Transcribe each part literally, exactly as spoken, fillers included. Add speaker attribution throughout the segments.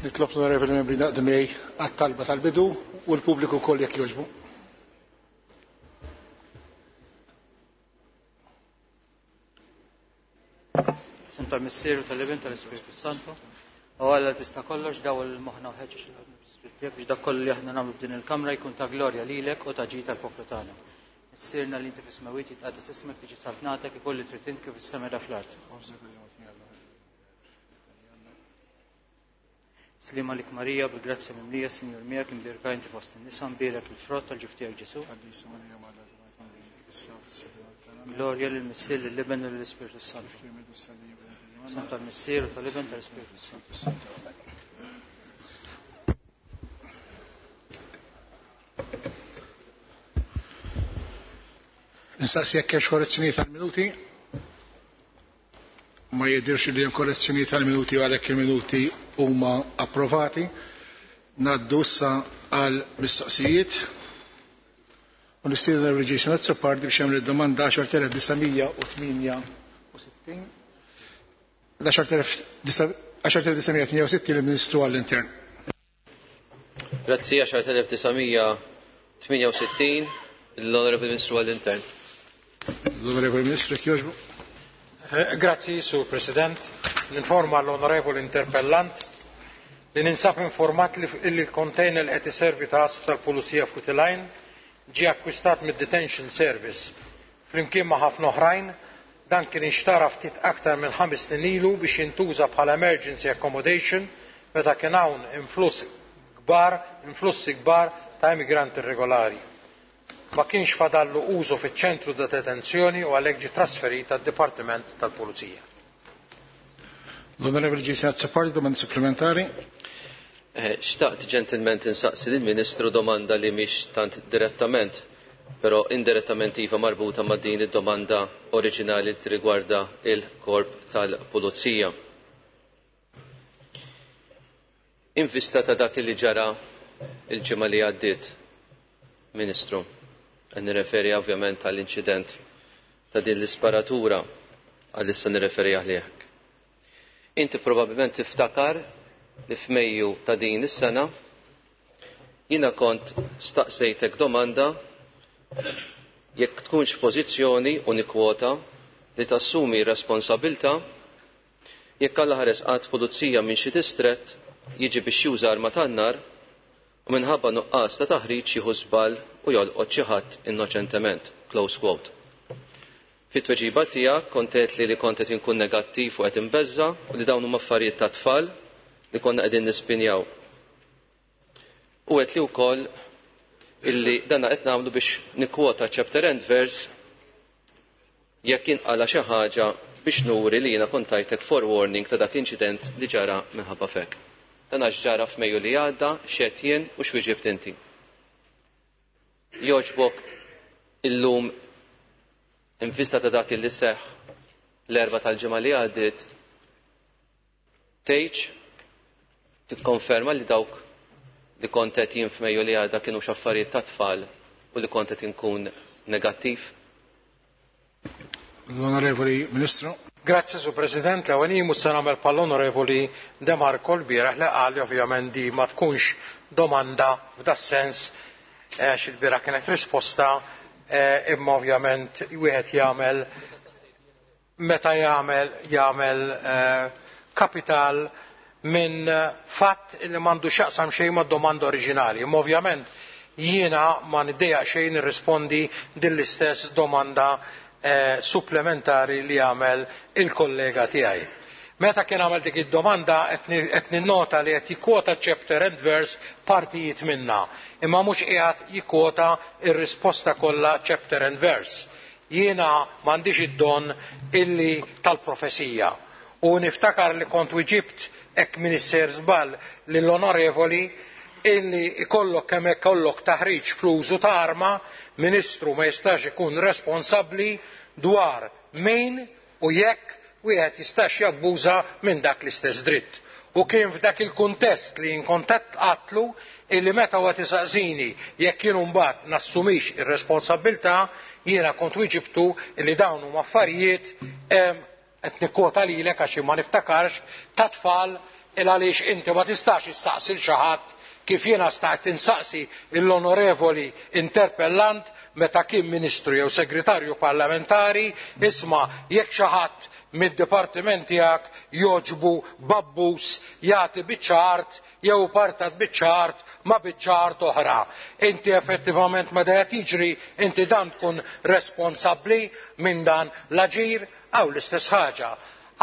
Speaker 1: Nitlob l-onorevoli membri naqdu miegħi għat-talba tal-bidu u l-pubbliku wkoll jekk jogħġbu.
Speaker 2: Isem tal-Missier u tal-Ibn tal-Ispiritu Santu. O Alla tista' kollox daw il-moħħna u ħeġġeġ il-Ispiritu biex dak kollu li aħna nagħmlu f'din il-kamra jkun ta' glorja lilek u ta' ġid tal-poplu tagħna. Missierna li inti fis-smewwiet jitqaddes ismek tiġi saltnatek ikun li trid int kif is-sema da fl-art. Slima lik Marija, bil-grazzja mimlija, Sinjur miegħek imbierka inti fost in-nisa, mbierek il-frott tal-ġuf tiegħek Ġesu. Glorja lill-Missier, lill-Iben u lill-Ispirtu Santu. Isem tal-Missier u tal-Iben tal-Ispirtu Santu.
Speaker 1: Nistaqsi jekk hemmx korrezzjonijiet tal-minuti. Ma jidhirx li hemm korrezzjonijiet tal-minuti u għalhekk il-minuti huma approvati. Ngħaddu issa għal mistoqsijiet. U nistieden lil Jason Azzopardi biex jagħmel id-domanda għaxar telef disa' mija u tmienja u sittin. Għaxar telef disa' mija u tmienja u sittin lill-Ministru għall-Intern.
Speaker 3: Grazzi, għaxar telef disa' mija u tmienja u sittin l-Onorevoli Ministru għall-Intern.
Speaker 1: L-Onorevoli Ministru, jekk jogħġbu.
Speaker 4: Eh, grazzi, Sur President. Ninforma l-Onorevoli Interpellant li ninsab informat li l-container li qed iservi ta' għassa tal-Pulizija f'Wied ġie akkwistat mid-Detention Service flimkien ma' ħafna oħrajn. Dan kien inxtara ftit aktar minn ħames snin ilu biex jintuża bħala emergency accommodation meta kien hawn influss kbar, influssi kbar ta' immigranti irregolari. Ma kienx fadallu użu fiċ-ċentru ta' detenzjoni u għalhekk ġie trasferit għad-Dipartiment tal-Pulizija.
Speaker 1: L-Onorevoli Jason Azzopardi, domanda supplementari.
Speaker 3: Eh, xtaqt ġentilment insaqsi lill-Ministru domanda li mhix tant direttament, però indirettament iva marbuta ma' din id-domanda oriġinali li tirrigwarda il-korp tal-Pulizija. In vista ta' dak li ġara il-ġimgħa li għaddiet, Ministru, nirreferi ovvjament għall-inċident ta' din l-isparatura għal issa nirreferi għalih. Inti probabbilment tiftakar li f'Mejju ta' din is-sena jiena kont staqsejtek domanda jekk tkunx pożizzjoni u nikkwota li tassumi responsabilta jekk Alla ħares qatt pulizija minn xi distrett jiġi biex juża arma tan-nar u minħabba nuqqas ta' taħriġ jieħu żball u jolqot xi ħadd innoċentement. Close quote. Fit-tweġiba tiegħek kont għedt li li kont qed inkun negattiv u qed imbeżża u li dawn huma affarijiet ta' tfal li konna qegħdin nispinjaw. U għedt li wkoll illi danna qed nagħmlu biex nikkwota chapter and verse jekk inqala xi ħaġa biex nuri li jiena kont tajtek forewarning ta' dak l-inċident li ġara minħabba fek. Dan għax ġara f'Mejju li għadda, x'għedt jien u x'wieġibt inti. Jogħġbok illum in vista ta' dak li seħħ l-erba tal-ġimgħa li għaddiet, tgħidx tikkonferma li dawk li kont qed jien f'Mejju li għadda kienu x'affarijiet ta' tfal u li kont qed inkun negattiv?
Speaker 1: L-Onorevoli Ministru.
Speaker 4: Grazzi, Sur President. L-ewwel jien mhux se nagħmel bħall-Onorevoli De Marco l-bieraħ li qal li ovvjament di ma tkunx domanda f'das-sens għax il-bieraħ kienet risposta, eh, imma ovvjament wieħed jagħmel meta jagħmel jagħmel, eh, kapital minn fatt li m'għandu x'jaqsam xejn mad-domanda oriġinali. Imma ovvjament jiena ma niddejjaq xejn nirrispondi din l-istess domanda, eh, supplementari li għamel il-kollega tiegħi. Meta kien għamel dik id-domanda qed ninnota li qed jikkwota chapter and verse partijiet minna, imma mhux qiegħed jikkwota r-risposta kollha chapter and verse. Jiena m'għandix id-don illi tal-profezija. U niftakar li kont wieġibt hekk Minister żball lill-onorevoli illi ikollok kemm ikollok taħriġ fl-użu ta' arma, ministru ma jistax ikun responsabbli dwar min u jekk wieħed jistax jabbuża minn dak l-istess dritt. U kien f'dak il-kuntest li inkontatt qatlu illi meta huwa tisaqsini jekk jien mbagħad nassumix ir-responsabbiltà, jiena kont wieġibtu illi dawn huma affarijiet, em, qed nikkwota lilek għax ma niftakarx, ta' tfal Il għaliex inti ma tistax issaqsi l xi ħadd kif jiena stajt insaqsi l-onorevoli interpellant meta kien ministru jew segretarju parlamentari, isma' jekk xi ħadd mid-dipartiment tiegħek jogħġbu babbus jagħti biċċa art jew partat biċċa art ma' biċċa art oħra. Inti effettivament meta qed jiġri inti dan tkun responsabbli minn dan l-aġir għaw l-istess ħaġa.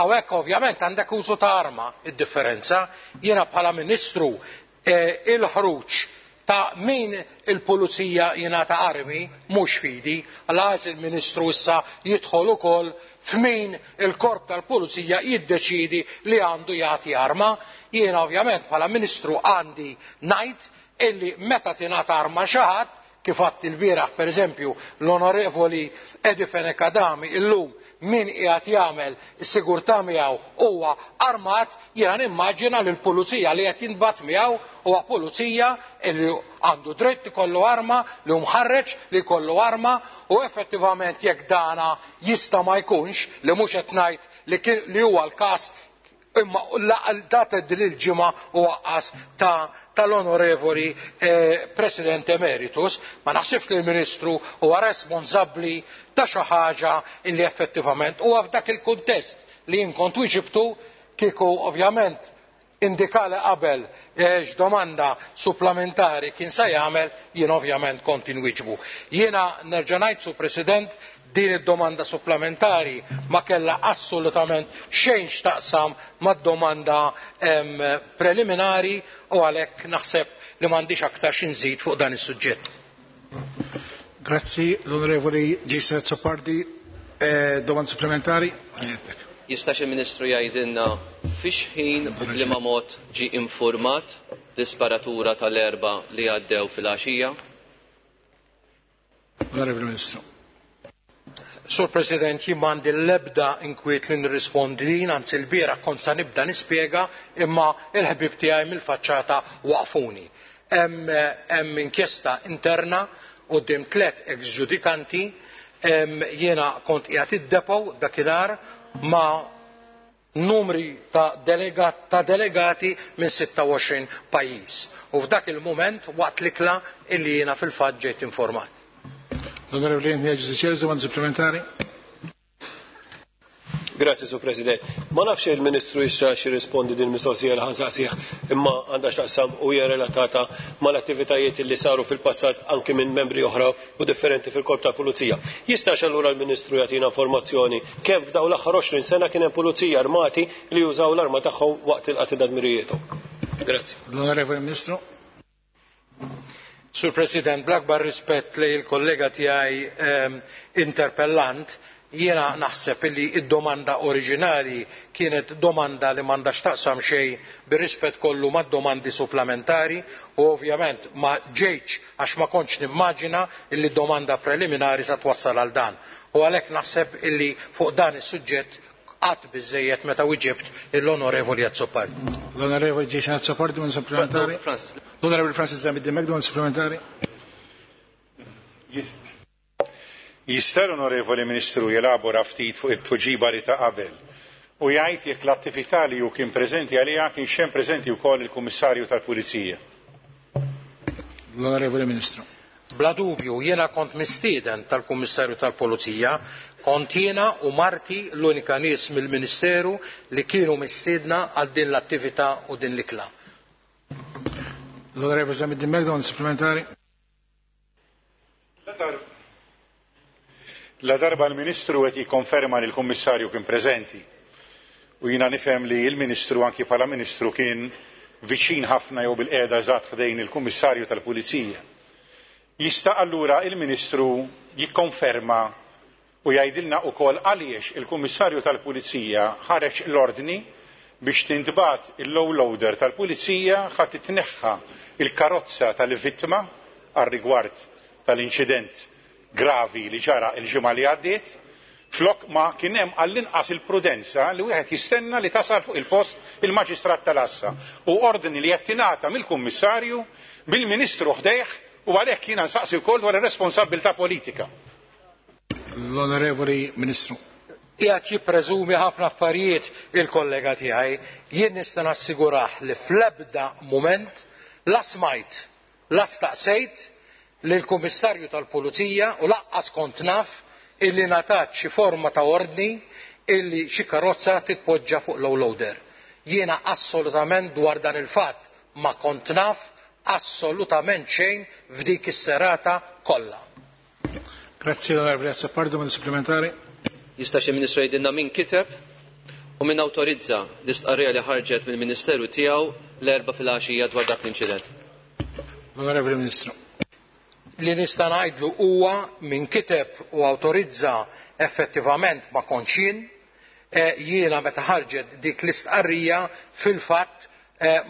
Speaker 4: Hawnhekk ovvjament għandek użu ta' arma, id-differenza. Jiena bħala ministru il-ħruġ ta' min il-pulizija jingħata armi mhux fidi, għalhekk il-ministru issa jidħol ukoll f'min il-korp tal-pulizija jiddeċidi li għandu jagħti arma. Jiena ovvjament bħala ministru għandi ngħid illi meta tingħata arma xi ħadd, kif għadt il-bieraħ pereżempju l-onorevoli Eddie Fenech Adami illum min qiegħed jagħmel is-sigurtà miegħu huwa armat, jiena nimmaġina li l-pulizija li qed jinbagħat miegħu huwa pulizija li għandu dritt ikollu arma, li hu mħarreġ li jkollu arma, u effettivament jekk dana jista' ma jkunx, li mhux qed ngħid li kien li huwa l-każ, imma data din il-ġimgħa u waqqas ta' tal-onorevoli eh, President Emeritus, ma naħsibx li l-Ministru huwa responsabbli ta' xi ħaġa illi effettivament huwa f'dak il-kuntest li jien kont wieġibtu kieku ovvjament indikali qabel x'domanda supplementari kien se jagħmel, jien ovvjament kont inwieġbu. Jiena nerġa' ngħid, Sur President, din id-domanda supplementari ma kellha assolutament xejn x'taqsam mad-domanda preliminari u għalhekk naħseb li m'għandix aktar xi nżid fuq dan is-suġġett.
Speaker 1: Grazzi, l-Onorevoli Jason Azzopardi. Eh, domanda supplementari?
Speaker 3: Jistax il-Ministru jgħidilna fiex ħin u b'liema mod ġie informat l-isparatura tal-erba li għaddew fil-għaxija?
Speaker 1: Onorevoli Ministru.
Speaker 4: Sur President, jien m'għandi l-ebda inkwiet li nirrispondi din, anzi l-bieraħ kont sa nibda nispjega, imma il-ħbib tiegħi mill-faċċata waqfuni. Hemm inkjesta interna quddiem tliet ex-ġudikanti, jiena kont qiegħed id-depo dakinhar ma' numri ta' delegat, ta' delegati minn sitta u għoxrin pajjiż. U f'dak il-mument waqt l-ikla illi jiena fil-fatt ġejt informat.
Speaker 1: L-Onorevoli Anthony Agius, domanda supplementari.
Speaker 5: Grazie, Sur President. Ma nafx il-Ministru issa xi rispondi din mistoqsija li ħansaqsih, imma għandha x'taqsam u hija relatata mal-attivitajiet li saru fil-passat anke minn membri oħra u differenti fil-korp tal-Pulizija. Jistax allura l-Ministru jagħtina informazzjoni kemm f'dawn l-aħħar għoxrin sena kien hemm pulizija armati li jużaw l-arma tagħhom waqt il-qatl ta' dmirijiethom. Grazie.
Speaker 1: L-Onorevoli Ministru.
Speaker 4: Sur President, bl-akbar rispett li l-kollega tiegħi ehm, interpellant, jiena naħseb illi id-domanda oriġinali kienet domanda li m'għandha x'taqsam xejn bir-rispett kollu mad-domandi supplementari u ovvjament ma ġejtx għax ma kontx nimmaġina illi domanda preliminari sa twassal għal dan. U għalhekk naħseb illi fuq dan is-suġġett qatt biżejjed meta wieġibt l-Onorevoli Azzopardi.
Speaker 1: L-Onorevoli Jason Azzopardi, domanda supplementari. L-Onorevoli Francis Zammit Dimech, domanda supplementari.
Speaker 6: Jista' l-Onorevoli Ministru jelabora ftit fuq it-tweġiba li ta' qabel u jgħid jekk l-attività li hu kien preżenti għaliha kien xem preżenti wkoll il-Kummissarju tal-Pulizija.
Speaker 1: L-Onorevoli Ministru.
Speaker 4: Bla dubju, jiena kont mistieden tal-Kummissarju tal-Pulizija, kont jiena u Marti l-unika nies mill-Ministeru li kienu mistiedna għal din l-attività u din l-ikla.
Speaker 1: L-Onorevoli Zammit Dimech, domanda supplementari.
Speaker 6: La darba l-Ministru qed jikkonferma li l-Kummissarju kien preżenti u jiena nifhem li l-Ministru anki bħala Ministru kien viċin ħafna jew bil-qiegħda eżatt ħdejn il-Kummissarju tal-Pulizija. Jista' allura il-Ministru jikkonferma u jgħidilna wkoll għaliex il-Kummissarju tal-Pulizija ħareġ l-ordni biex tintbagħat il-low loader tal-Pulizija ħadd titneħħa il-karozza tal-vittma għar-rigward tal-inċident gravi li ġara il-ġimgħa li għaddiet, flok ma kien hemm għall-inqas il-prudenza li wieħed jistenna li tasal fuq il-post il-Maġistrat tal-Assa u ordni li qed tingħata mill-Kummissarju, mill-Ministru ħdejh, u għalhekk jiena nsaqsi wkoll dwar ir-responsabbiltà politika.
Speaker 1: L-Onorevoli Ministru.
Speaker 4: Qiegħed jippreżumi ħafna affarijiet il-kollega tiegħi. Jien nista' nassigurah li fl-ebda mument la smajt, la staqsejt lill-Kummissarju tal-Pulizija u lanqas kont naf illi ngħatat xi forma ta' ordni illi xi karozza titpoġġa fuq low loader. Jiena assolutament dwar dan il-fatt ma kont naf assolutament xejn f'dik is-serata kollha.
Speaker 1: Grazzi l-Onorevoli Azzopardi, domanda supplementari.
Speaker 3: Jista' xi Ministru jgħidilna min kiteb u min awtorizza l-istqarrija li ħarġet mill-Ministeru tiegħu l-Erbgħa filgħaxija dwar dak l-inċident?
Speaker 1: L-Onorevoli Ministru.
Speaker 4: Li nista' ngħidlu huwa min kiteb u awtorizza effettivament ma kontx jien. Jiena meta ħarġet dik l-istqarrija fil-fatt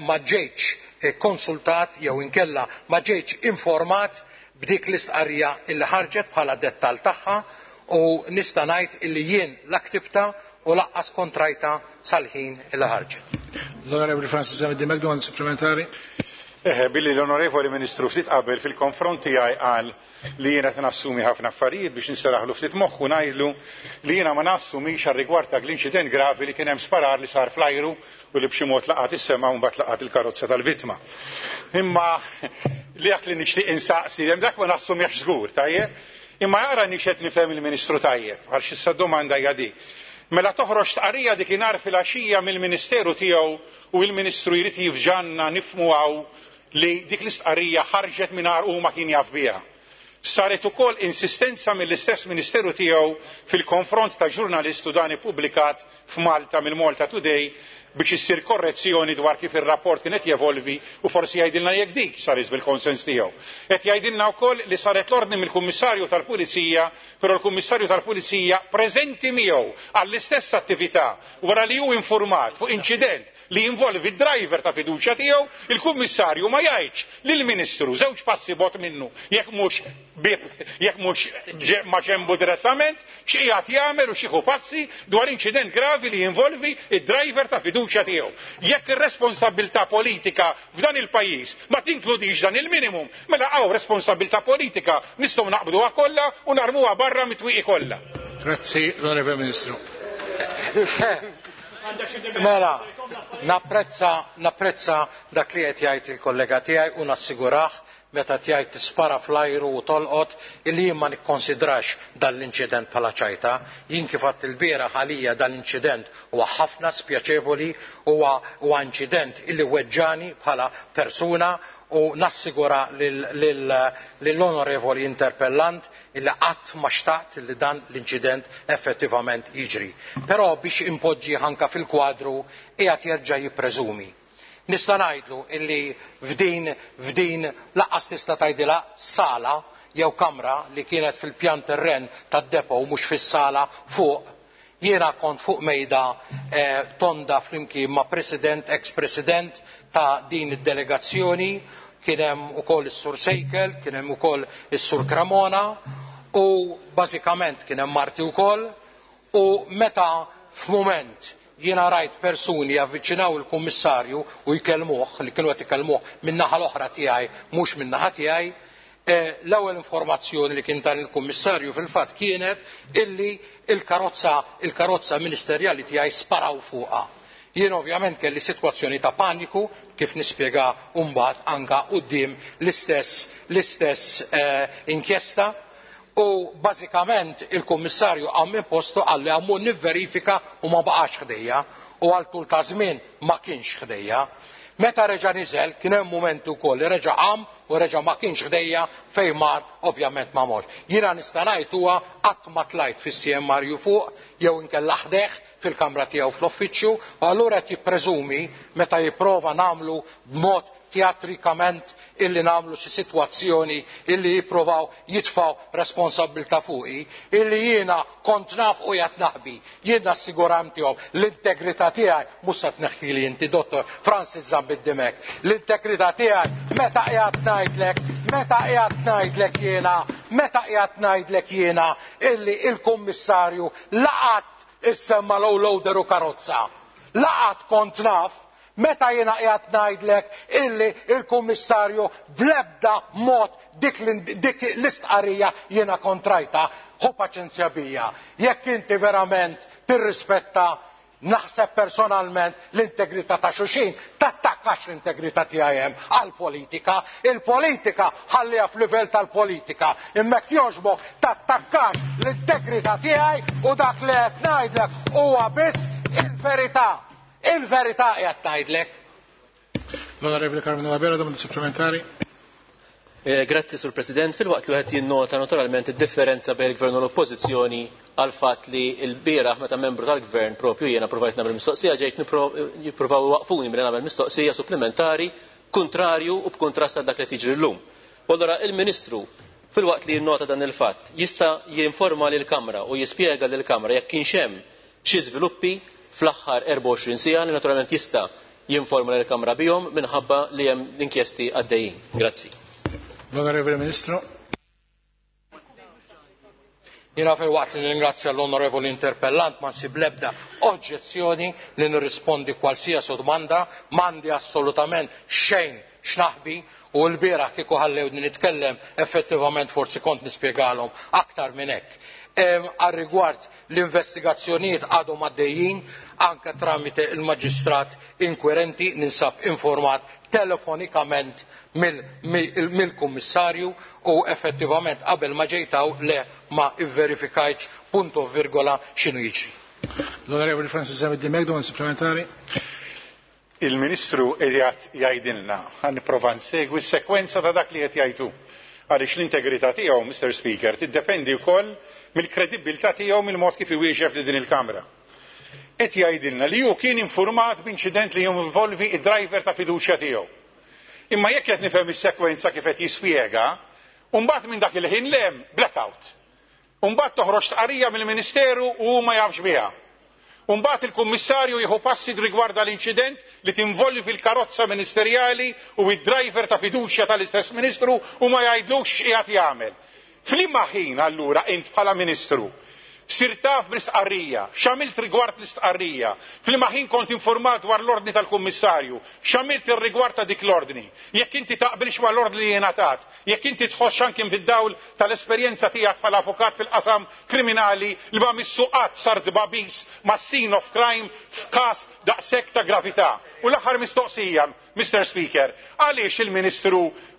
Speaker 4: ma ġejtx konsultat jew inkella ma ġejtx informat b'dik l-istqarrija illi ħarġet bħala dettal tagħha u nista' ngħid illi jien la ktibta u laqqas kontrajta sal-ħin illi ħarġet.
Speaker 1: L-Onorevoli Francis Zammit Dimech, domanda supplementari.
Speaker 6: Eħe, billi l-Onorevoli Ministru ftit qabel fil-konfront tiegħi qal li jiena qed nassumi ħafna affarijiet biex niseraħlu ftit moħħu ngħidlu li jiena ma nassumix għar-rigward ta' l-inċident gravi li kien hemm sparar li sar fl-ajru u li b'xi mod laqat is-sema u mbagħad laqat il-karozza tal-vittma. Imma li dak li nixtieq insaqsi hemm dak ma nassumix żgur, tajjeb? Imma jara nixed nifhem il-Ministru tajjeb, għal x'issa domanda hija dik. Mela toħroġ tqarrija dikinhar fil-għaxija mill-Ministeru tiegħu u l-Ministru jrid jifġanna nifhmu hawn li dik l-istqarrija ħarġet mingħajr hu ma kien jaf biha. Saret ukoll insistenza mill-istess Ministeru tiegħu fil-konfront ta' ġurnalistu dan ippubblikat f'Malta mill-Malta Today biex issir korrezzjoni dwar kif ir-rapport kien qed jevolvi u forsi jgħidilna jekk dik saret bil-konsens tiegħu. Qed jgħidilna wkoll li saret l-ordni mill-Kummissarju tal-Pulizija, però l-Kummissarju tal-Pulizija preżenti miegħu għall-istess attività wara li hu informat fuq inċident li jinvolvi d-driver ta' fiduċja tiegħu, il-Kummissarju ma jgħidx lill-Ministru żewġ passi bot minnu jekk mhux jekk mhux ma ġembu direttament x'qiegħed jagħmel u xieħu passi dwar inċident gravi li jinvolvi id-driver ta' fiduċja tiegħu. Jekk ir-responsabilità politika f'dan il-pajjiż ma tinkludix dan il-minimum, mela hawn responsabilità politika nistgħu naqbduha kollha u narmuha barra mit-twieqi kollha.
Speaker 1: Grazzi, l-Onorevole Ministru.
Speaker 4: Mela, napprezza napprezza dak li qed jgħid il-kollega tiegħi u nassigurah meta tgħid tispara fl-ajru u tolqot illi jien ma nikkonsidrax dan l-inċident bħala ċajta. Jien kif għadt il-bieraħ għalija dan l-inċident huwa ħafna spjaċevoli, huwa huwa inċident illi weġġani bħala persuna u nassigura lill-onorevoli interpellant illi qatt ma xtaqt li dan l-inċident effettivament jiġri. Però biex impoġġi anka fil-kwadru qiegħed jerġa' jippreżumi. Nista' ngħidlu illi f'din f'din lanqas tista' tgħidilha sala jew kamra li kienet fil-pjan terren tad-depo u mhux fis-sala fuq. Jiena kont fuq mejda eh, tonda flimkien ma' president, ex-president ta' din id-delegazzjoni, kien hemm ukoll is-Sur Sejkel, kien hemm ukoll is-Sur Cremona u bażikament kien hemm Marti wkoll u meta f'mument jiena rajt persuni javviċinaw il-kummissarju u jkellmuh, li kienu qed ikellmuh min-naħa l-oħra tiegħi mhux min-naħa tiegħi, l-ewwel informazzjoni li kien dan il-kummissarju fil-fatt kienet illi il-karozza il-karozza ministerjali tiegħi sparaw fuqha. Jien ovvjament kelli sitwazzjoni ta' paniku kif nispjega mbagħad anka quddiem l-istess l-istess inkjesta u bażikament il-kummissarju qam minn postu qal li għammu nivverifika u ma baqax ħdejja u għal tul ta' żmien ma kienx ħdejja. Meta reġa' niżel kien hemm mument ukoll li reġa' qam u reġa' ma kienx ħdejja fejn mar ovvjament ma morx. Jiena nista' ngħid huwa qatt ma tlajt fis-C M R U fuq jew inkella ħdejh fil-kamra tiegħu fl-uffiċċju u allura qed jippreżumi meta jipprova nagħmlu b'mod teatrikament illi nagħmlu xi sitwazzjoni illi jipprovaw jitfgħu responsabilità fuqi illi jiena kont naf u qiegħed naħbi. Jien nassiguram tiegħu l-integrità tiegħi mhux se tneħħili inti Dottor Francis Zammit Dimech. L-integrità tiegħi meta qiegħed ngħidlek, meta qiegħed ngħidlek jiena, meta qiegħed ngħidlek jiena illi il-kummissarju laqat issemma low loader u karozza. Laqat kont naf meta jiena qiegħed ngħidlek illi il-kummissarju bl-ebda mod dik l-istqarrija jiena kontrajta, ħu paċenzja bija. Jekk inti verament tirrispetta naħseb personalment l-integrità ta' xulxin, tattakkax l-integrità tiegħi hemm għall-politika. Il-politika ħalliha f'livell tal-politika. Imma jekk jogħġbok tattakkax l-integrità tiegħi u dak li qed ngħidlek huwa biss il-verità. Il-verità qed ngħidlek.
Speaker 1: L-Onorevoli Karmenu Abela, domanda supplementari.
Speaker 3: Eh, grazzi, Sur President. Filwaqt li wieħed jinnota naturalment id-differenza bejn il-Gvern u l-Oppożizzjoni għal fatt li l-bieraħ meta membru tal-Gvern propju jiena provajt nagħmel mistoqsija ġejt jippruvaw iwaqqfuni milli nagħmel mistoqsija supplementari kontrarju u b'kuntrast għal dak li tiġri llum. U allura il-Ministru filwaqt li jinnota dan il-fatt jista' jinforma lill-Kamra u jispjega lill-Kamra jekk kienx hemm xi żviluppi fl-aħħar erbgħa u għoxrin siegħa li naturalment jista' jinforma lill-Kamra bihom minħabba li hemm l-inkjesti għaddejjin. Grazzi.
Speaker 1: L-Onorevole Ministru.
Speaker 4: Jiena filwaqt li ningrazzja l-Onorevoli Interpellant ma nsib l-ebda oġġezzjoni li nirrispondi qualsiasi domanda, m'għandi assolutament xejn x'naħbi u l-bieraħ kieku ħallewni nitkellem effettivament forsi kont nispjegalhom aktar minn hekk. Għal rigward l-investigazzjonijiet għadhom għaddejjin anke tramite il-maġistrat inkwirenti ninsab informat telefonikament mill-kummissarju u effettivament qabel ma ġejtaw le ma ivverifikajtx punto virgola x'inhu jiġri.
Speaker 1: L-Onorevoli Francis Zammit Dimech, domanda supplementari.
Speaker 6: Il-Ministru qiegħed jgħidilna, ħa nipprova nsegwi s-sekwenza ta' dak li qed jgħidu. Għaliex l-integrità tiegħu, Mister Speaker, tiddependi wkoll mill-kredibilità tiegħu mill-mod kif iwieġeb li din il-Kamra. Qed jgħidilna li hu kien informat b'inċident li jinvolvi id-driver ta' fiduċja tiegħu. Imma jekk qed nifhem is-sekwenza kif qed jispjega, u mbagħad minn dak il-ħin lem blackout. U mbagħad toħroġ stqarrija mill-Ministeru u hu ma jafx biha. U mbagħad il-Kummissarju jieħu passi rigward l-inċident li tinvolvi fil-karozza ministerjali u id-driver ta' fiduċja tal-istess Ministru u ma jgħidlux x'qiegħed jagħmel. F'liema ħin allura int bħala Ministru sirt taf bl-istqarrija, x'għamilt rigward l-istqarrija, f'liema ħin kont informat dwar l-ordni tal-Kummissarju, x'għamilt ir-rigward ta' dik l-ordni, jekk inti taqbilx ma' l-ordni li jingħatat, jekk inti tħossx anke fid-dawl tal-esperjenza tiegħek bħala avukat fil-qasam kriminali li ma missu qatt sar dbabis ma' scene of crime f'każ daqshekk ta' gravità. U l-aħħar mistoqsija, Mister Speaker, għaliex il-Ministru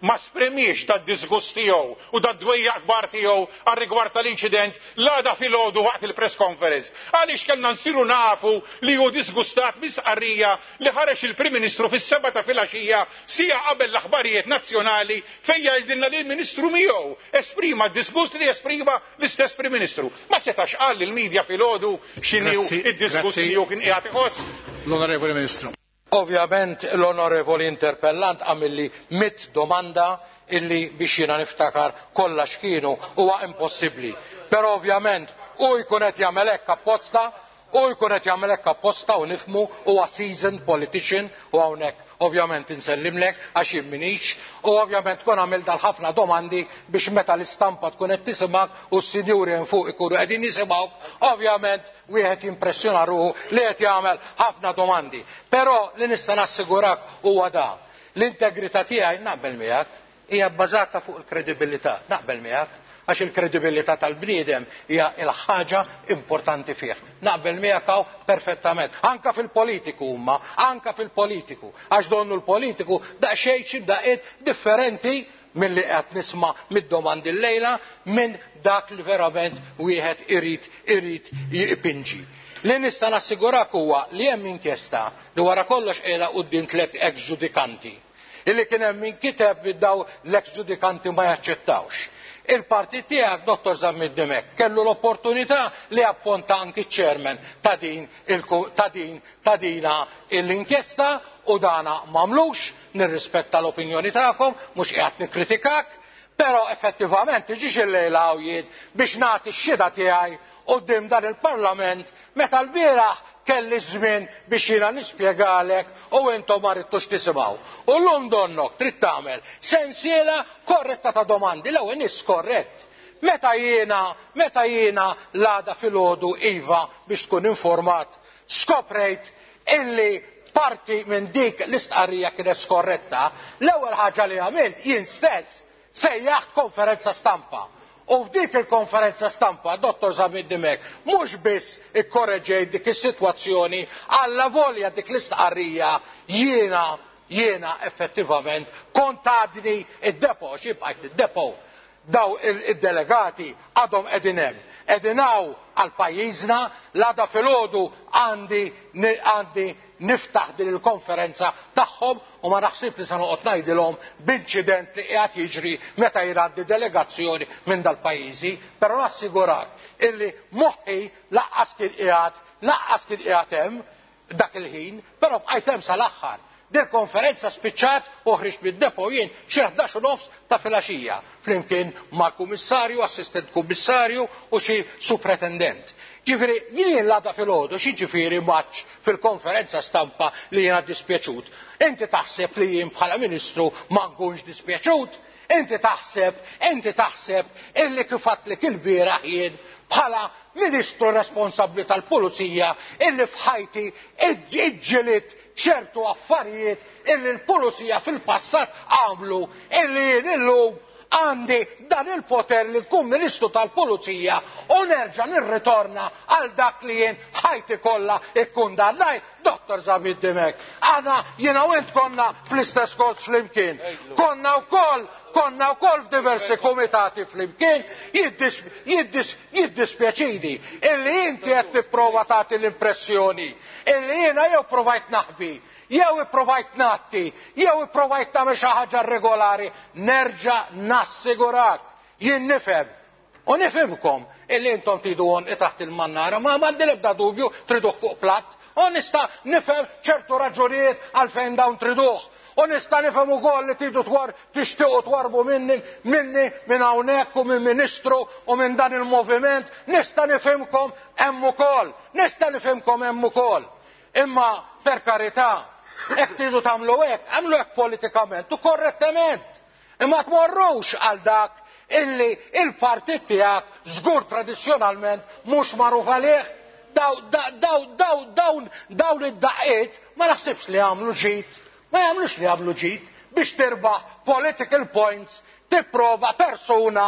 Speaker 6: ma sprimiex tad-disgust tiegħu u tad-dwejjaq kbar tiegħu għal rigward tal-inċident l-għada filgħodu waqt il-press conference? Għaliex kellna nsiru nafu li hu disgustat misqarrija li ħareġ il-Prim Ministru fis-seba' ta' filgħaxija sija qabel l-aħbarijiet nazzjonali fejn jgħidilna li l-Ministru miegħu esprima d-disgust li esprima l-istess Prim Ministru. Ma setax qal lill-medja filgħodu x'inhu
Speaker 1: Grazzi,
Speaker 6: id-disgust
Speaker 1: grazzi.
Speaker 6: li hu kien qiegħed iħoss.
Speaker 1: L-Onorevoli Ministru.
Speaker 4: Ovvjament l-Onorevoli Interpellant għamilli mitt domanda illi biex jiena niftakar kollha x'kienu huwa impossibbli. Però ovvjament hu jkun qed jagħmel hekk apposta, hu jkun qed jagħmel hekk apposta u nifhmu huwa seasoned politician u hawnhekk ovvjament insellimlek għax jien minix u ovvjament tkun għamil dal-ħafna domandi biex meta l-istampa tkun qed tisimgħek u s-sinjuri hemm fuq ikunu qegħdin jisimgħuk, ovvjament wieħed jimpressjona ruħu li qed jagħmel ħafna domandi. Però li nista' nassigurak huwa da. L-integrità tiegħi naqbel miegħek hija bbażata fuq il-kredibilità, naqbel miegħek għax il-kredibilità tal-bniedem hija l-ħaġa importanti fih. Naqbel miegħek hawn perfettament. Anka fil-politiku huma, anka fil-politiku, għax donnu l-politiku daqsxejn xi daqqiet differenti milli qed nisma' mid-domandi llejla minn dak li verament wieħed irid irid jipinġi. Li nista' nassigurak huwa li hemm inkjesta li wara kollox qiegħda quddiem tliet ex-ġudikanti. Illi kien hemm min kiteb li daw l-ex-ġudikanti ma jaċċettawx. Il-partit tiegħek, Dottor Zammit Dimech, kellu l-opportunità li apponta anki chairman ta' din il-ku-, ta' din, ta' dina l-inkjesta u dana m'għamlux, nirrispetta l-opinjoni tagħkom, mhux qiegħed nikkritikak, però effettivament tiġix illejla hawn jien biex nagħti x-xhieda tiegħi quddiem dan il-Parlament meta l-bieraħ kelli żmien biex jiena nispjegalek u intom ma ridtux tisimgħu. U llum donnok trid tagħmel sensiela korretta ta' domandi, l-ewwel nies korrett. Meta jiena, meta jiena l-għada filgħodu iva biex tkun informat, skoprejt illi parti minn dik l-istqarrija kienet skorretta, l-ewwel ħaġa li għamilt jien stess sejjaħt konferenza stampa. U f'dik il-konferenza stampa, Dottor Zammit Dimech, mhux biss ikkorreġejt dik is-sitwazzjoni, alla volja dik l-istqarrija jiena jiena effettivament kont għadni id-depo, xi bqajt id-depo. Daw id-delegati għadhom qegħdin hemm. Qegħdin hawn għal pajjiżna, l-għada filgħodu għandi għandi niftaħ din il-konferenza tagħhom u ma naħsib li se noqgħod ngħidilhom b'inċident li qiegħed jiġri meta jgħaddi delegazzjoni minn dal-pajjiżi, però nassigurak illi moħħi laqqas kien qiegħed laqqas kien qiegħed hemm dak il-ħin, però bqajt hemm sal-aħħar. Dil konferenza spiċċat u ħriġt mid-depo jien xi ħdax u nofs ta' filgħaxija flimkien ma' kummissarju, assistent kummissarju u xi supretendent. Ġifieri jien l-għada filgħodu xi ġifieri maċ fil-konferenza stampa li jiena dispjaċut. Inti taħseb li jien bħala ministru ma nkunx dispjaċut? Inti taħseb, inti taħseb illi kif għedtlek il-bieraħ jien bħala ministru responsabbli tal-pulizija illi f'ħajti iġġilit ċertu affarijiet illi l-pulizija fil-passat għamlu illi jien illum għandi dan il-poter li tkun ministru tal-pulizija u nerġa' nirritorna għal dak li jien ħajti kollha ikkundannajt, Dottor Zammit Dimech. Aħna jiena u int konna fl-istess kors flimkien. Konna wkoll konna wkoll f'diversi komitati flimkien, jiddispjaċini illi inti qed tipprova tagħti l-impressjoni illi jiena jew provajt naħbi, jew ipprovajt natti, jew ipprovajt nagħmel xi ħaġa regolari, nerġa' nassigurak, jien nifhem. U nifhimkom illi intom tridu għonqi taħt il-mannara, ma m'għandi l-ebda dubju triduh fuq platt, u nista' nifhem ċertu raġunijiet għalfejn dawn triduh. U nista' nifhem ukoll li tridu twar tixtiequ twarbu minni, minni minn hawnhekk u minn ministru u minn dan il-moviment, nista' nifhimkom hemm ukoll, nista' nifhimkom hemm ukoll. Imma per karità, hekk tridu tagħmlu hekk, għamlu hekk politikament u korrettament. Imma tmorrux għal dak illi il-partit tiegħek żgur tradizzjonalment mhux magħruf għalih. Daw, daw, daw, dawn, dawn id-daqqiet ma naħsibx li għamlu ġid, ma jagħmlux li għamlu ġid biex tirbaħ political points, tipprova persuna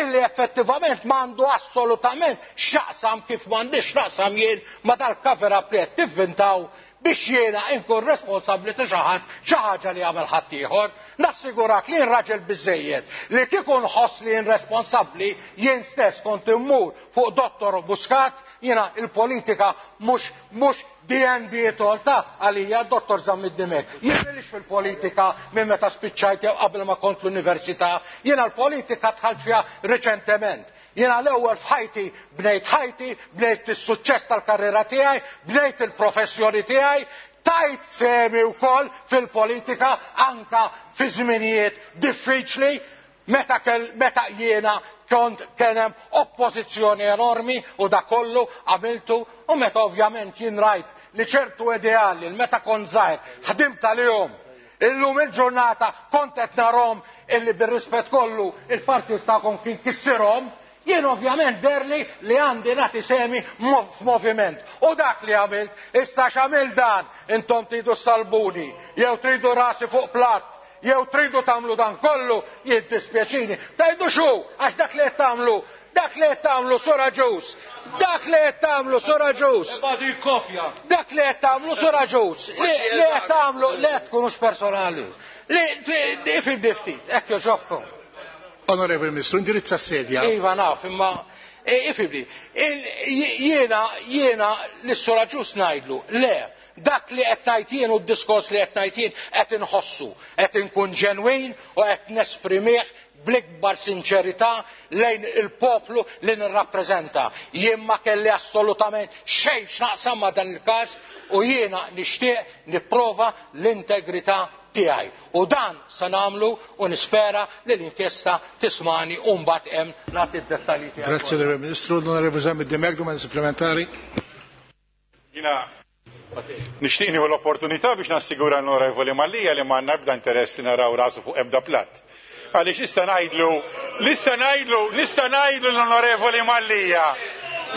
Speaker 4: illi effettivament m'għandu assolutament x'jaqsam kif m'għandix naqsam jien ma dal-cover up li qed tivvintaw biex jiena inkun responsabbli ta' xi ħadd xi ħaġa li jagħmel ħaddieħor. Nassigurak li jien raġel biżejjed li kieku nħoss li jien responsabbli jien stess kont immur fuq Dottor Muscat. Jiena il-politika mhux mhux D N B tolta għalija Dottor Zammit Dimech. Jien m'ilix fil-politika minn meta spiċċajt jew qabel ma kont l-università, jiena l-politika dħalt fiha reċentement. Jiena l-ewwel f'ħajti bnejt ħajti, bnejt is-suċċess tal-karriera tiegħi, bnejt il-professjoni tiegħi, tajt semi wkoll fil-politika anka fi żminijiet diffiċli meta kell, meta jiena kont kien hemm oppożizzjoni enormi u da kollu għamiltu, u meta ovvjament jien rajt li ċertu ideali meta kont żgħir ħdimt għalihom. Illum il-ġurnata kont qed narhom illi bir-rispett kollu il-partit tagħkom kien kissirhom, jien ovvjament derli li għandi nagħti semi f'moviment. U dak li għamilt, issa x'għamil dan, intom tridu salbuni, jew tridu rasi fuq platt, jew tridu tagħmlu dan kollu, jiddispjaċini. Tajdu xu, għax dak li qed tagħmlu, dak li qed tagħmlu Sura Ġus, dak li qed tagħmlu Sura Ġus. Dak li qed tagħmlu Sura Ġus, li qed tagħmlu li qed tkunux personali. Li fil ftit, hekk joġobkom.
Speaker 1: Onorevoli Ministru, indirizza s-sedja.
Speaker 4: Iva naf, imma ifibli, jiena jiena lis-Sura Ġus ngħidlu, le, dak li qed ngħid jien u d-diskors li qed ngħid jien qed inħossu, qed inkun ġenwin u qed nesprimih bl-ikbar sinċerità lejn il-poplu li nirrappreżenta. Jien ma kelli assolutament xejn x'naqsam ma' dan il-każ u jiena nixtieq nipprova l-integrità tiegħi. U dan se nagħmlu u nispera li l-inkjesta tismani u mbagħad hemm nagħti d-dettalji tiegħi.
Speaker 1: Grazie, Onorevole Ministru. L-Onorevole Zammit Dimech, domanda supplementari.
Speaker 6: Jiena nixtieq nieħu l-opportunità biex nassigura l-Onorevoli Mallia li m'għandna ebda interess li naraw rasu fuq ebda platt. Għaliex issa ngħidlu, issa ngħidlu, issa ngħidlu l-Onorevoli Mallia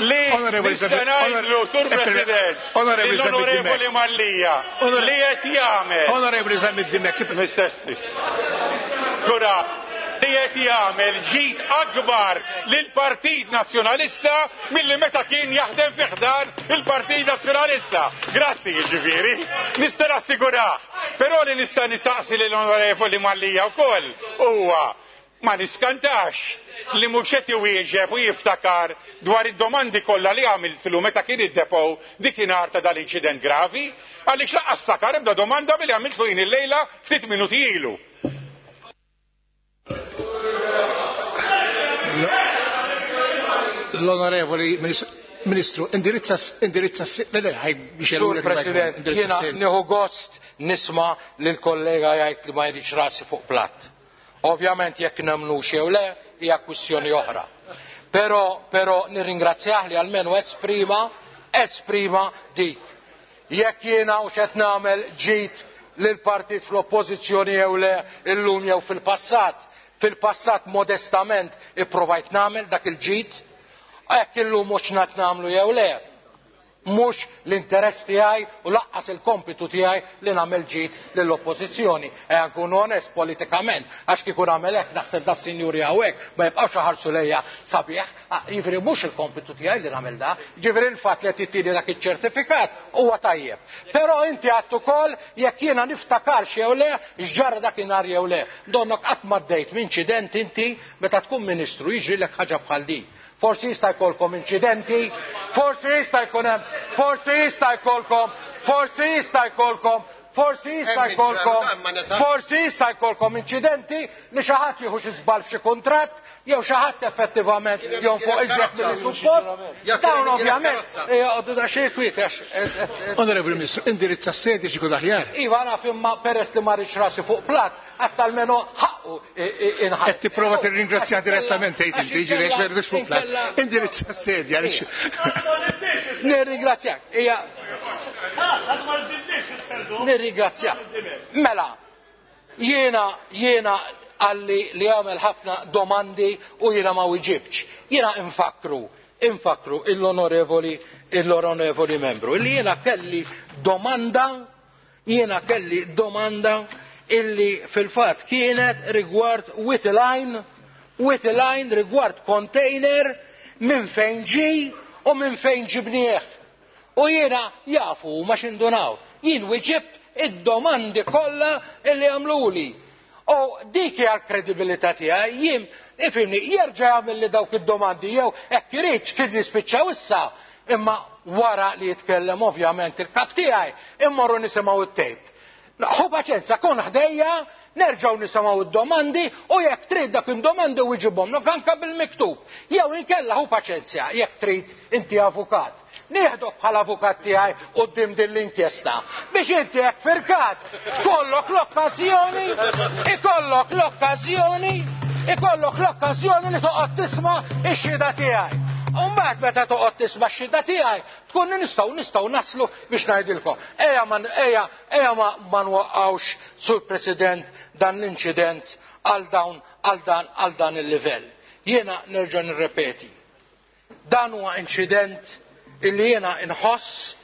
Speaker 6: li
Speaker 1: Onorevoli
Speaker 6: issa
Speaker 1: Zammit,
Speaker 6: ngħidlu,
Speaker 1: Onore-
Speaker 6: Sur
Speaker 1: eh,
Speaker 6: President,
Speaker 1: Onorevoli Zammit
Speaker 6: l-Onorevoli
Speaker 1: Dimech.
Speaker 6: Mallia
Speaker 1: Onore-
Speaker 6: li qed jagħmel.
Speaker 1: Onorevoli Zammit Dimech, kif-
Speaker 6: Mistessi. Kura, Li qed jagħmel ġid akbar lill-Partit Nazzjonalista milli meta kien jaħdem fi ħdan il-Partit Nazzjonalista. Grazzi jiġifieri, nista' nassigurah. Però li nista' nistaqsi lill-Onorevoli Mallia wkoll huwa ma niskantax li mhux qed iwieġeb u jiftakar dwar id-domandi kollha li għamiltlu meta kien id-depot dikinhar ta' dal-inċident gravi, għaliex lanqas ftakar ebda domanda billi għamiltlu jien illejla ftit minuti ilu.
Speaker 1: L-Onorevoli Ministru, indirizza indirizza
Speaker 4: Sur President, jiena nieħu gost nisma' lill-kollega jgħid li ma jridx rasi fuq platt. Ovvjament jekk nemmnux jew le hija kwistjoni oħra. Però però nirringrazzjah li almenu esprima esprima dik. Jekk jiena u x'qed nagħmel ġid lill-partit fl-oppożizzjoni jew le illum jew fil-passat, fil-passat modestament ipprovajt nagħmel dak il-ġid, jekk illum mhux qed nagħmlu jew le, mhux l-interess tiegħi u laqqas il-kompitu tiegħi li nagħmel ġid lill-oppożizzjoni. Ejja nkunu onest politikament, għax kieku nagħmel hekk naħseb da sinjuri hawnhekk ma jibqgħux iħarsu lejja sabiħ, jiġifieri mhux il-kompitu tiegħi li nagħmel da, jiġifieri l-fatt li qed tittini dak iċ-ċertifikat huwa tajjeb. Però inti għedt ukoll jekk jiena niftakarx jew le x'ġara dakinhar jew le. Donnok qatt m'għaddejt minn inċident inti meta tkun ministru jiġrilek ħaġa bħal din. Forsi jista' jkollkom inċidenti, forsi jista' jkun hemm, forsi jista' jkollkom, forsi jista' jkollkom, forsi jista' jkollkom, forsi jista' jkollkom inċidenti li xi ħadd jieħu xi żball f'xi kuntratt jew xi ħadd effettivament jonfoq iżjed milli suppost. Dawn ovvjament joqogħdu daqsxejn kwiet għax.
Speaker 1: Onorevoli Ministru, indirizza s-sedi xi jkun aħjar.
Speaker 4: Iva naf imma peress li ma rridx rasi fuq platt, għadd almenu ħaqqu inħass.
Speaker 1: Qed tipprova tirringrazzja direttament tgħid inti, jiġifieri għax ma rridux fuq platt. Indirizza s-sedi għaliex.
Speaker 4: Nirringrazzjak. Hija. Nirringrazzjak. Mela, jiena jiena għalli li għamel ħafna domandi u jiena ma wieġibx. Jiena infakru, infakru l-onorevoli l-onorevoli membru illi jiena kelli domanda, jiena kelli domanda illi fil-fatt kienet rigward Whittle Whittle Line rigward container minn fejn ġi u minn fejn ġibnieh. U jiena jafu ma xindunaw. Jien wieġibt id-domandi kollha illi għamluli. U dik hija l-kredibilità tiegħi, jien ifhimni jerġa' jagħmel li dawk id-domandi jew hekk iridx kien nispiċċaw issa, imma wara li jitkellem ovvjament il-kap tiegħi immorru nisimgħu it-tejp. Ħu paċenza, kun ħdejja, nerġgħu nisimgħu id-domandi u jekk trid dak id-domandi wieġibhomlok anke bil-miktub. Jew inkella ħu paċenzja jekk trid inti avukat. Nieħdok bħala avukat tiegħi quddiem din l-inkjesta biex inti hekk fil-każ tkollok l-okkażjoni, ikollok l-okkażjoni, ikollok l-okkażjoni li toqgħod tisma' x-xhieda tiegħi. U mbagħad meta toqgħod tisma' x-xhieda tiegħi tkun nistgħu nistgħu naslu biex ngħidilkom. Ejja ma ejja ejja ma, ma nwaqqgħux sur President dan l-inċident għal dawn għal dan għal dan il-livell. Jiena nerġa' nirrepeti. Dan huwa inċident illi jiena inħoss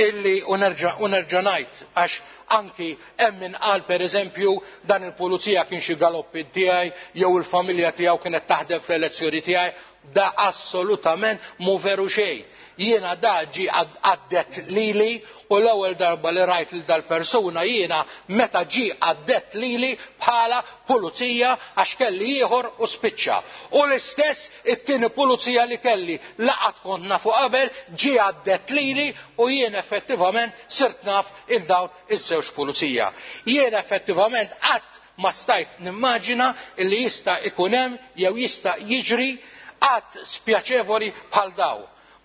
Speaker 4: illi u nerġa' u nerġa' ngħid għax anki hemm min qal pereżempju dan il-pulizija kien xi galoppi tiegħi jew il-familja tiegħu kienet taħdem fl-elezzjoni tiegħi, da assolutament mhu veru xejn. Jiena da ġi għaddet lili u l-ewwel darba li rajt lil dal-persuna jiena meta ġi għaddet lili bħala pulizija għax kelli ieħor u spiċċa. U l-istess it-tieni pulizija li kelli laqat kont nafu qabel ġi għaddet lili u jien effettivament sirt naf il dawn iż-żewġ pulizija. Jien effettivament qatt ma stajt nimmaġina li jista' ikun hemm jew jista' jiġri qatt spjaċevoli bħal daw.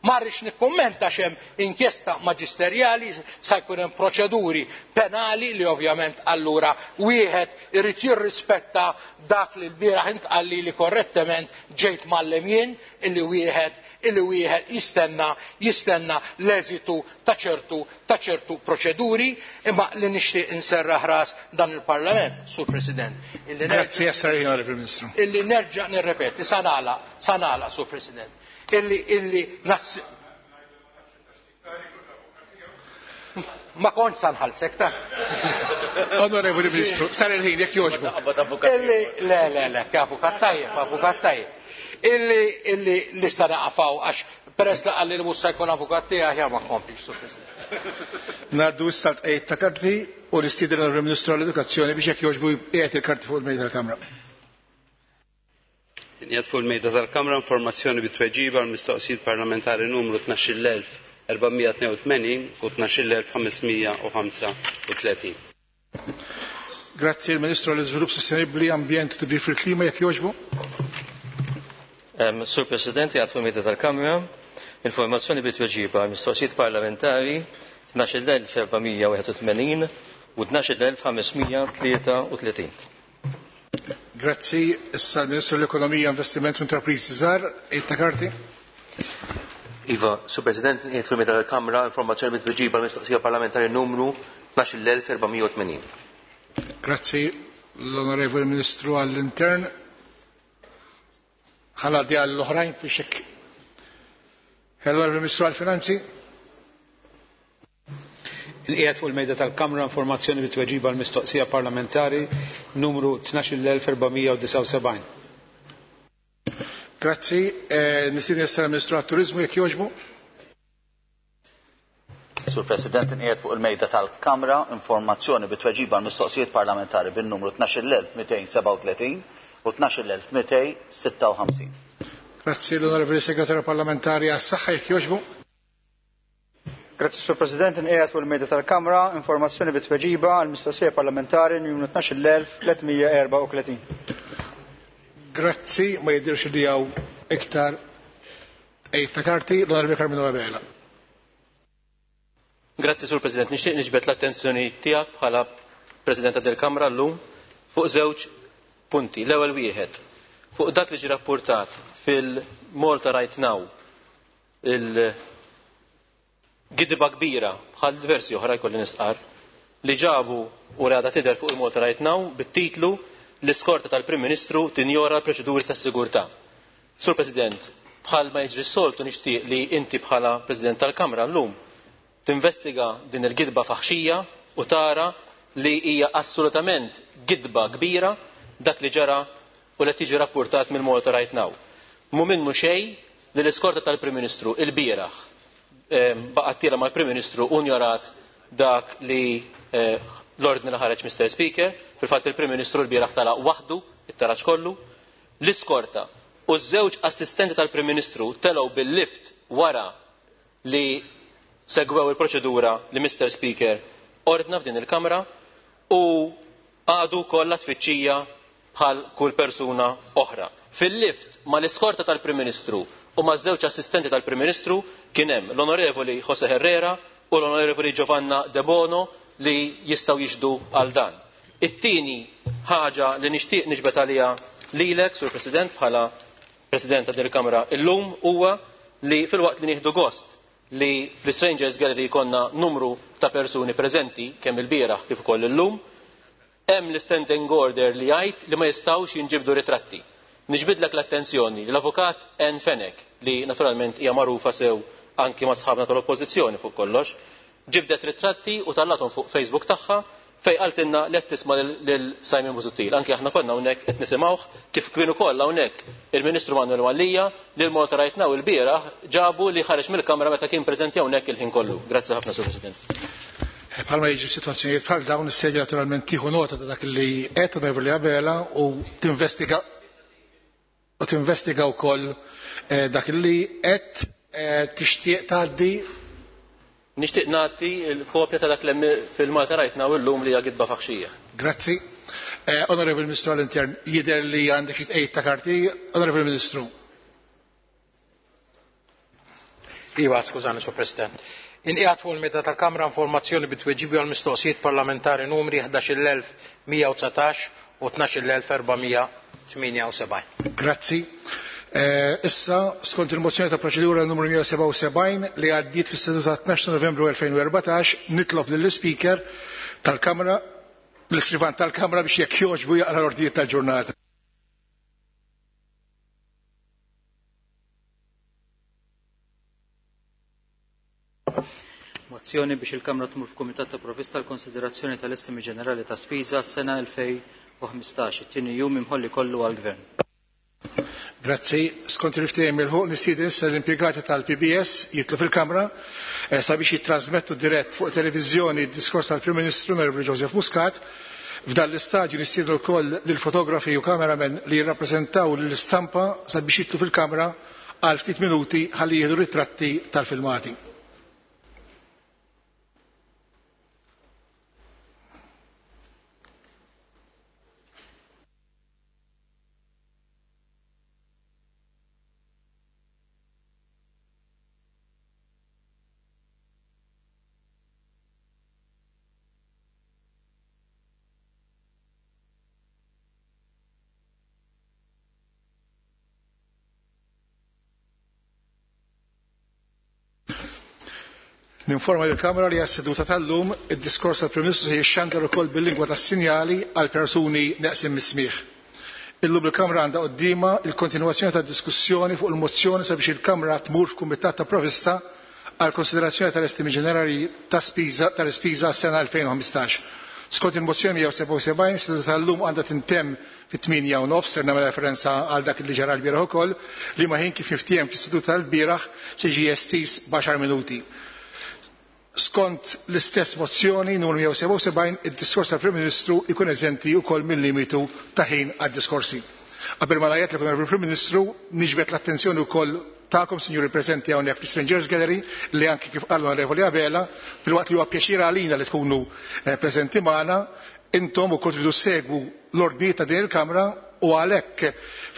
Speaker 4: Ma rridx nikkummenta x'hemm inkjesta maġisterjali, sa jkun hemm proċeduri penali li ovvjament allura wieħed irid jirrispetta dak li l-bieraħ intqal li korrettement ġejt mgħallem jien illi wieħed illi wieħed jistenna jistenna l-eżitu ta' ċertu ta' ċertu proċeduri, imma li nixtieq inserraħ ras dan il-Parlament, Sur President. Illi
Speaker 1: Grazzi, Onorevoli Ministru.
Speaker 4: Illi nerġa' nirrepeti, sa nagħlaq, sa nagħlaq, Sur President. Illi illi nas ma kontx sa nħallsek ta'.
Speaker 1: Onorevoli Ministru, sar il-ħin jekk jogħġbu.
Speaker 4: Illi le le le, avukat tajjeb, avukat tajjeb. Illi illi li sa naqafaw għax peress li qalli li mhux se jkun avukat tiegħi aħjar ma nkomplix, Sur President.
Speaker 1: Ngħaddu issa l-tqegħid ta' karti u nistieden l-Onorevoli Ministru għall-Edukazzjoni biex jekk jogħġbu jqiegħed il-karti fuq il-mejda tal-Kamra.
Speaker 7: Inqiegħed fuq il-mejda tal-Kamra informazzjoni bi tweġiba għal mistoqsijiet parlamentari numru tnax-il elf erba' mija tnejn u tmenin u tnax-il elf ħames mija u ħamsa u tletin.
Speaker 1: Grazzi il-Ministru għall-Iżvilupp Sostenibbli, Ambjent u Tibdil fil-Klima jekk jogħġbu.
Speaker 3: Sur President, jgħat fuq il-mejda tal-Kamra informazzjoni bi tweġiba għal mistoqsijiet parlamentari tnax-il elf erba' mija wieħed u tmenin u tnax-il elf ħames mija tlieta u tletin.
Speaker 1: Grazzi, issa l-Ministru l-Ekonomija, Investiment u Intrapriżi Żgħar, ta' karti.
Speaker 3: Iva, Sur President, nqiegħed fuq il-mejda tal-Kamra informazzjoni bi tweġiba għal mistoqsija parlamentari numru tnax-il elf erba' mija u tmenin.
Speaker 1: Grazzi, l-Onorevoli Ministru għall-Intern. Ħaladi għall-oħrajn fi xek. L-Onorevoli Ministru għall-Finanzi.
Speaker 2: Inqiegħed fuq il-mejda tal-Kamra informazzjoni bi tweġiba għal mistoqsija parlamentari numru tnax-il elf erba' mija u disgħa u sebgħin.
Speaker 1: Grazzi, eh, nistieden issa l-Ministru għat-Turiżmu jekk jogħġbu.
Speaker 8: Sur President, inqiegħed fuq il-mejda tal-Kamra informazzjoni bi tweġiba għal mistoqsijiet parlamentari bin-numru tnax-il elf mitejn sebgħa u tletin u tnax-il elf mitejn sitta u ħamsin.
Speaker 1: Grazzi, l-Onorevoli Segretarju Parlamentari għas-Saħħa jekk jogħġbu.
Speaker 9: Grazzi, Sur President, inqiegħed fuq il-mejda tal-Kamra informazzjoni bi tweġiba għal mistoqsija parlamentari numru tnax-il elf tliet mija erba' u tletin.
Speaker 1: Grazzi, ma jidirx li hawn iktar tqegħid ta' karti, l-Onorevoli Karmenu Abela.
Speaker 3: Grazzi, Sur President. Nixtieq niġbed l-attenzjoni tiegħek bħala President tal-Kamra llum fuq żewġ punti. L-ewwel wieħed, fuq dak li ġie rapportat fil-Malta Right Now, il-gidba kbira bħal diversi oħra jkolli nistqar li ġabu u rada tidher fuq il-Malta Right Now bit-titlu l-iskorta tal-Prim Ministru tinjora l-proċeduri tas-sigurtà. Sur President, bħal ma jiġri s-soltu nixtieq li inti bħala President tal-Kamra llum tinvestiga din il-gidba faħxija u tara li hija assolutament gidba kbira dak li ġara u li tiġi rapportat mill Malta Right Now. Mu minnu xejn li l-iskorta tal-Prim Ministru il-bieraħ, ehm, baqgħet tiela mal-Prim Ministru u njorat dak li, eh, l-ordni li ħareġ Mister Speaker. Fil-fatt il-Prim Ministru l-bieraħ tala waħdu it-taraġ kollu. L-iskorta u ż-żewġ assistenti tal-Prim Ministru telgħu bil-lift wara li segwew il-proċedura li Mister Speaker ordna f'din il-Kamra u għadu kollha tfittxija bħal kull persuna oħra. Fil-lift ma l-iskorta tal-Prim Ministru u ma żewġ assistenti tal-Prim Ministru kien hemm l-Onorevoli Jose Herrera u l-Onorevoli Giovanna De Bono li jistgħu jixhdu għal dan. It-tieni ħaġa li nixtieq niġbed għaliha lilek, Sur President, bħala President ta' din il-Kamra illum huwa li filwaqt li nieħdu gost li fl-Strangers Gallery jkollna numru ta' persuni preżenti kemm il-bieraħ kif ukoll illum, hemm l-standing order li jgħid li ma jistgħux jinġibdu ritratti. Niġbidlek l-attenzjoni li l-avukat Ann Fenech, li naturalment hija magħrufa sew anki ma' sħabna tal-Oppożizzjoni fuq kollox, ġibdet ritratti u tallathom fuq Facebook tagħha fej qaltilna li qed tisma' lil Simon Busuttil. Anki aħna konna hawnhekk qed nisimgħuh kif kienu kollha hawnhekk il-Ministru Manuel Mallia li l-Malta Right Now il-bieraħ ġabu li ħareġ mill-Kamra meta kien preżenti hawnhekk il-ħin kollu. Grazzi ħafna, Sur President.
Speaker 1: Bħalma jiġu sitwazzjonijiet bħal dawn, is-sedja naturalment tieħu nota ta' dak li qed Onorevoli Abela u tinvestiga u tinvestiga wkoll, eh, dak li qed, eh, tixtieq tgħaddi.
Speaker 3: Nixtieq nagħti l-kopja ta' dak li fil-Malta Right Now illum li hija gidba faħxija.
Speaker 1: Grazzi. Eh, Onorevoli Ministru għall-Intern, jidher li għandek xi tqegħid ta' karti. Onorevoli Ministru.
Speaker 4: Iva, skużani, Sur President. Inqiegħed fuq il-mejda tal-Kamra informazzjoni bi tweġibi għal mistoqsijiet parlamentari numri ħdax-il elf mija u dsatax u tnax-il elf erba' mija tmienja u sebgħin.
Speaker 1: Grazzi. Eh, issa, skont il-mozzjoni ta' proċedura numru mija sebgħa u sebgħin li għaddiet fis-seduta tnax ta' Novembru elfejn u erbatax, nitlob lill-Speaker tal-Kamra, l-Iskrivan tal-Kamra biex jekk jogħġbu jaqra l-ordnijiet tal-ġurnata.
Speaker 2: Mozzjoni biex il-Kamra tmur f'Kumitat ta' Provvista l-konsiderazzjoni tal-estimi ġenerali ta' spiża s-sena elfejn u ħmistax, it-tieni jum imħolli kollu għall-Gvern.
Speaker 1: Grazzi. Skont il-ftehim il-ħuq nistieden issa l-impjegati tal-P B S jitlu fil-Kamra sabiex jittrasmettu dirett fuq televiżjoni d-diskors tal-Prim Ministru Onorevoli Joseph Muscat. F'dan l-istadju nistiednu wkoll lill-fotografi u kameramen li jirrappreżentaw lill-istampa sabiex jitlu fil-Kamra għal ftit minuti ħalli jieħdu ritratti tal-filmati. Ninforma lill-Kamra li għas-seduta tal-lum id-diskors tal-Prim Ministru se jixxandar ukoll bil-lingwa tas-sinjali għal persuni neqsin mis-smigħ. Illum il-Kamra għandha quddiemha il-kontinwazzjoni tad-diskussjoni fuq il-mozzjoni sabiex il-Kamra tmur f'Kumitat ta' Provvista għal konsiderazzjoni tal-estimi ġenerali ta' spiża tal-ispiża għas-sena elfejn u ħmistax. Skont il-mozzjoni mija u sebgħa u sebgħin, seduta tal-lum għandha tintemm fit-tmienja u nofs, ser nagħmel referenza għal dak li ġara l-bieraħ ukoll, li ma ħin kif niftiehem fis-seduta tal-bieraħ se jiġi estiż b'għaxar minuti. Skont l-istess mozzjoni numru mija u sebgħa u sebgħin, id-diskors tal-Prim Ministru jkun eżenti wkoll mill-limitu ta' ħin għad-diskorsi. Qabel ma ngħid li Prim Ministru niġbed l-attenzjoni wkoll tagħkom, sinjuri preżenti hawnhekk fl-Strangers Gallery, li anki kif qal l-Onorevoli Abela, filwaqt li huwa pjaċir għalina li tkunu preżenti magħna, intom ukoll tridu segwu l-ordni ta' din il-Kamra u għalhekk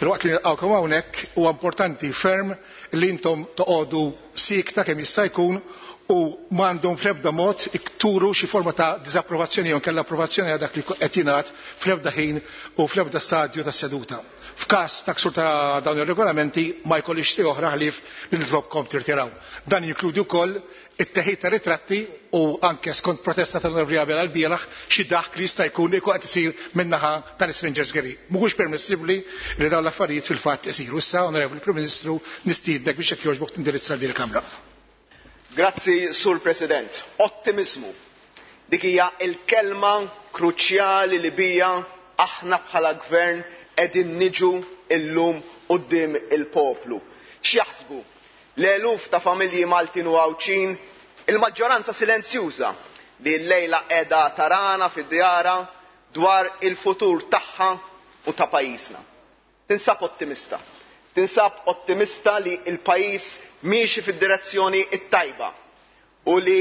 Speaker 1: filwaqt li nilqgħukom hawnhekk huwa importanti ferm li intom toqogħdu sikta kemm jista' jkun u m'għandhom fl-ebda mod ikturu xi forma ta' diżapprovazzjoni jew kellha approvazzjoni għal dak li qed jingħad fl-ebda ħin u fl-ebda stadju tas-seduta. F'każ ta' ksur ta' dawn ir-regolamenti ma jkollix triq oħra ħlief li nitlobkom tirtiraw. Dan jinkludi wkoll it-teħid ta' ritratti u anke skont protesta tal-Onorevoli Abela l-bieraħ xi daħk li jista' jkun ikun qed isir min-naħa tal-Strangers Gallery. Mhuwiex permissibbli li dawn l-affarijiet fil-fatt isiru. Issa, Onorevoli Prim Ministru, nistiednek biex jekk jogħġbok tindirizza din il-Kamra.
Speaker 10: Grazzi, Sur President. Ottimizmu. Dik hija l-kelma kruċjali li bija aħna bħala gvern qegħdin niġu illum quddiem il-poplu. X'jaħsbu? L-eluf ta' familji Maltin u Għawdxin, il-maġġoranza silenzjuża li llejla qiegħda tarana fid-djara dwar il-futur tagħha u ta' pajjiżna. Tinsab ottimista. Tinsab ottimista li l-pajjiż miexi fid-direzzjoni t-tajba u li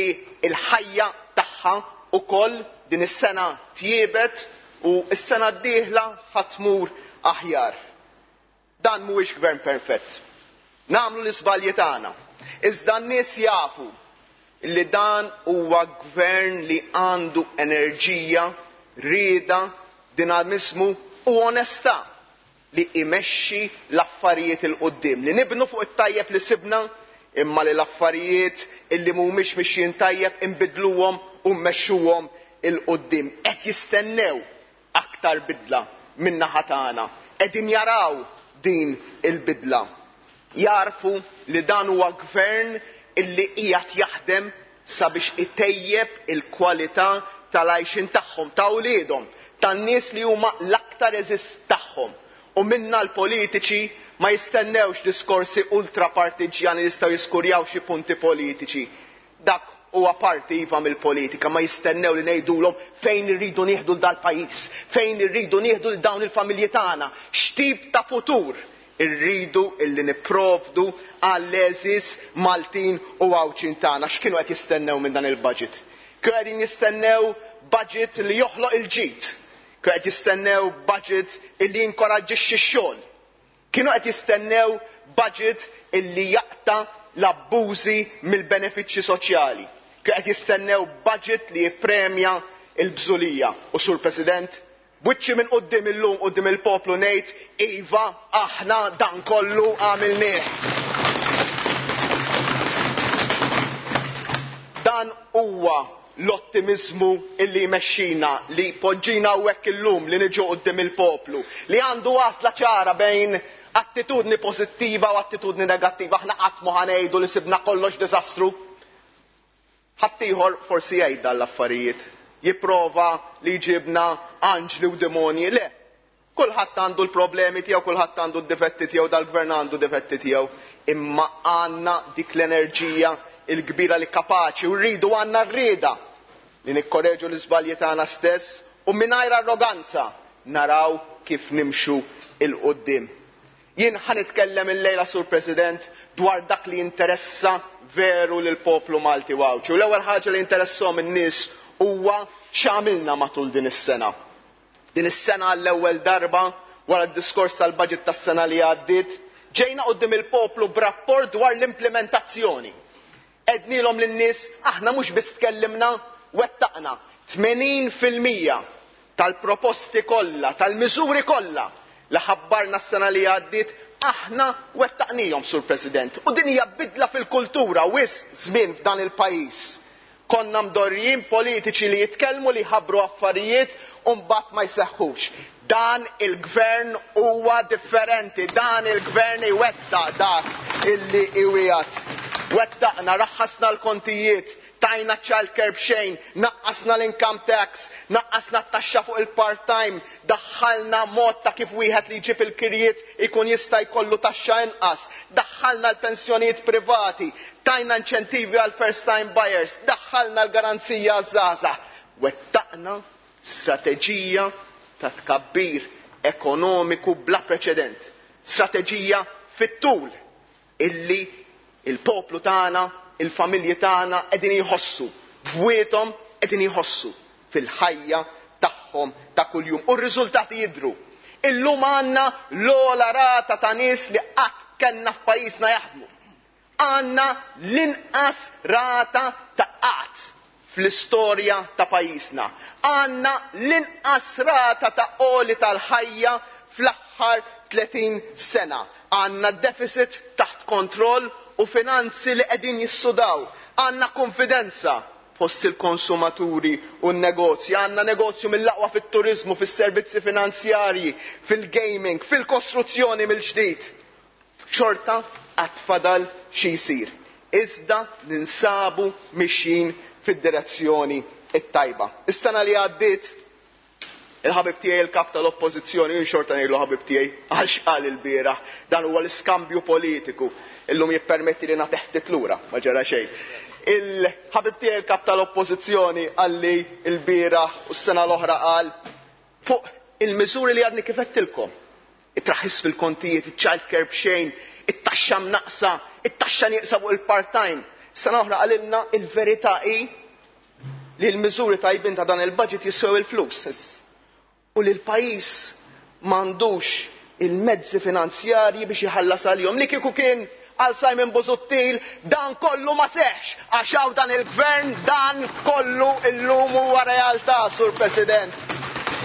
Speaker 10: l-ħajja tagħha ukoll din is-sena tjiebet u s-sena d-dieħla ħatmur aħjar. Dan mhuwiex gvern perfett. Nagħmlu l-iżbalji tagħna. Iżda n-nies jafu li dan huwa gvern li għandu enerġija, rieda, dinamizmu u onestà li imexxi l-affarijiet il quddiem, li nibnu fuq it-tajjeb li sibna, imma li l-affarijiet illi mhumiex mixjin tajjeb inbidluhom u mmexxuhom il quddiem. Qed jistennew aktar bidla min-naħa tagħna, qegħdin jaraw din il-bidla. Jarfu li dan huwa gvern illi qiegħed jaħdem sabiex itejjeb il-kwalità tal-għajxin tagħhom, ta' wliedhom, tan-nies li huma l-aktar eżist tagħhom. U minna l-politiċi ma jistennewx diskorsi ultrapartiġjani li jistgħu jiskurjaw xi punti politiċi. Dak huwa parti iva mill-politika, ma jistennew li ngħidulhom fejn irridu nieħdu l dal-pajjiż, fejn irridu nieħdu l dawn il-familji tagħna, x'tip ta' futur irridu illi nipprovdu għall-għeżież Maltin u Għawdxin tagħna. X'kienu qed jistennew minn dan il-budget? Kienu qegħdin jistennew budget li joħloq il-ġid. Kienu qed jistennew budget illi jinkoraġġixxi x-xogħol. Kienu qed jistennew budget illi jaqta' l-abbużi mill-benefiċċji soċjali. Kienu qed jistennew budget li jippremja l-bżulija. U Sur President, b'wiċċi minn quddiem illum quddiem il-poplu ngħid iva aħna dan kollu għamilnieh. Dan huwa l-ottimizmu illi jmexxina, li poġġina hawnhekk illum li niġu quddiem il-poplu, li għandu għażla ċara bejn attitudni pożittiva u attitudni negattiva. Aħna qatt ma ħanejdu li sibna kollox diżastru. Ħaddieħor forsi jgħid dan l-affarijiet, jipprova li jġibna anġli u demonji, le. Kulħadd għandu l-problemi tiegħu, kulħadd għandu d-difetti tiegħu, dal-gvern għandu difetti tiegħu, imma għandna dik l-enerġija il-kbira li kapaċi u rridu, għandna rrieda li nikkoreġu l-iżbalji tagħna stess u mingħajr arroganza naraw kif nimxu 'il quddiem. Jien ħa nitkellem illejla, Sur President, dwar dak li jinteressa veru lil poplu Malti u Għawdxi. U l-ewwel ħaġa li jinteresshom in-nies huwa x'għamilna matul din is-sena. Din is-sena għall-ewwel darba wara d-diskors tal-budget tas-sena li għaddiet, ġejna quddiem il-poplu b'rapport dwar l-implementazzjoni. Għednielhom lin-nies aħna mhux biss tkellimna, wettaqna tmenin fil-mija tal-proposti kollha, tal-miżuri kollha li ħabbarna s-sena li għaddiet, aħna wettaqnihom, Sur President. U din hija bidla fil-kultura wisq żmien f'dan il-pajjiż. Konna mdorrijin politiċi li jitkellmu, li jħabbru affarijiet u mbagħad ma jseħħux. Dan il-gvern huwa differenti, dan il-gvern iwettaq dak illi iwiegħed. Wettaqna, raħħasna l-kontijiet, tajna child care b'xejn, naqqasna l-income tax, naqqasna t-taxxa fuq il-part-time, daħħalna mod ta' kif wieħed li jġib il-kirjiet ikun jista' jkollu taxxa inqas, daħħalna l-pensjonijiet privati, tajna inċentivi għal first time buyers, daħħalna l-garanzija għaż-żgħażagħ. Wettaqna strateġija ta' tkabbir ekonomiku bla preċedent, strateġija fit-tul illi il-poplu tagħna, il-familji tagħna qegħdin jħossu, bwiethom qegħdin jħossu fil-ħajja tagħhom ta' kuljum. U r-riżultati jidhru. Illum għandna l-ogħla rata ta' nies li qatt kellna f'pajjiżna jaħdmu. Għandna l-inqas rata ta' qatt fl-istorja ta' pajjiżna. Għandna l-inqas rata ta' għoli tal-ħajja fl-aħħar tletin sena. Għandna deficit taħt kontroll u finanzi li qegħdin jissudaw. Għandna konfidenza fost il-konsumaturi u n-negozji. Għandna negozju mill-aqwa fit-turizmu, fis-servizzi finanzjarji, fil-gaming, fil-kostruzzjoni mill-ġdid. Xorta għad fadal xi jsir. Iżda ninsabu mixjin fid-direzzjoni it-tajba. Is-sena li għaddiet, il-ħabib tiegħi il-kap tal-oppożizzjoni, jien xorta ngħidlu ħabib tiegħi għax qal il-bieraħ, dan huwa l-iskambju politiku. Illum jippermetti li nagħtih ftit lura, ma ġara xejn. Il-ħabib tiegħi il-kap tal-oppożizzjoni qalli l-bieraħ u s-sena l-oħra qal fuq il-miżuri li għadni kif għedtilkom. It-traħħis fil-kontijiet, iċ-child care b'xejn, it-taxxa mnaqsa, it-taxxa nieqsa fuq il-part-time. Sena oħra qalilna il-verità hi li l-miżuri tajbin ta' dan il-budget jiswew il-flus. U li l-pajjiż m'għandux il-mezzi finanzjarji biex iħallas għalihom. Li kieku kien għal Simon Busuttil dan kollu ma seħx, għax hawn dan il-gvern dan kollu illum huwa realtà, Sur President.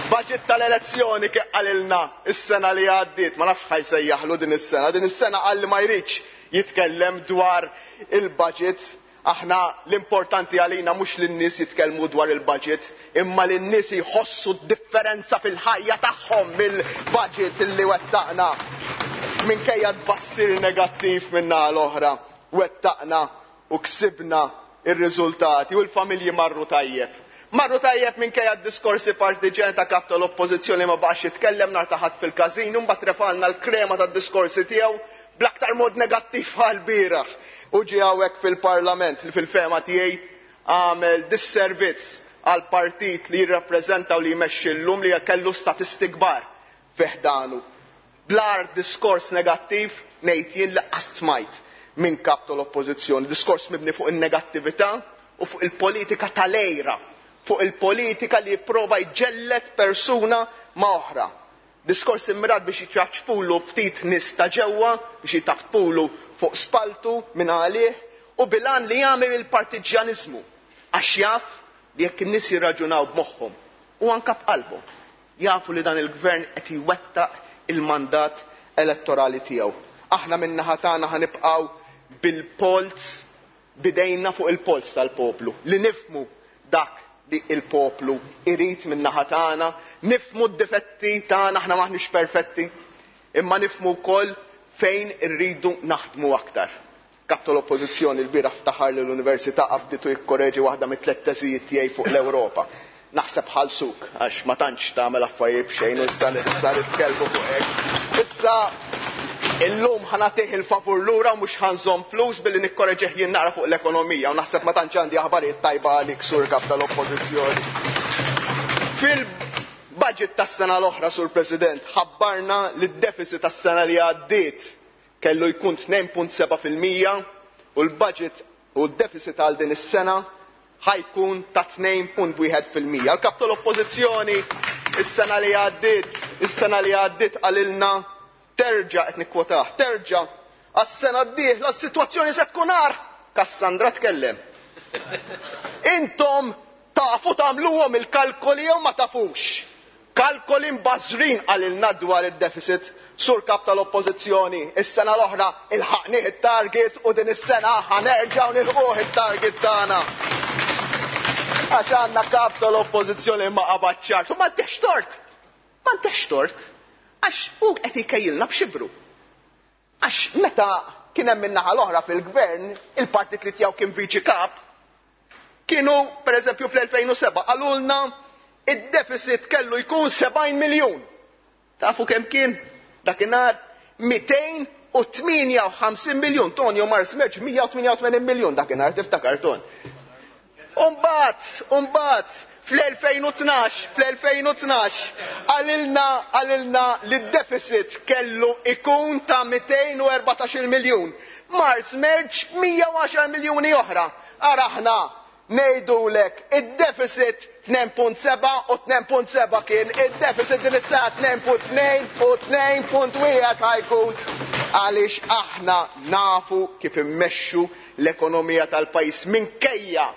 Speaker 10: Budget tal-elezzjoni kif qalilna is-sena li għaddiet, ma nafx ħajsejjaħlu din is-sena, din is-sena qal li ma jridx jitkellem dwar il-budget. Aħna l-importanti għalina mhux li n-nies jitkellmu dwar il-budget, imma li n-nies jħossu d-differenza fil-ħajja tagħhom mill-budget illi wettaqna. Minkejja tbassir negattiv minna l-oħra, wettaqna u ksibna ir-riżultati u l-familji marru tajjeb. Marru tajjeb minkejja d-diskorsi partiġjan ta' kap tal-oppożizzjoni ma baqax jitkellem nhar ta' ħadd fil-każin, u mbagħad refalna l-krema tad-diskorsi tiegħu bl-aktar mod negattiv għal-bieraħ. U ġie hawnhekk fil-Parlament li fil-fehma tiegħi għamel disservizz għal partit li jirrappreżenta u li jmexxi llum li kellu statisti kbar fi ħdanu. Blar diskors negattiv ngħid jien li qatt smajt minn kap tal-oppożizzjoni, diskors mibni fuq in-negattività u fuq il-politika tal-għejra, fuq il-politika li jipprova jġellet persuna ma' oħra. Diskors immirat biex jitjaċpulu ftit nies ta' ġewwa, biex jitaqpulu fuq spaltu minn għalih u bilan li jagħmel il-partiġjaniżmu għax jaf li jekk in-nies jirraġunaw b'moħħhom u anke b'qalbhom, jafu li dan il-gvern qed iwettaq il-mandat elettorali tiegħu. Aħna min-naħa tagħna ħanibqgħu bil-polz, bidejna fuq il-polz tal-poplu, li nifmu dak li il-poplu irid min-naħa tagħna, nifmu d-difetti tagħna, aħna maħniex perfetti, imma nifmu wkoll fejn irridu naħdmu aktar. Kap tal-Oppożizzjoni l-bieraħ ftaħar li l-Università qabditu jikkoreġi waħda mit-tliet teżijiet tiegħi fuq l-Ewropa. Naħseb ħalsuk għax ma tantx tagħmel affarijiet b'xejn u issa issa nitkellmu fuq hekk. Issa illum ħa nagħtih il-favur lura u mhux ħa nżomm flus billi nikkoreġih jien naqra fuq l-ekonomija u naħseb ma tantx għandi aħbarijiet tajba għalik, Sur Kap tal-Oppożizzjoni. Fil-budget tas-sena l-oħra, Sur President, ħabbarna li d-deficit tas-sena li għaddiet kellu jkun tnejn punt seba' fil-mija u l-budget u d-deficit għal din is-sena ħajkun ta' tnejn punt wieħed fil-mija. Il-Kap tal-Oppożizzjoni is-sena li għaddiet, is-sena li għaddiet qalilna terġa' qed nikkwotah, terġa' għas-sena d-dieħla s-sitwazzjoni se tkun agħar. Kassandra tkellem. Intom tafu tagħmluhom il-kalkoli jew ma tafux? Kalkoli mbażrin qalilna dwar id-deficit. Sur Kap tal-Oppożizzjoni, is-sena l-oħra ilħaqnieh it-target u din is-sena ħanerġgħu nilħquh it-target tagħna. Għax għandna Kap tal-Oppożizzjoni ma qabad ċart. U ma ntihx tort. Ma ntihx tort. Għax hu qed jkejjilna b'xibru. Għax meta kien hemm min-naħa l-oħra fil-gvern, il-partit li tiegħu kien viċi kap, kienu pereżempju fl-elfejn u seba' qalulna id-deficit kellu jkun sebgħin miljun. Tafu kemm kien? Dakinhar mitejn u tmienja u ħamsin miljun. Tonio Mars Merċ mija u tmienja u tmenin miljun dakinhar, tiftakar Ton. Umbagħad, umbagħad fl-elfejn u tnax, fl-elfejn u tnax, qalilna, qalilna li d-deficit kellu ikun ta' mitejn u erbatax-il miljun. Mars Merċ mija u għaxar miljuni oħra. Ara aħna ngħidulek id-deficit tnejn punt seba' u tnejn punt seba' kien id-deficit din is-sena tnejn punt tnejn u tnejn punt wieħed ħajkun, għaliex aħna nafu kif immexxu l-ekonomija tal-pajjiż minkejja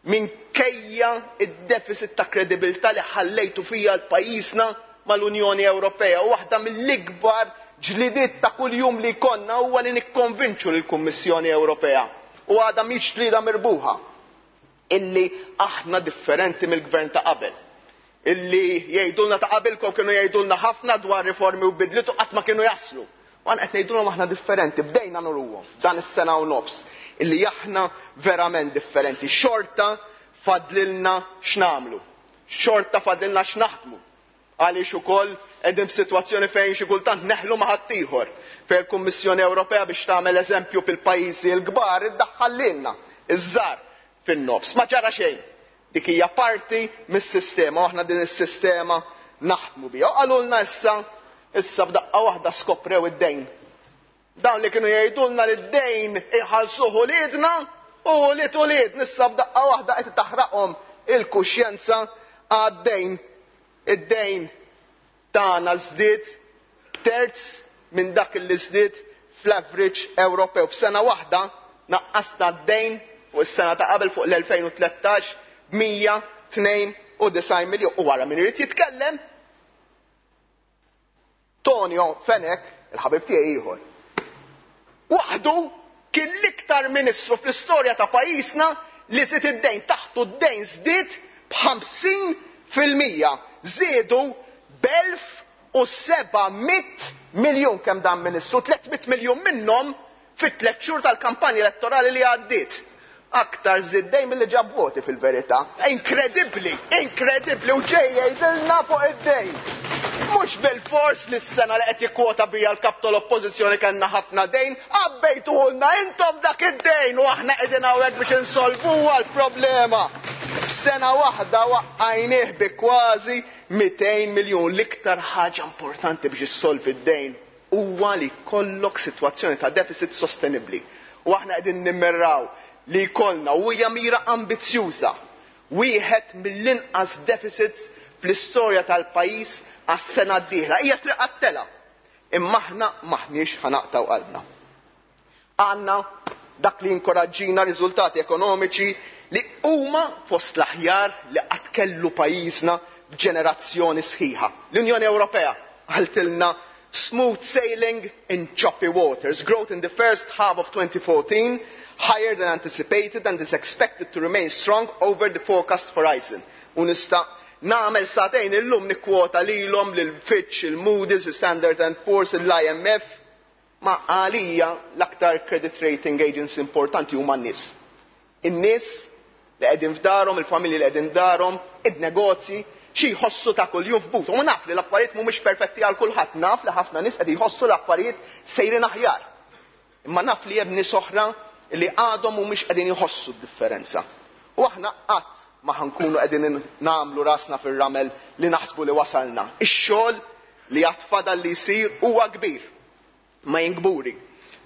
Speaker 10: minkejja id-deficit ta' kredibilità li ħallejtu fija l-pajjiżna mal-Unjoni Ewropea. U waħda mill-ikbar ġlidiet ta' kuljum li jkollna huwa li nikkonvinċu lill-Kummissjoni Ewropea. U għadha mhix ġlieda mirbuħa illi aħna differenti mill-gvern ta' qabel. Illi jgħidulna ta' qabilkom kienu jgħidulna ħafna dwar riformi u bidliet u qatt ma kienu jaslu. U għan qed ngħidulhom aħna differenti, bdejna nuruhom dan is-sena u nofs illi aħna verament differenti. Xorta fadlilna x'nagħmlu, xorta fadlilna x'naħdmu. Għaliex ukoll qegħdin f'sitwazzjoni fejn xi kultant neħlu ma' ħaddieħor. Fejn il-Kummissjoni Ewropea biex tagħmel eżempju fil-pajjiżi l-kbar iddaħħal lilna iż-żgħar fin-nofs. Ma ġara xejn. Dik hija parti mis-sistema u aħna din is-sistema naħdmu biha. U qalulna issa, issa f'daqqa waħda skoprew id-dejn. Dawn li kienu jgħidulna li d-dejn iħallsuh uliedna u ulied ulied, issa f'daqqa waħda qed taħraqhom il-kuxjenza għad-dejn. Id-dejn tagħna żdied terz minn dak li żdied fl-average Ewropew. F'sena waħda naqqasna d-dejn fuq is-sena ta' qabel fuq l-elfejn u tlettax b'mija tnejn u disgħin miljun. U wara min irid jitkellem Tonio Fenech, il-ħabib tiegħi ieħor, waħdu kien l-iktar ministru fl-istorja ta' pajjiżna li żied id-dejn. Taħtu d-dejn żdied b'ħamsin fil-mija, żiedu b'elf u seba' mitt miljun kemm dan ministru, tliet mitt miljun minnhom fit-tliet xhur tal-kampanja elettorali li għaddiet. Aktar żied dejn milli ġab voti fil-verità. Inkredibbli, inkredibbli, u ġej jgħidilna fuq id-dejn. Mhux bil-fors li s-sena li qed jikkwota bija l-kap tal-Oppożizzjoni kellna ħafna dejn, għabbejtuhulna intom dak id-dejn u aħna qegħdin hawnhekk biex insolvuha l-problema. F'sena waħda waqqajnieh bi kważi mitejn miljun. L-iktar ħaġa importanti biex issolvi d-dejn huwa li jkollok sitwazzjoni ta' deficit sostenibbli. U aħna qegħdin nimmirraw li jkollna, u hija mira ambizzjuża, wieħed mill-inqas deficits fl-istorja tal-pajjiż għas-sena d-dieħla. Hija triq għat-tela, imma aħna maħniex ħanaqtaw qalbna. Għandna dak li jinkoraġġina riżultati ekonomiċi li huma fost l-aħjar li qatt kellu pajjiżna b'ġenerazzjoni sħiħa. L-Unjoni Ewropea qaltilna smooth sailing in choppy waters. Growth in the first half of twenty fourteen higher than anticipated and is expected to remain strong over the forecast horizon. U nista' nagħmel sagħtejn illum nikkwota lilhom lil Fitch, il-Moody's, il-Standard and Poor's, l-I M F. Ma għalija l-aktar credit rating agency importanti huma n-nies. In-nies li qegħdin f'darhom, il-familji li qegħdin f'darhom, id-negozji, xi jħossu ta' kuljum f'buthom. U naf li l-affarijiet mhumiex perfetti għal kulħadd, naf li ħafna nies qed jħossu l-affarijiet sejrin aħjar. Imma naf li hemm nies oħra li għadhom mhumiex qegħdin jħossu d-differenza. U aħna qatt ma ħa nkunu qegħdin nagħmlu rasna fir-ramel li naħsbu li wasalna. Ix-xogħol li għad fadal li jsir huwa kbir. Ma jien kburi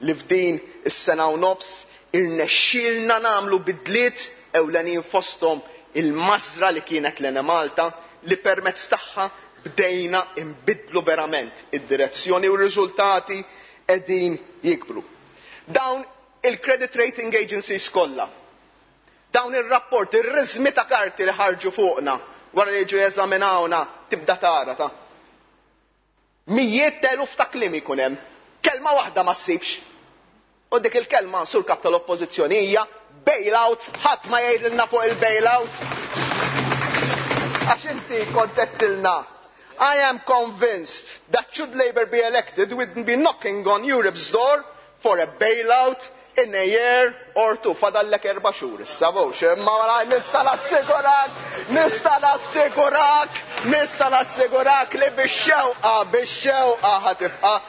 Speaker 10: li f'din is-sena u nofs irnexxielna nagħmlu bidliet ewlenin, fosthom il-mażra li kienet l-Enemalta, li permezz tagħha bdejna imbidlu verament id-direzzjoni u r-riżultati qegħdin jikbru. Dawn il-credit rating agencies kollha, dawn ir-rapport, ir-riżmi ta' karti li ħarġu fuqna wara li jiġu jeżaminawna, tibda tara ta' mijiet t'eluf ta' kliem ikun hemm. Kelma waħda ma ssibx. U dik il-kelma, sur kap tal-oppożizzjoni, hija bailout. Ħadd ma jgħidilna fuq il-bailout. Għax inti kont għedtilna, "I am convinced that should Labour be elected, we'd be knocking on Europe's door for a bailout in a year or two." Fadallek erba' xhur issa vux, imma wara nista' nassigurak, nista' nassigurak, nista' nassigurak li bix-xewqa, bix-xewqa ħa tibqa'.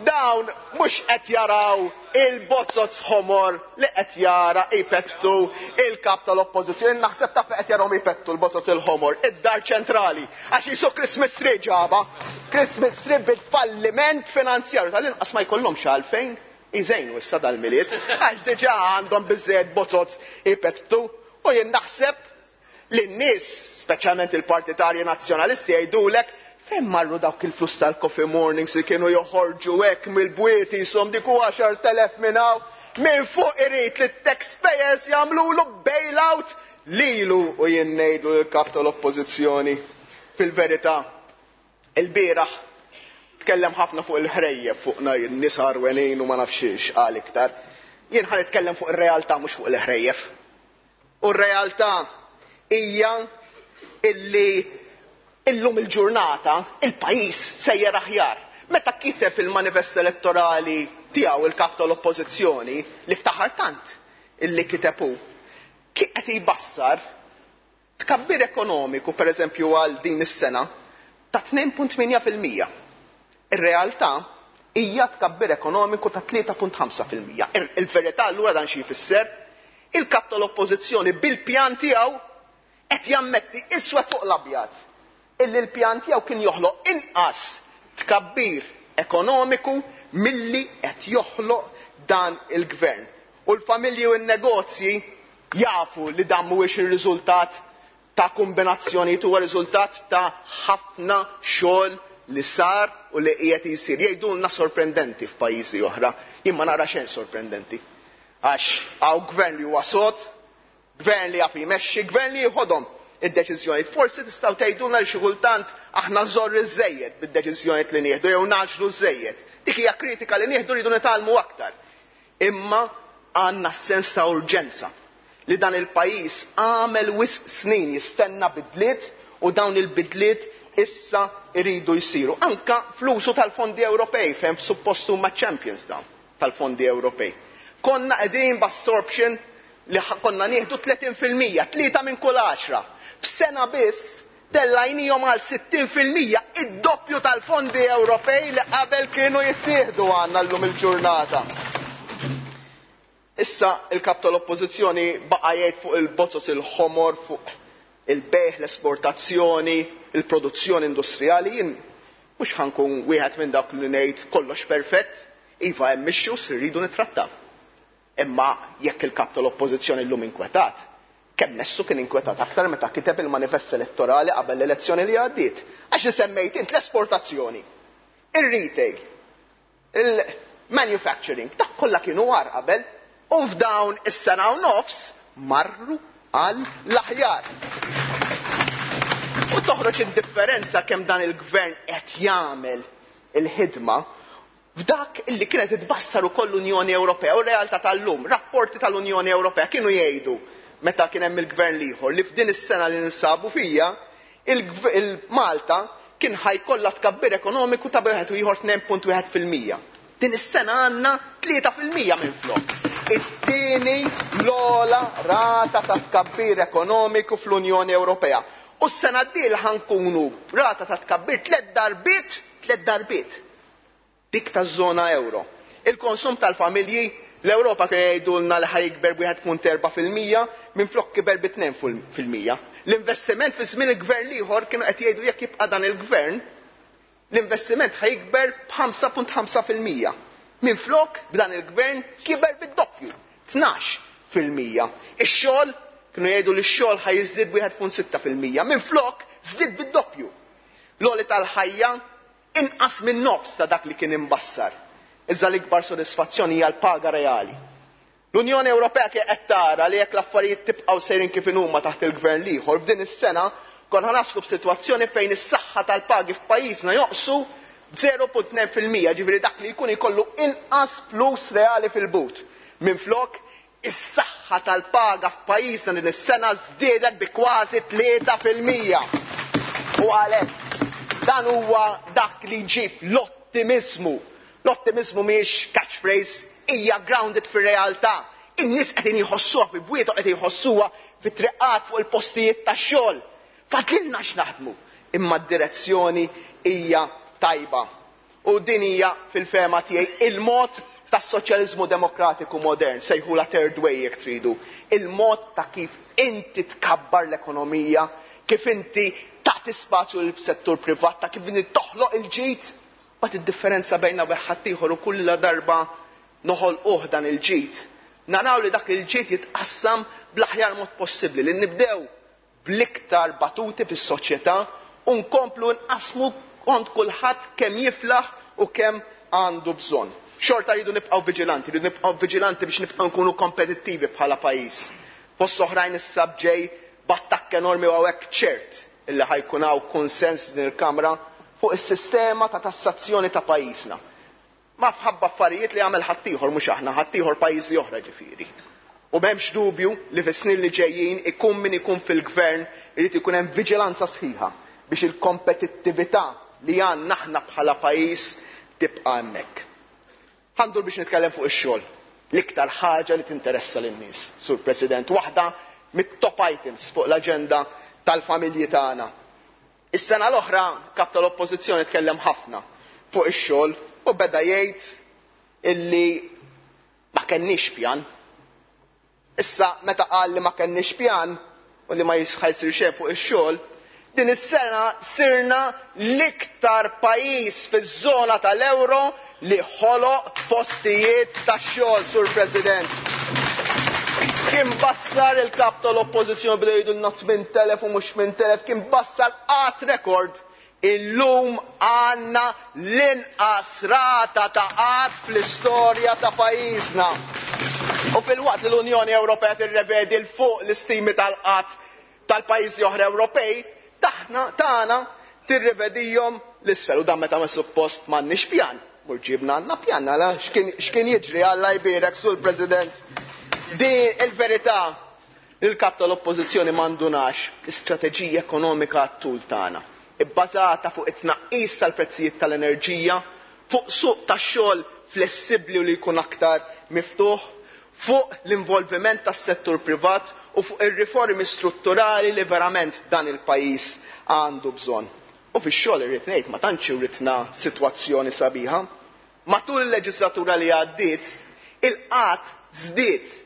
Speaker 10: Dawn mhux qed jaraw il-bozoz ħomor li qed jara ipettu il-kap tal-oppożizzjoni. Naħseb taf qed jarahom ipettu l-bozoz il-ħomor, id-dar ċentrali. Għax jisu Christmas tree ġaba, Christmas tree bil-falliment finanzjarju. Tal-inqas ma jkollhomx għalfejn iżejnu issa dal-Milied, għax diġà għandhom biżżejjed bozoz ipettu. U jien naħseb li n-nies, speċjalment il-partitarji nazzjonalisti, jgħidulek, "Fejn marru dawk il-flus tal-coffee mornings li kienu joħorġu hekk mill-bwiet jisom dik għaxart elef minn hawn?" Minn fuq irid li taxpayers jagħmlulu bailout lilu. U jien ngħidu l-kap tal-oppożizzjoni, fil-verità, il-bieraħ tkellem ħafna fuq il-ħrejjef, fuqna n-nies għarwenin u ma nafx qal iktar. Jien ħa nitkellem fuq ir-realtà, mhux fuq il-ħrejjef. U r-realtà hija illi illum il-ġurnata il-pajjiż sejjer aħjar. Meta kiteb il-manifest elettorali tiegħu il-kap tal-oppożizzjoni, li ftaħar tant illi kiteb hu, qed jbassar tkabbir ekonomiku, per eżempju, għal din is-sena ta' tnejn punt tmienja fil-mija. Ir-realtà hija tkabbir ekonomiku ta' tlieta punt ħamsa fil-mija. Il-verità allura dan xi jfisser? Il-kap tal-oppożizzjoni bil-pjan tiegħu qed jammetti iswed fuq l-abjad illi l-pjan tiegħu kien joħloq inqas tkabbir ekonomiku milli qed joħloq dan il-gvern. U l-familji u n-negozji jafu li dan mhuwiex ir-riżultat ta' kombinazzjoni, huwa riżultat ta' ħafna xogħol li sar u li qiegħed jsir. Jgħidulna sorprendenti f'pajjiżi oħra, jien ma nara xejn sorprendenti. Għax hawn gvern li huwa sod, gvern li jaf jmexxi, gvern li jħodhom id-deċiżjonijiet. Forsi tistgħu tgħidulna li xi kultant aħna żorri żejjed bid-deċiżjonijiet li nieħdu jew ngħaġġlu żejjed. Dik hija kritika li nieħdu, rridu nitgħallmu aktar. Imma għandna sens ta' urġenza li dan il-pajjiż għamel wisq snin jistenna bidliet u dawn il-bidliet issa iridu jsiru. Anka fl-użu tal-fondi Ewropej, fejn suppost huma champions dawn tal-fondi Ewropej. Konna qegħdin b'absorption li konna nieħdu tletin fil-mija, tlieta minn kull għaxra. F'sena biss tellajnihom għal sittin fil-mija, id-doppju tal-fondi Ewropej li qabel kienu jittieħdu għandna llum il-ġurnata. Issa il-kap tal-oppożizzjoni baqa' jgħid fuq il-bozoz il-ħomor, fuq il-bejgħ, l-esportazzjoni, il-produzzjoni industrijali. Jien mhux ħa nkun wieħed minn dawk li ngħid kollox perfett, iva, hemm issues li rridu nittrattaw. Imma jekk il-kap tal-oppożizzjoni llum inkwetat, kemm messu kien inkwetat aktar meta kiteb il-manifest elettorali qabel l-elezzjoni li għaddiet? Għax li semmejt int, l-esportazzjoni, il-retail, il-manufacturing, dak kollha kienu agħar qabel u f'dawn is-sena u nofs marru għal l-aħjar. U toħroġ id-differenza kemm dan il-gvern qed jagħmel il-ħidma f'dak illi kienet itbassar ukoll l-Unjoni Ewropea u r-realtà tal-lum. Rapporti tal-Unjoni Ewropea kienu jgħidu meta kien hemm il-gvern l-ieħor li f'din is-sena li ninsabu fija il-Malta kien ħa jkollha tkabbir ekonomiku ta' wieħed u ieħor tnejn punt wieħed fil-mija. Din is-sena għandna tlieta fil-mija minflok. It-tieni l-ogħla rata ta' tkabbir ekonomiku fl-Unjoni Ewropea. U s-sena d-dieħla ħa nkunu rata ta' tkabbir tliet darbiet, tliet darbiet dik taż-żona euro. Il-konsum tal-familji, l-Ewropa kienu jgħidulna li ħa jikber b'wieħed punt erba' fil-mija, minflok kiber bi tnejn fil-mija. L-investiment fi żmien il-gvern l-ieħor kienu qed jgħidu jekk jibqa' dan il-gvern, l-investiment ħa jikber b'ħamsa punt ħamsa fil-mija. Minflok b'dan il-gvern kiber bid-doppju, tnax fil-mija. Ix-xogħol kienu jgħidu li x-xogħol ħa jiżdied b'wieħed punt sitta fil-mija. Minflok żdied bid-doppju. L-għoli tal-ħajja inqas minn nofs ta' dak li kien imbassar. Iżda l-ikbar sodisfazzjoni hija l-paga reali. L-Unjoni Ewropea kien qed tara li jekk l-affarijiet tibqgħu sejrin kif inhuma taħt il-gvern l-ieħor, f'din is-sena konna naslu f'sitwazzjoni fejn is-saħħa tal-pagi f'pajjiżna joqsu zero punt tnejn fil-mija, ġifieri dak li jkun ikollu inqas flus reali fil-but. Minflok, is-saħħa tal-paga f'pajjiżna din is-sena żdiedet bi kważi tlieta fil-mija. U għalhekk dan huwa dak li jġib l-ottimizmu. L-ottimizmu mhijiex catchphrase, hija grounded fir-realtà. In-nies qegħdin jħossuha fi bwiethom, qegħdin jħossuha fit-triqat fuq il-postijiet tax-xogħol. Fadlilna x'naħdmu, imma d-direzzjoni hija tajba. U din hija fil-fehma tiegħi il-mod tas-soċjaliżmu demokratiku modern, sejħula third way jekk tridu. Il-mod ta' kif inti tkabbar l-ekonomija, kif inti tagħti spazju lill-settur privat, ta' kif inti toħloq il-ġid. Bat id-differenza bejna u ħaddieħor u kull darba noħolquh dan il-ġid. Naraw li dak il-ġid jitqassam bl-aħjar mod possibbli, li nibdew bl-iktar batuti fis-soċjetà u nkomplu nqasmu kont kulħadd kemm jiflaħ u kemm għandu bżonn. Xorta rridu nibqgħu viġilanti, rridu nibqgħu viġilanti biex nibqgħu nkunu kompetittivi bħala pajjiż. Fost oħrajn issa bġej b'attakk enormi u hawnhekk ċert illi ħajkun hawn konsens din il-Kamra fuq is-sistema ta' tassazzjoni ta' pajjiżna. Ma f'ħabba affarijiet li għamel ħaddieħor, mhux aħna, ħaddieħor pajjiżi oħra ġifieri. U m'hemmx dubju li fis-snin li ġejjin ikun min ikun fil-gvern irid ikun hemm viġilanza sħiħa biex il-kompetittività li għandna aħna bħala pajjiż tibqa' hemmhekk. Ħandur biex nitkellem fuq ix-xogħol. L-iktar ħaġa li tinteressa lin-nies, Sur President, waħda mit-top items fuq l-aġenda tal-familji tagħna. Is-sena l-oħra kap tal-Oppożizzjoni tkellem ħafna fuq ix-xogħol u beda jgħid illi ma kenniex pjan. Issa meta qal li ma kenniex pjan u li ma jisħajsir xejn fuq ix-xogħol, din is-sena sirna l-iktar pajjiż fiż-żona tal-euro li ħoloq postijiet tax-xogħol, Sur President. Kien bassar il-kap tal-Oppożizzjoni bdew jgħidulna tmien telef u mhux tmien telef, kien bassar qatt rekord. Illum għandna l-inqas rata ta' qatt fl-istorja ta' pajjiżna. U fil-waqt li l-Unjoni Ewropea tirrevedi l fuq l-istimi tal-qatt tal-pajjiżi oħra Ewropej, taħna tagħna tirrevedihom l-isfel. U dan meta ma suppost m'għandniex pjan. Mur ġibna għandna pjan, għala x'kien, x'kien jiġri, Alla jbierek, Sur President. Di il-verità il-kap tal-Oppożizzjoni m'għandunax l-istrateġija ekonomika għat-tul tagħna, ibbażata fuq it-tnaqqis tal-prezzijiet tal-enerġija, fuq suq tax-xogħol flessibbli u li jkun aktar miftuħ, fuq l-involviment tas-settur privat u fuq ir-riformi strutturali li verament dan il-pajjiż għandu bżonn. U fix-xogħol irrid ngħid ma tantx iridna sitwazzjoni sabiħa. Matul il-leġislatura li għaddiet, il-qatt żdied.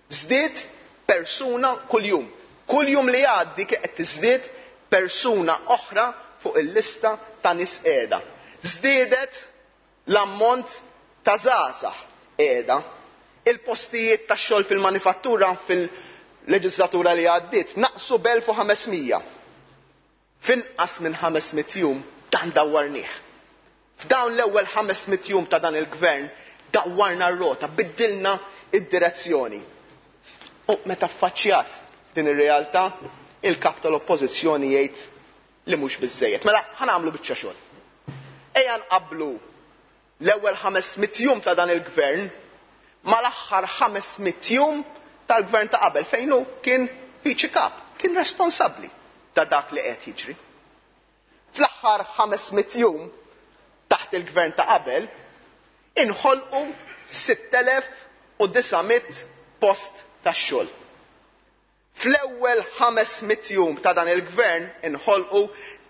Speaker 10: Żdied persuna kuljum. Kuljum li għaddi kien qed tiżdied persuna oħra fuq il-lista ta' nies qiegħda. Żdiedet l-ammont ta' żgħażagħ qiegħda. Il-postijiet tax-xogħol fil-manifattura fil-leġislatura li għaddiet naqsu b'elf u ħamesmija. F'inqas minn ħames mitt jum dan dawwarnieh. F'dawn l-ewwel ħames mitt jum ta' dan il-gvern dawwarna r-rota, biddilna id-direzzjoni. U meta affaċċjat din ir-realtà, il-kap tal-Oppożizzjoni jgħid li mhux biżżejjed. Mela ħanagħmlu biċċa xogħol. Ejja nqabblu l-ewwel ħames mitt jum ta' dan il-gvern mal-aħħar ħames mitt jum tal-gvern ta' qabel fejn hu kien viċi kap, kien responsabbli ta' dak li qed jiġri. Fl-aħħar ħames mitt jum taħt il-gvern ta' qabel, Inħolqu sitt elef u disa' mitt post tax-xogħol. Fl-ewwel ħames mitt jum ta' dan il-gvern inħolqu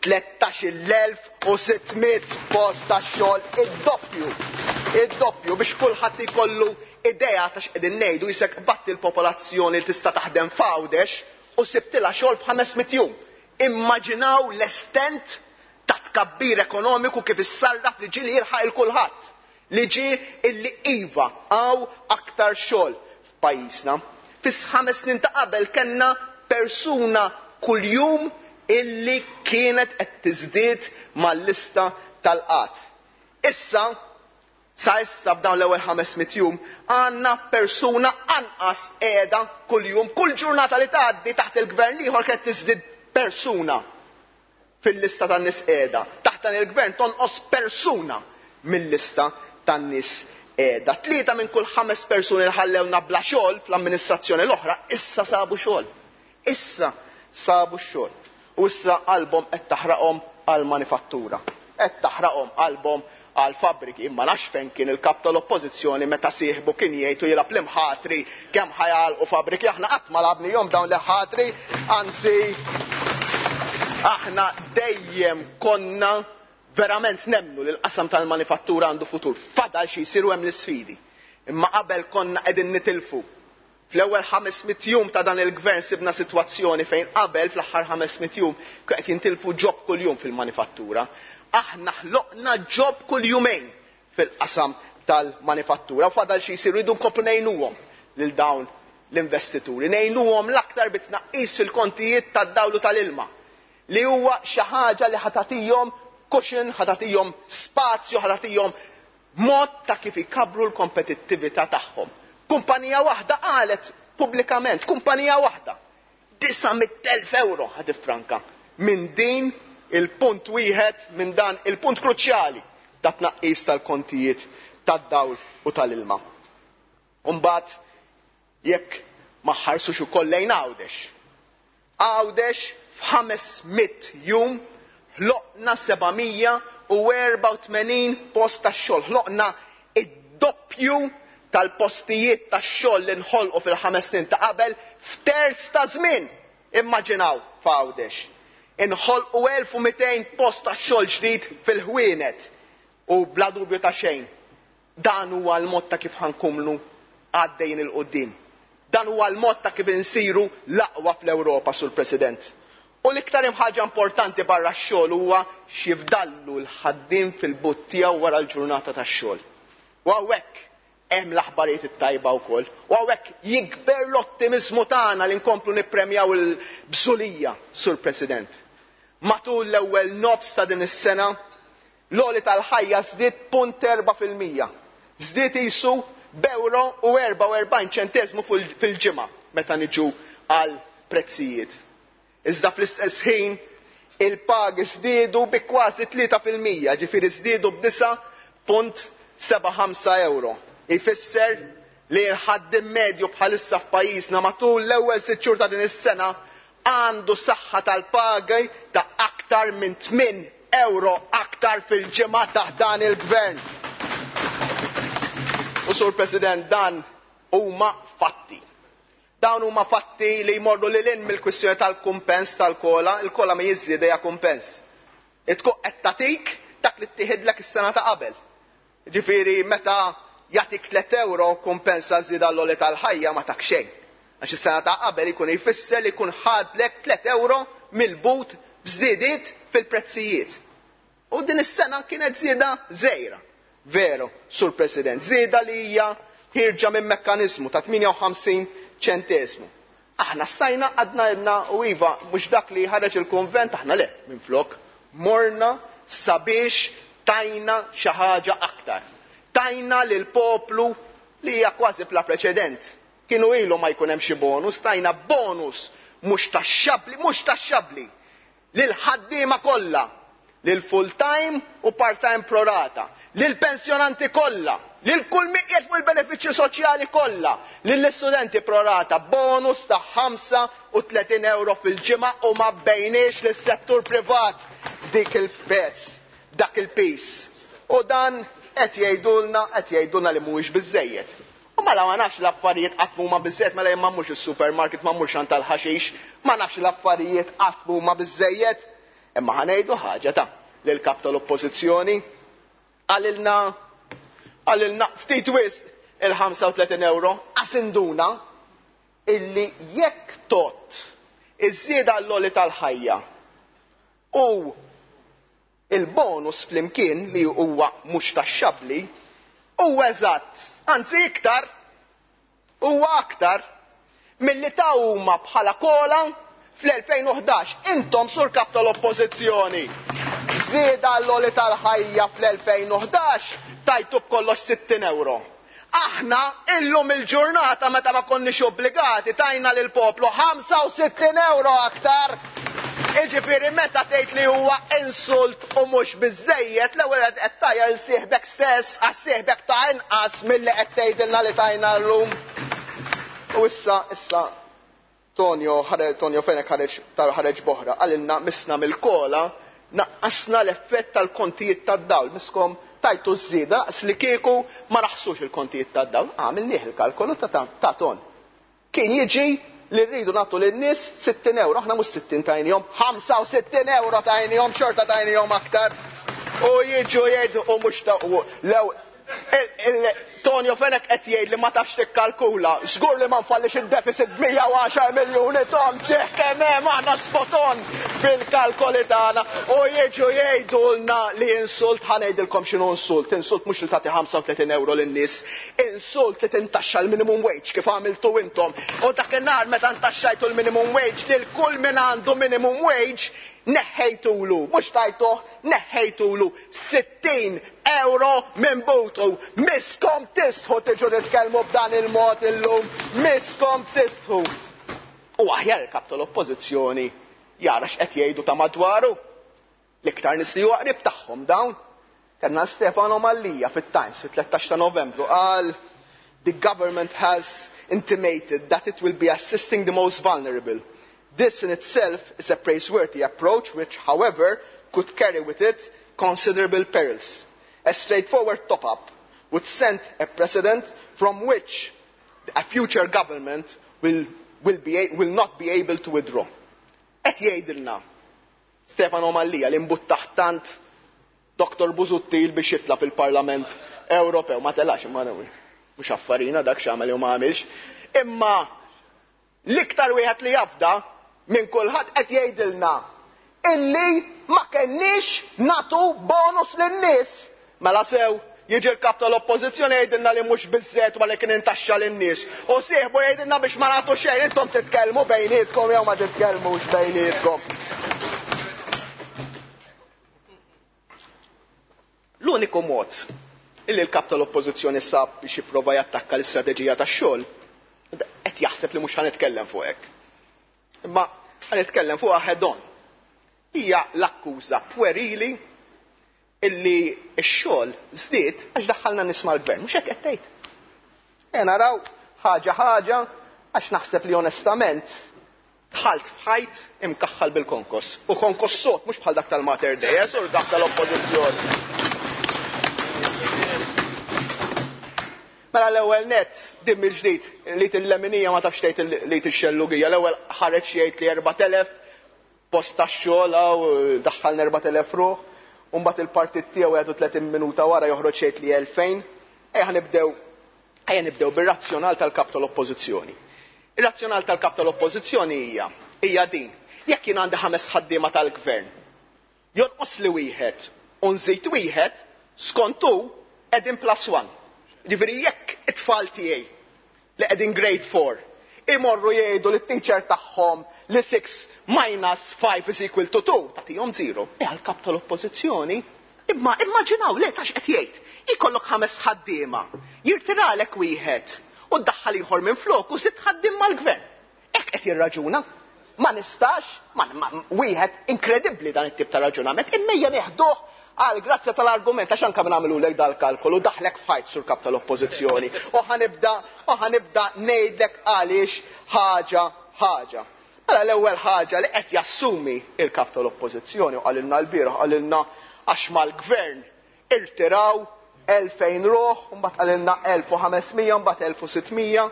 Speaker 10: tlettax-il elf u sitt mitt post tax-xogħol, id-doppju. Id-doppju biex kulħadd ikollu idea ta' x'qegħdin ngħidu, jisek batti l-popolazzjoni li tista' taħdem f'Għawdex u sibtilha xogħol f'ħames mitt jum. Immaġinaw l-estent ta' tkabbir ekonomiku kif issarraf li ġieli jilħaq il kulħadd, li ġie illi iva għaw aktar xogħol f'pajjiżna. Fis ħames snin ta' qabel kellna persuna kuljum illi kienet qed tiżdied mal-lista tal-qatt. Issa, sa issa f'dawn l-ewwel ħames mitt jum, għandna persuna anqas qiegħda kuljum, kull ġurnata li tgħaddi taħt il-gvern ieħor kienet tiżdied persuna fil-lista tan-nies qiegħda. Taħt dan il-gvern tonqos persuna mill-lista tan-nies qiegħda. Tlieta minn kull ħames persuni li ħallewna bla xogħol fl-amministrazzjoni l-oħra issa sabu xogħol. Issa sabu x-xogħol. U issa qalbhom qed taħraqhom għall-manifattura. Qed taħraqhom qalbhom għall-fabbriki. Imma nafx fejn kien il-kap tal-oppożizzjoni meta sieħbu kien jgħid u jilgħab l-imħatri kemm ħajalqu fabbriki. Aħna qatt ma lagħbnihom dawn l-ħatri, anzi aħna dejjem konna verament nemmnu li l-qasam tal-manifattura għandu futur. Fadal xi jsiru hemm l-isfidi. Imma qabel konna qegħdin nitilfu. Fl-ewwel ħames mitt jum ta' dan il-gvern sibna sitwazzjoni fejn qabel fl-aħħar ħames mitt jum qed jintilfu ġob kuljum fil-manifattura. Aħna ħloqna ġob kull jumejn fil-qasam tal-manifattura u fadal xi jsiru, jridu nkomplu ngħinuhom lil dawn l-investituri. Ngħinuhom l-aktar bit-tnaqqis fil-kontijiet tad-dawlu tal-ilma li huwa xi ħaġa li ħatatihom cushion, ħatatihom spazju, ħatatihom mod ta' kif ikabru l-kompetittività tagħhom. Kumpanija waħda qalet pubblikament, kumpanija waħda, disa' mitt elf euro ħad iffranka minn din il-punt wieħed, minn dan il-punt kruċjali ta' tnaqqis tal-kontijiet tad-dawl u tal-ilma. Umbagħad jekk ma ħarsux ukoll lejn Għawdex. Għawdex f'ħames mitt jum ħloqna seba' mija u erba' u tmenin post tax-xogħol. Ħloqna id-doppju tal-postijiet tax-xogħol li nħolqu fil-ħames snin ta' qabel f'terz ta' żmien. Immaġinaw f'Għawdex. Inħolqu elf u mitejn post tax-xogħol ġdid fil-ħwienet u bla dubju ta' xejn. Dan huwa l-mod ta' kif ħankumlu għaddejjin il-qudiem. Dan huwa l-mod ta' kif insiru l-aqwa fl-Ewropa, Sur President. U l-iktar ħaġa importanti barra x-xogħol huwa x'jifdallu l-ħaddiem fil-but tiegħu wara l-ġurnata tax-xogħol. U hawnhekk hemm l-aħbarijiet it-tajba wkoll. U hawnhekk jikber l-ottimiżmu tagħna li nkomplu nippremjaw il-bżulija, Sur President. Matul l-ewwel nofs ta' din is-sena, l-għoli tal-ħajja żdied punt erba' fil-mija. Żdied isu b'euro u erba' u erbgħin ċenteżmu fil-ġimgħa meta niġu għal prezzijiet. Iżda fl-istess ħin il-pagi żdiedu bi kważi tlieta fil-mija, ġifieri żdiedu b'disa' punt seba' ħamsa euro. Ifisser li l-ħaddiem medju bħalissa f'pajjiżna matul l-ewwel sitt xhur ta' din is-sena għandu saħħa tal-pagi ta' aktar minn tmien euro aktar fil-ġimgħa taħt dan il-gvern. U Sur President, dan huma fatti. Dawn huma fatti li jmorru lil hinn mill-kwistjoni tal-kumpens tal-kola, il-kola ma jiżdied hija kumpens. Itkun qed tagħtik dak li ttieħidlek is-sena ta' qabel. Ġifieri meta jagħtik tliet euro kumpensa żieda l-għoli tal-ħajja ma tak xejn. Għax is-sena ta' qabel ikun jfisser li jkun ħadlek tliet euro mill-but b'żidiet fil-prezzijiet. U din is-sena kienet żieda żgħira. Veru, Sur President, żieda li hija ħirġa minn mekkaniżmu ta' tmienja u ħamsin ċentesmu. Aħna stajna għadna jedna u iva mhux dak li ħareġ il-konvent, aħna le, minflok morna sabiex tajna xi ħaġa aktar. Tajna lil poplu li hija kważi bla preċedent. Kienu ilu ma jkun hemm xi bonus, tajna bonus mhux taxxabbli, mhux taxxabbli lil ħaddiema kollha, lil full time u part time prorata, lil pensjonanti kollha, lil kull min qiegħed fuq il-benefiċċji soċjali kollha, lill-istudenti prorata, bonus ta' ħamsa u tletin euro fil-ġimgħa u ma bejniex lis-settur privat dik il-pezz, dak il-pis. U dan qed jgħidulna qed jgħidulna li mhuwiex biżejjed. U mela ma nafx l-affarijiet qatt huma biżejjed, mela jien ma mmurx is-supermarket, ma mmurx għand tal-ħaxix, ma nafx l-affarijiet qatt huma biżejjed. Imma ħa ngħidu ħaġa ta' lil kap tal-Oppożizzjoni qalilna qalilna ftit wisq il-ħamsa u tletin euro qasinduna illi jekk tot iż-żieda għall-għoli tal-ħajja u il-bonus flimkien li huwa mhux taxxabbli huwa eżatt, anzi iktar, huwa aktar milli ta' huma bħala kola fl-elfejn u ħdax. Intom sur kap tal-Oppożizzjoni, żieda għall-għoli tal-ħajja fl-elfejn u ħdax tajtu b'kollox sittin euro. Aħna illum il-ġurnata meta ma konniex obbligati tajna lil poplu ħamsa u sittin euro aktar. Iġifieri meta tgħid li huwa insult u mhux biżejjed, l-ewwel qed tajjar il sieħbek stess għas sieħbek ta' inqas milli qed tgħidilna li tajna llum. U issa, issa Tonio ħareġ, Tonio Fenech ħareġ, ħareġ boħra, qalilna misna mill-kola naqqasna l-effett tal-kontijiet tad-dawl, miskom tajtu żieda daqs li kieku ma raħsux il-kontijiet tad-dawl. Għamilnieh il-kalkolu ta' ta', ta' ton. Kien jiġi li rridu nagħtu lin-nies sittin euro, aħna mhux sittin tajnihom, ħamsa u sittin euro tajnihom, xorta tajnihom aktar. U jiġu jgħidu u mhux ta' u lew Tonio Fenech qed jgħid li ma tafx tikkalkula, żgur li ma nfallix id-deficit b'mija u għaxar miljuni ton, ġieħ kemm hemm aħna spoton fil-kalkoli tagħna. U jiġu jgħidulna li insult, ħa ngħidilkom x'inhu insult. Insult mhux li tagħti ħamsa u tletin euro lin-nies, insult li tintaxxa l-minimum wage kif għamiltu intom. U dakinhar meta ntaxxajtu l-minimum wage lil kull min għandu minimum wage neħħejtulu, mhux tajtuh, neħħejtulu sittin euro minn butu. Miskom tistħu tiġu titkellmu b'dan il-mod illum, miskom tistħu. U aħjar il-kap tal-Oppożizzjoni jara x'qed jgħidu ta' madwaru. L-iktar nies li huwa qrib tagħhom dawn. Kellna Stefano Mallia fit-Times fit-tlettax ta' Novembru qal the government has intimated that it will be assisting the most vulnerable. This in itself is a praiseworthy approach which, however, could carry with it considerable perils. A straightforward top-up would send a precedent from which a future government will, will, be, will not be able to withdraw. Qed jgħidilna Stefano Mallia li mbuttaħ tant Doktor Busuttil biex jitla fil-Parlament Ewropew. Ma telax imma mhux affarina dak x'għamel jew ma għamilx. Imma l-iktar wieħed li jafda minn kulħadd qed jgħidilna illi ma kenniex natu bonus lin-nies. Mela sew jiġi l-kap tal-Oppożizzjoni jgħidilna li mhux biżżejjed wara li kien intaxxa lin-nies. U sieħbu jgħidilna biex ma nagħtu xejn, intom titkellmu bejnietkom jew ma titkellmux bejnietkom. L-uniku mod illi l-kap tal-Oppożizzjoni sab biex jipprova jattakka l-istrateġija tax-xogħol qed jaħseb li mhux ħanitkellem fuq hekk. Imma ħanitkellem fuqha head on. Hija l-akkuża puerili illi x-xogħol żdied għax daħħalna nies mal-gvern, mhux hekk qed tgħid. E naraw ħaġa ħaġa għax naħseb li onestament dħalt f'ħajt imkaħħal bil-konkos. U konkos sod mhux bħal dak tal-Mater Dei, eh, sur dak tal-Oppożizzjoni. Mela l-ewwel nett din mill-ġdid li til-leminija ma tafx tgħid li tixxellugija. L-ewwel ħareġ jgħid li erbat elef post tax-xogħol hawn daħħalna erbat elef ruħ, u mbagħad il-partit tiegħu jgħidu tletin minuta wara joħroġ jgħid li elfejn. Ejja nibdew, ejja nibdew bir-razzjonal tal-kap tal-Oppożizzjoni. Ir-razzjonal tal-kap tal-Oppożizzjoni hija, hija din. Jekk jien għandi ħames ħaddiema tal-gvern, jonqos li wieħed u nżid wieħed, skont hu qegħdin plus one. Ġifieri jekk it-tfal tiegħi li qegħdin grade four imorru jgħidu lit-teacher tagħhom li six minus five is equal to two, tagħtihom zero. E għall-kap tal-Oppożizzjoni, imma immaġinaw le tax qed jgħid. Ikollok ħames ħaddiema, jirtiralek wieħed u ddaħħal ieħor minn flok u sitt ħaddiem mal-gvern. Hekk qed jirraġuna. Ma nistax, ma, ma, wieħed inkredibbli dan it-tip ta' raġunament, imma ejja nieħduh għal grazzja tal-argument, għax anke nagħmlulek dal-kalkolu, daħlek fajt sur kap tal-Oppożizzjoni. U ħanibda, u ħanibda ngħidlek għaliex ħaġa ħaġa. Mela l-ewwel ħaġa li qed jassumi il-kap tal-Oppożizzjoni u qalilna l-bieraħ, qalilna għax mal-gvern irtiraw elfejn ruħ, mbagħad qalilna elf u ħames mija, mbagħad elf u sitt mija.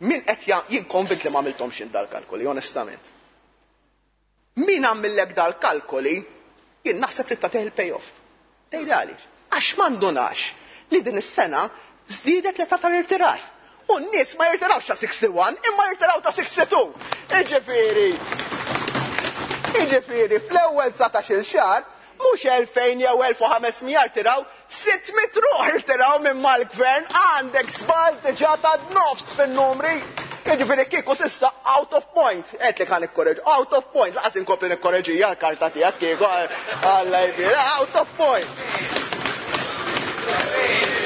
Speaker 10: Min qed jien konvint li ma għamilthomx dal-kalkoli, onestament. Min għamillek dal-kalkoli, jien naħseb li tagħtih il-payoff. Tgħidli għaliex? Għax m'għandunax li din is-sena żdiedet l-età tal-irtirar. U n-nies ma jirtirawx ta' wieħed u sittin, imma jirtiraw ta' sitta u sittin. Iġifieri, iġifieri, fl-ewwel dsatax-il xahar, mhux elfejn jew elf u ħames mija rtiraw, sitt mitt ruħ irtiraw minn mal-gvern, għandek żball diġà ta' nofs fin-numri. Jiġifieri kieku s'issa out of point. Għedt li kan ikkoreġ, out of point, lanqas inkompli nikkoreġija l-karta tiegħek kieku Alla jbir, out of point.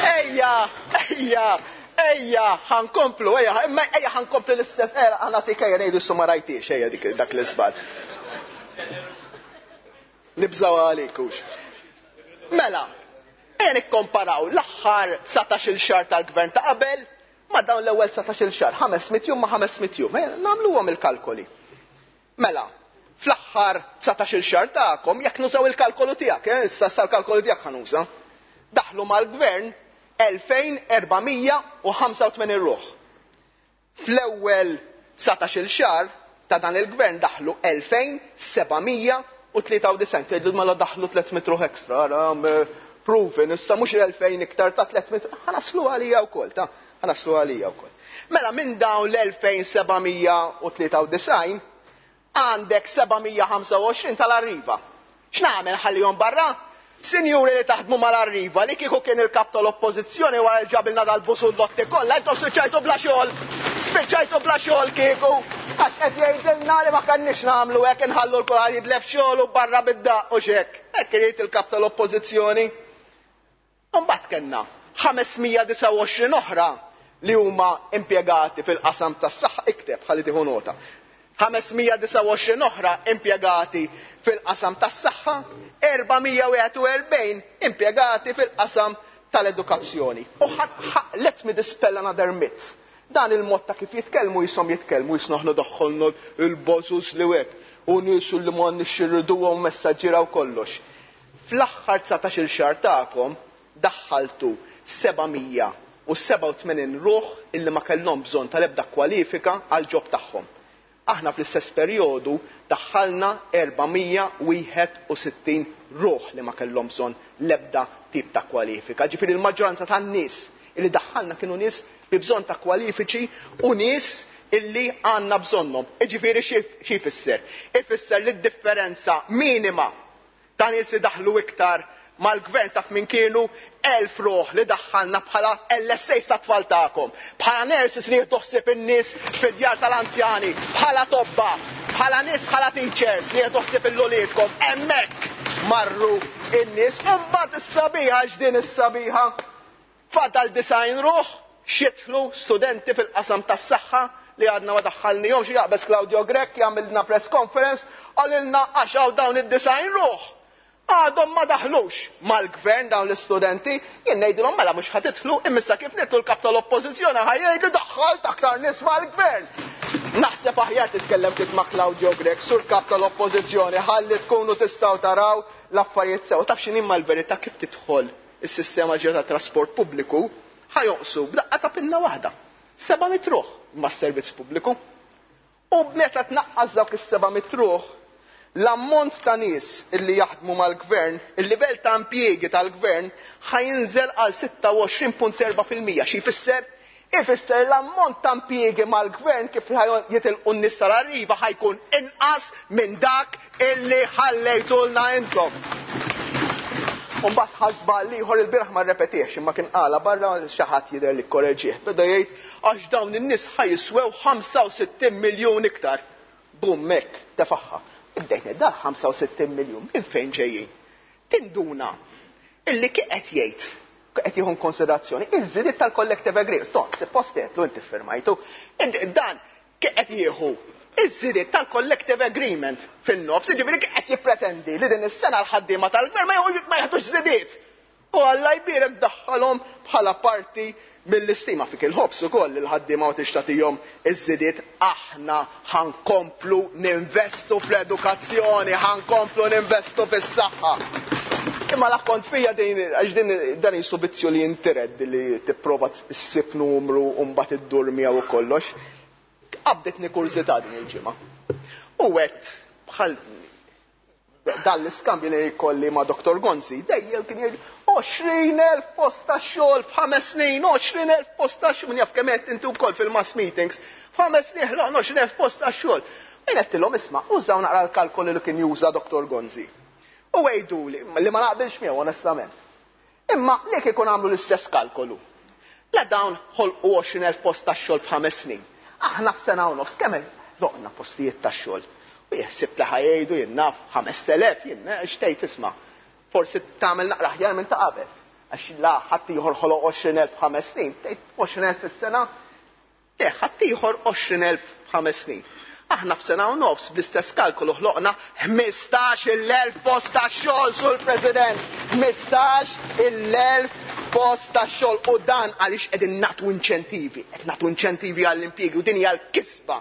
Speaker 10: Ejja, ejja, ejja, ħa nkomplu, ejja, imma ejja ħa nkomplu l-istess, ejja, ħa nagħtik, ejja ngħidu su ma rajtix, ejja dik dak l-iżball. Nibżaw għalik hux. Mela, ejja nikkomparaw l-aħħar dsatax-il xahar tal-gvern ta' qabel ma' dawn l-ewwel dsatax-il xahar, ħames mitt jum ma' ħames mitt jum, ejja nagħmluhom il-kalkoli. Mela, fl-aħħar dsatax-il xahar tagħkom, jekk nużaw il-kalkolu tiegħek, eh, issa issa l-kalkolu tiegħek ħa nuża. Daħlu mal-gvern elfejn erba' mija u ħamsa u tmenin ruħ. Fl-ewwel dsatax-il xahar ta' dan il-gvern daħlu elfejn seba' mija u tlieta u disgħin. Tgħidu mela daħlu tliet mitt ruħ ekstra, ara, proven, issa mhux elfejn iktar ta' tliet mitt, ħa naslu għalija wkoll, ta' ħa naslu għalija wkoll. Mela minn dawn l-elfejn seba' mija u tlieta u disgħin għandek seba' mija u ħamsa u għoxrin tal-Arriva. X'nagħmel, ħallihom barra? Sinjuri li taħdmu mal-Arriva, li kieku kien il-kap tal-oppożizzjoni wara ġabilna dal-busullotti kollha, intom spiċċajtu bla xogħol. Spiċċajtu bla xogħol kieku. Għax qed jgħidilna li ma kenniex nagħmlu hekk, inħallu l-kulħadd jitlef xogħol u barra bid-daq u xek. Hekk irid il-kap tal-oppożizzjoni. Mbagħad kellna ħames mija u disgħa u għoxrin oħra li huma impjegati fil-qasam tas-saħħa, ikteb ħalli tieħu nota. ħames mija u disgħa u għoxrin oħra impjegati fil-qasam tas-saħħa, erba' mija u wieħed u erbgħin impjegati fil-qasam tal-edukazzjoni. U let me dispel another myth. Dan il-mod ta' kif jitkellmu jisom jitkellmu jisnoħnu daħħolnu il-bozus li wek u nisu li ma nixxirriduhom messaġġiera u kollox. Fl-aħħar dsatax-il xahar tagħkom daħħaltu seba' mija u sebgħa u tmenin ruħ illi ma kellhom bżonn tal-ebda kwalifika għal job tagħhom. Aħna fl-istess perjodu daħħalna erba' mija u wieħed u sittin ruħ li ma kellhom bżonn l-ebda tip ta' kwalifika. Ġifieri l-maġġoranza tan-nies illi daħħalna kienu nies bi bżonn ta' kwalifiċi u nies illi għandna bżonnhom. Ġifieri xi jfisser? Ifisser li d-differenza minima ta' nies li daħlu iktar mal-gvern taf min kienu? Elf ruħ li daħħalna bħala L S A ta' tfal tagħkom, bħala nurses li jieħdu ħsieb in-nies fid-djar tal-anzjani, bħala tobba, bħala nies, bħala teachers li jieħdu ħsieb il-uliedkom, hemmhekk marru in-nies. U mbagħad is-sabiħa, x'din is-sabiħa? Fadal disgħin ruħ x'jidħlu studenti fil-qasam tas-saħħa li għadna ma daħħalnihomx. Jaqbeż Claudio Grech jagħmilna press conference, qalilna għax hawn dawn id-disgħin ruħ. Għadhom ma daħlux mal-gvern dawn l-istudenti, jien ngħidilhom mela mhux ħa tidħlu, imma kif nidħlu l-kap tal-oppożizzjoni ħa jgħidu daħħalt aktar nies mal-gvern. Naħseb aħjar titkellem ftit ma' Claudio Grech, sur kap tal-oppożizzjoni, ħalli tkunu tistgħu taraw l-affarijiet sew. Taf x'inhi mal-verità, kif tidħol is-sistema ġdida ta' trasport pubbliku, ħa jonqsu b'daqqa ta' pinna waħda. Seba' mitt ruħ mas-servizz pubbliku. U meta tnaqqas dawk is-seba' mitt ruħ, l-ammont ta' nies illi jaħdmu mal-gvern, il-livell ta' impjiegi tal-gvern ħa jinżel għal sitta u għoxrin punt erbgħa fil-mija. Xi jfisser? Ifisser l-ammont ta' impjiegi mal-gvern kif jitilqu n-nies tal-Arriva ħa jkun inqas minn dak illi ħallejtulna intom. Umbagħad ħa żball ieħor il-bieraħ, ma rrepetiex, imma kien qala barra, xi ħadd jidher li korreġih. Beda jgħid għax dawn in-nies ħa jiswew ħamsa u sittin miljun iktar. Bum, hekk tefaħħa. Ibdejt da ħamsa u sittin miljun minn fejn ġejjin? Tinduna illi kif qed jgħid, qed jieħu konsiderazzjoni iż-żidiet tal-collective agreement. Ton, suppost qed inti firmajtu. Dan kif qed jieħu iż-żidiet tal-collective agreement fin-nofs, jiġifieri qed jippretendi li din is-sena l-ħaddiema tal-gvern ma jieħdux żidiet. U Alla jbierek daħħalhom bħala parti mill-istima fik il-ħobs ukoll il-ħaddiema u tixtatihom iż-żidiet. Aħna ħa nkomplu ninvestu fl-edukazzjoni, ħa nkomplu ninvestu fis-saħħa. Imma l-akkont fija din, għax din dan jisu vizzju li jintired li tipprova ssib numru u mbagħad iddur miegħu u kollox. Qabdetni kurżità din il-ġimgħa. U għedt bħal dan l-iskambju li jkolli ma' Doktor Gonzi, dejjem kien jgħid għoxrin elf post ta' xogħol f'ħames snin, għoxrin elf post ta' xogħol, min jaf kemm qed inti wkoll fil-mass meetings, f'ħames snin ħloqna għoxrin elf post ta' xogħol. Jien għedtilhom isma', użaw naqra l-kalkoli li kien juża Doktor Gonzi. U għiduli, li ma naqbilx miegħu onestament. Imma li kieku nagħmlu l-istess kalkolu. La dawn ħolqu għoxrin elf post ta' xogħol f'ħames snin. Aħna f'sena u nofs kemm ħloqna postijiet ta' xogħol. U jeħsib li ħajjdu jien naf ħames telef, jien xtejt isma'. Forsi tagħmel naqra aħjar minn ta' qabel. Għax la ħadd ieħor ħoloq għoxrin elf f'ħames snin, tgħid għoxrin elf fis-sena, le ħadd ieħor għoxrin elf f'ħames snin. Aħna f'sena u nofs bl-istess kalkolu ħloqna ħmistax il-elf post ta' xogħol, Sur President. Ħmistax il-elf post ta' xogħol, u dan għaliex qegħdin nagħtu inċentivi, qed nagħtu inċentivi għall-impjiegi, u din hija l-kisba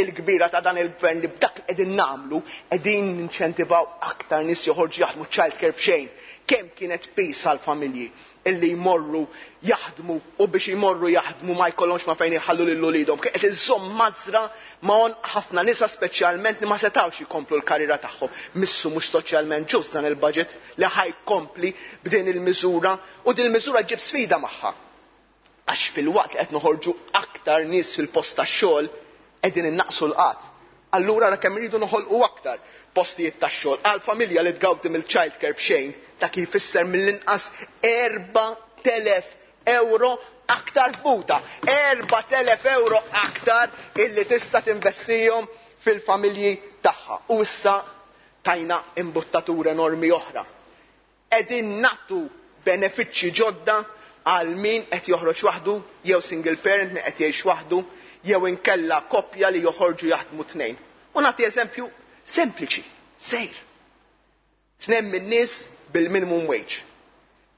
Speaker 10: il-kbira ta' dan il-gvern li b'dak li qegħdin nagħmlu qegħdin ninċentivaw aktar nies joħorġu jaħdmu childcare b'xejn. Kemm kienet pis għall-familji illi jmorru jaħdmu, u biex jmorru jaħdmu ma jkollhomx ma fejn jħallu lil uliedhom. Kien qed iżomm mażra ma' għonq ħafna nisa speċjalment li ma setgħux jkomplu l-karriera tagħhom. Missu mhux soċjalment ġust dan il-budget li ħajkompli b'din il-miżura, u din il-miżura ġib sfida magħha. Għax fil-waqt li qed noħorġu aktar nies fil-post tax-xogħol qegħdin innaqsu l-qgħad. Allura ra kemm iridu noħolqu aktar postijiet tax-xogħol għal familja li tgawdi mill-childcare b'xejn, dak jfisser mill-inqas erba' telef euro aktar f'buta, erba' telef euro aktar illi tista' tinvestihom fil-familji tagħha. U issa tajna imbuttatura enormi oħra. Qegħdin nagħtu benefiċċji ġodda għal min qed joħroġ waħdu, jew single parent min qed jgħix waħdu, jew inkella koppja li joħorġu jaħdmu tnejn. U nagħti eżempju sempliċi, sejr. Tnejn min-nies bil-minimum wage.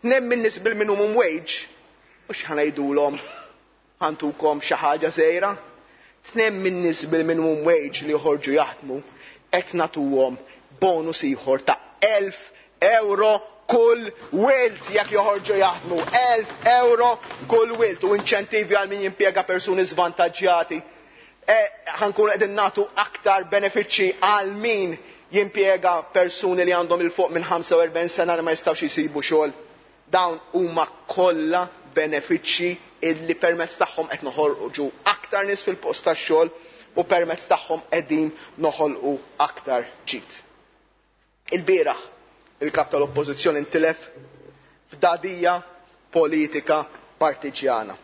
Speaker 10: Tnejn min-nies bil-minimum wage, mhux ħanajdulhom ħantukom xi ħaġa żgħira. Tnejn min-nies bil-minimum wage li joħorġu jaħdmu qed nagħtuhom bonus ieħor ta' elf euro kull wilt jekk joħorġu jaħdmu, elf euro kull wilt, u inċentivi għal min jimpjega persuni żvantaġġjati. E, ħankunu qegħdin nagħtu aktar benefiċċji għal min jimpjega persuni li għandhom il fuq minn ħamsa u erbgħin sena li ma jistgħux jsibu xogħol. Dawn huma kollha benefiċċji illi permezz tagħhom qed noħorġu aktar nies fil-post tax-xogħol u permezz tagħhom qegħdin noħolqu aktar ġid. Il-bieraħ il-kap tal-oppożizzjoni intilef f'dadija politika partiġjana.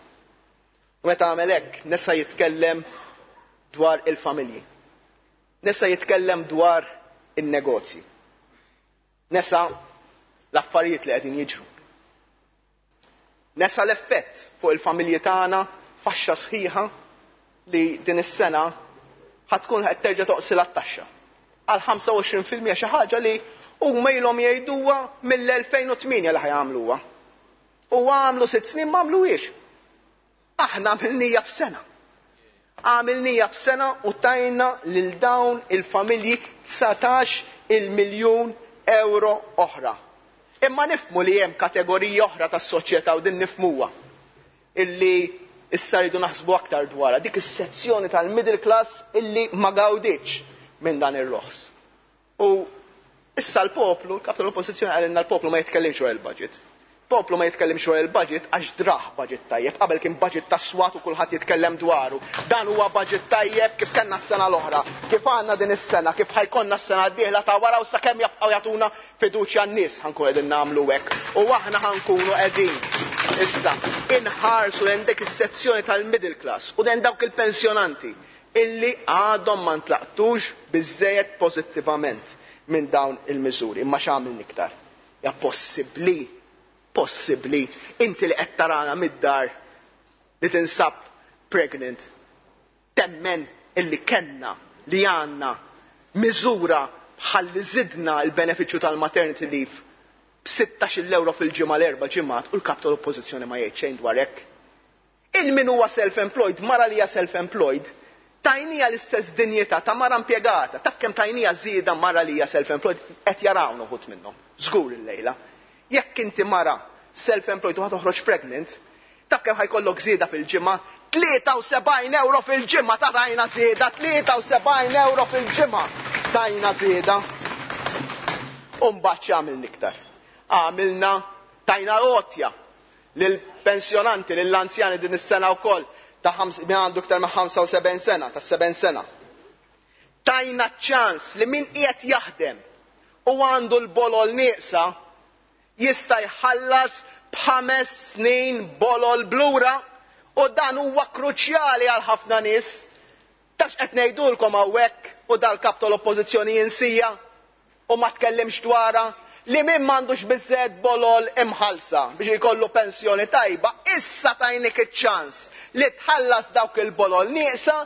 Speaker 10: U meta għamel hekk, nesa jitkellem dwar il-familji. Nesa jitkellem dwar in-negozji. Nesa l-affarijiet li qegħdin jiġru. Nesa l-effett fuq il-familji tagħna, faxxa sħiħa li din is-sena ħatkun qed terġa' toqsilha t-taxxa. Għal ħamsa u għoxrin fil-mija xi ħaġa li huma ilhom jgħiduha mill-elfejn u tmienja li ħajamluha. U għamlu sitt snin ma għamluhiex. Aħna għamilnija f'sena. Għamilnija f'sena u tajna lil dawn il-familji dsatax il-miljun euro oħra. Imma nifhmu li hemm kategorija oħra tas-soċjetà u din nifhmuha illi issa rridu naħsbu aktar dwarha, dik is-sezzjoni tal-middle class illi ma gawdietx minn dan ir-roħs. U issa l-poplu, l-kap tal-oppożizzjoni qalilna l-poplu ma jitkellimx dwar il-budget. Poplu ma jitkellimx dwar il-budget għax draħ budget tajjeb, qabel kien budget ta' swat u kulħadd jitkellem dwaru. Dan huwa budget tajjeb kif kellna s-sena l-oħra, kif għandna din is-sena, kif ħajkonna s-sena d-dieħla ta' wara u sakemm jabqgħu jagħtuna fiduċja n-nies ħankun qegħdin nagħmlu hekk. U aħna ħankunu qegħdin issa inħarsu lejn dik is-sezzjoni tal-middle class u lejn dawk il-pensjonanti illi għadhom ma ntlaqtux biżżejjed pożittivament minn dawn il-miżuri. Imma x'għamil iktar? Ja possibbli, possibbli, inti li qed tarana mid-dar li tinsab pregnant, temmen illi kellna li għandna miżura ħalli żidna l-benefiċċju tal-maternity leave b'sittax-il euro fil-ġimgħa l-erba' ġimgħat u l-kap tal-oppożizzjoni ma jgħid xejn dwar hekk. Il-min huwa self-employed, mara li hija self-employed, tajnija l-istess dinjità ta' mara impjegata, taf kemm tajnija żieda mara li hija self-employed, qed jarawna uħud minnhom, żgur illejla. Jekk inti mara self-employed u ħa toħroġ pregnant, taf kemm ħa jkollok żieda fil-ġimgħa? tlieta u sebgħin euro fil-ġimgħa ta' tajna żieda, tlieta u sebgħin euro fil-ġimgħa tajna żieda. U mbagħad x'għamilna iktar? Għamilna tajna għotja lill-pensjonanti, lill-anzjani din is-sena wkoll ta' min għandu iktar minn ħamsa u sebgħin sena, ta' sebgħin sena. Tajna ċans li min qiegħed jaħdem u għandu l-bolol nieqsa jista' jħallas b'ħames snin bolol b'lura, u dan huwa kruċjali għal ħafna nies. Taf x'qed ngħidulkom hawnhekk u dal-kap tal-oppożizzjoni jinsija u ma tkellimx dwarha? Li min m'għandux biżżejjed bolol imħallsa biex jkollu pensjoni tajba, issa tajnik iċ-ċans li tħallas dawk il-bolol nieqsa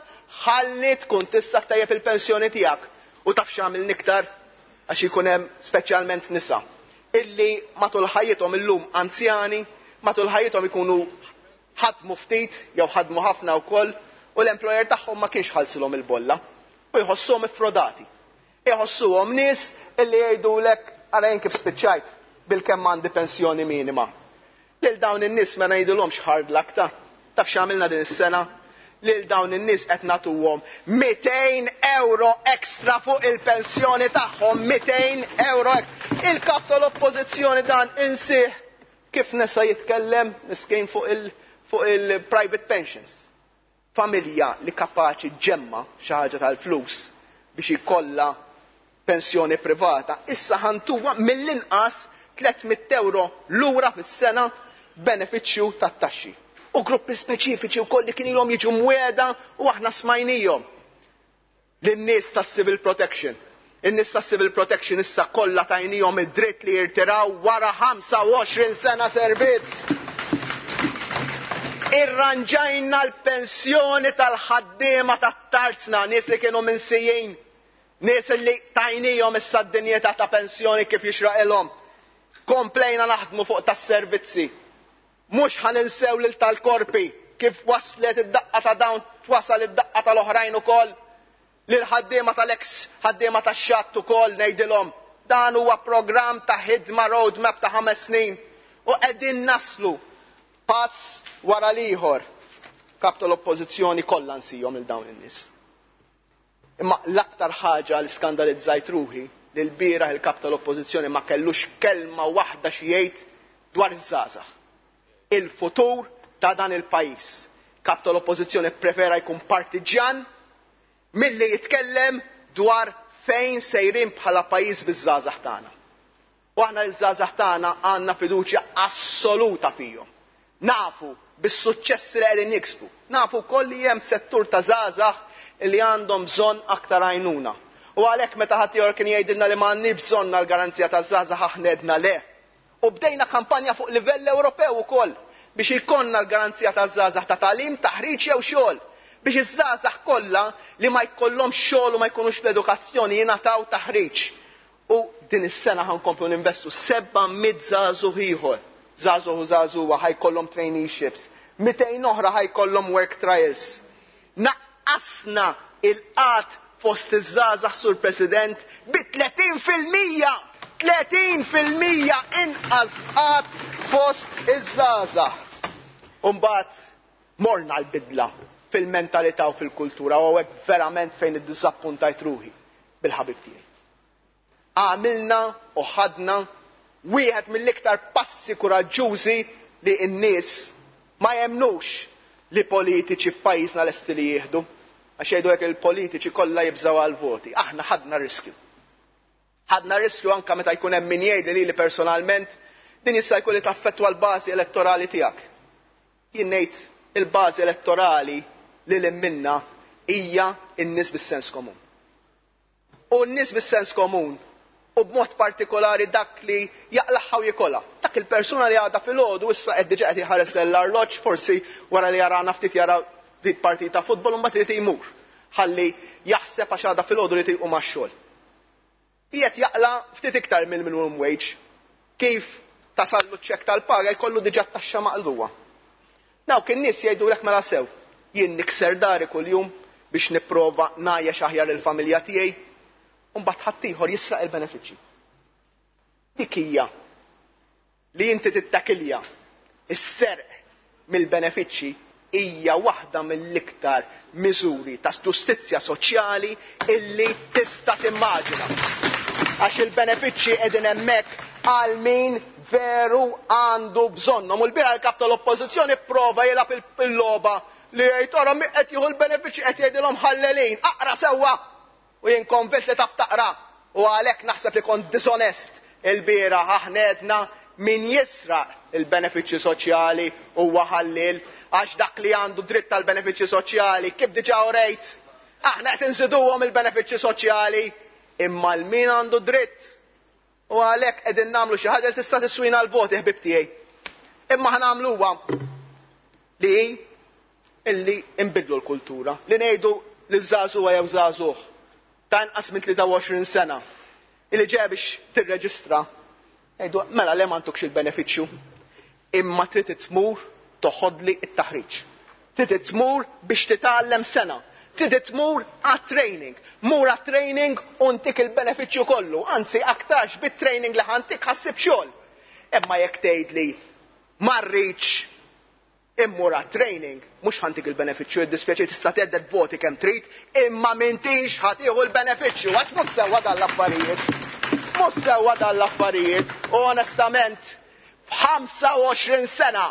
Speaker 10: ħalli tkun tista' tejjeb il-pensjoni tiegħek. U taf x'għamilna iktar? Għax ikun hemm speċjalment nisa illi matul ħajjithom, illum anzjani, matul ħajjithom ikunu ħadmu ftit jew ħadmu ħafna wkoll u l-employer tagħhom ma kienx ħallsilhom il-bolla u jħossuhom iffrodati. Iħossuhom nies illi jgħidulek, "Ara jien kif spiċċajt, bil-kemm għandi pensjoni minima." Lil dawn in-nies ma ngħidulhomx hard luck ta'. Taf x'għamilna din is-sena? Lil dawn in-nies qed nagħtuhom mitejn euro ekstra fuq il-pensjoni tagħhom, mitejn euro ekstra. Il-kap tal-oppożizzjoni dan insih kif nesa jitkellem miskin fuq il- fuq il-private pensions. Familja li kapaċi ġġemma' xi ħaġa tal-flus biex ikollha pensjoni privata, issa ħa ntuha mill-inqas tliet mitt euro lura fis-sena benefiċċju tat-taxxi. U gruppi speċifiċi wkoll li kien ilhom jiġu mwiegħda u aħna smajnihom. Lin-nies tas-civil protection. In-nies tas-civil protection issa kollha tajnihom id-dritt li jirtiraw wara ħamsa u għoxrin sena servizz. Irranġajna l-pensjoni tal-ħaddiema tat-tarzna, nies li kienu minsijin, nies li tajnihom issa d-dinjità ta' pensjoni kif jixraqilhom. Komplejna naħdmu fuq tas-servizzi. Mhux ħa ninsew lil tal-korpi, kif waslet id-daqqa ta' dawn twasal id-daqqa tal-oħrajn ukoll. Lil ħaddiema tal-ex ħaddiema tax-xatt ukoll ngħidilhom. Dan huwa programm ta' ħidma, roadmap ta' ħames snin u qegħdin naslu pass wara l-ieħor. Kap tal-oppożizzjoni kollha nsihom il dawn in-nies. Imma l-aktar ħaġa li skandalizzajt ruħi li l-bieraħ il-kap tal-oppożizzjoni ma kellux kelma waħda xi jgħid dwar iż-żgħażagħ. Il-futur ta' dan il-pajjiż. Kap tal-oppożizzjoni prefera jkun partiġjan milli jitkellem dwar fejn sejrin bħala pajjiż biż-żgħażagħ tagħna. U aħna l-żgħażagħ tagħna għandna fiduċja assoluta fihom. Nafu bis-suċċessi li qegħdin jiksbu. Nafu wkoll li hemm settur ta' żgħażagħ li għandhom bżonn aktar għajnuna. U għalhekk meta ħadd kien jgħidilna li m'għandni bżonn għall-garanzija taż-żgħażagħ, aħna għedna le. U bdejna kampanja fuq livell Ewropew ukoll biex ikollna l-garanzija taż-żgħażagħ ta' tagħlim, taħriġ jew xogħol, biex iż-żgħażagħ kollha li ma jkollhomx xogħol u ma jkunux fl-edukazzjoni jingħataw taħriġ. U din is-sena ħa nkomplu ninvestu seba' mitt żagħżugħ ieħor. Żagħżugħ u żagħżugħa ħa jkollhom traineeships, mitejn oħra ħa jkollhom work trials. Naqqasna il-qgħad fost iż-żgħażagħ, Sur President, bi tletin fil-mija! tletin fil-mija inqas qgħad fost iż-żgħażagħ. Umbagħad morna l-bidla fil-mentalità u fil-kultura, u hekk verament fejn iddisappuntajt ruħi bil-ħabib tiegħi. Għamilna u ħadna wieħed mill-iktar passi kuraġġużi li n-nies ma jemnux li politiċi f'pajjiżna lesti li jieħdu. Għax jgħidu hekk, il-politiċi kollha jibżgħu għal-voti. Aħna ħadna riskju. Ħadna riskju anka meta jkun hemm min jgħid li li personalment din jista' jkun li taffettwa l-bażi elettorali tiegħek. Jien ngħid il-bażi elettorali li l minna hija n-nies bis-sens komun. U n-nies bis-sens komun u b'mod partikolari dak li jaqlagħha u jikolha. Dak il-persuna li għada filgħodu issa qed diġà qed jħares l-arloġġ, forsi wara li jarana ftit jara ftit partita futbol u mbagħad irid jmur. Ħalli jaħseb għax għada filgħodu li jqum għax-xogħol. Qiegħed jaqla' ftit iktar mill-minimum wage. Kif tasallu ċek tal-paga jkollu diġà taxxa maqlugħa. Dawk in-nies jgħidulek, "Mela sew, jien nikser dari kuljum biex nipprova ngħajjex aħjar il-familja tiegħi, u mbagħad ħaddieħor jisraq il-benefiċċji." Dik hija li inti tittakilja is-serq mill-benefiċċji hija waħda mill-iktar miżuri ta' ġustizzja soċjali illi tista' timmaġina. Għax il-benefiċċji qegħdin hemmhekk għal min veru għandu bżonnhom. U l-bieraħ il-kap tal-Oppożizzjoni prova jilgħab il-logħba li jgħid ora min qed jieħu l-benefiċċji qed jgħidilhom ħallelin, aqra sewwa! U jien konvint li taf taqra u għalhekk naħseb li kont disonest il-bieraħ. Aħna għedna min jisraq il-benefiċċji soċjali huwa ħallil, għax dak li għandu dritt tal-benefiċċji soċjali, kif diġà urejt, aħna qed inżiduhom il-benefiċċji soċjali, imma l-min għandu dritt. U għalhekk qegħdin nagħmlu xi ħaġa li tista' tiswina l-voti, ħbib tiegħi. Imma ħa nagħmluha li illi nbidlu l-kultura, li ngħidu lil żagħżugħa jew żagħżugħ ta' inqas minn tlieta u għoxrin sena illi ġeja biex tirreġistra, ngħidu mela le m'għandukx il-benefiċċju, imma trid tmur toħodli t-taħriġ. Trid tmur biex titgħallem sena. Trid tmur għat-training. Mur għat-training u ntik il-benefiċċju kollu. Anzi, aktarx bit-training li ħantik ħassib xogħol. Imma jekk tgħidli ma rridx immur għat-training, mhux ħantik il-benefiċċju, id-dispjaċir tista' tgħedded voti kemm trid, imma m'intix ħatiħu l-benefiċċju. Għax mhux sewwa dan l-affarijiet. Mhux sewwa dan l-affarijiet. U onestament, f'ħamsa u għoxrin sena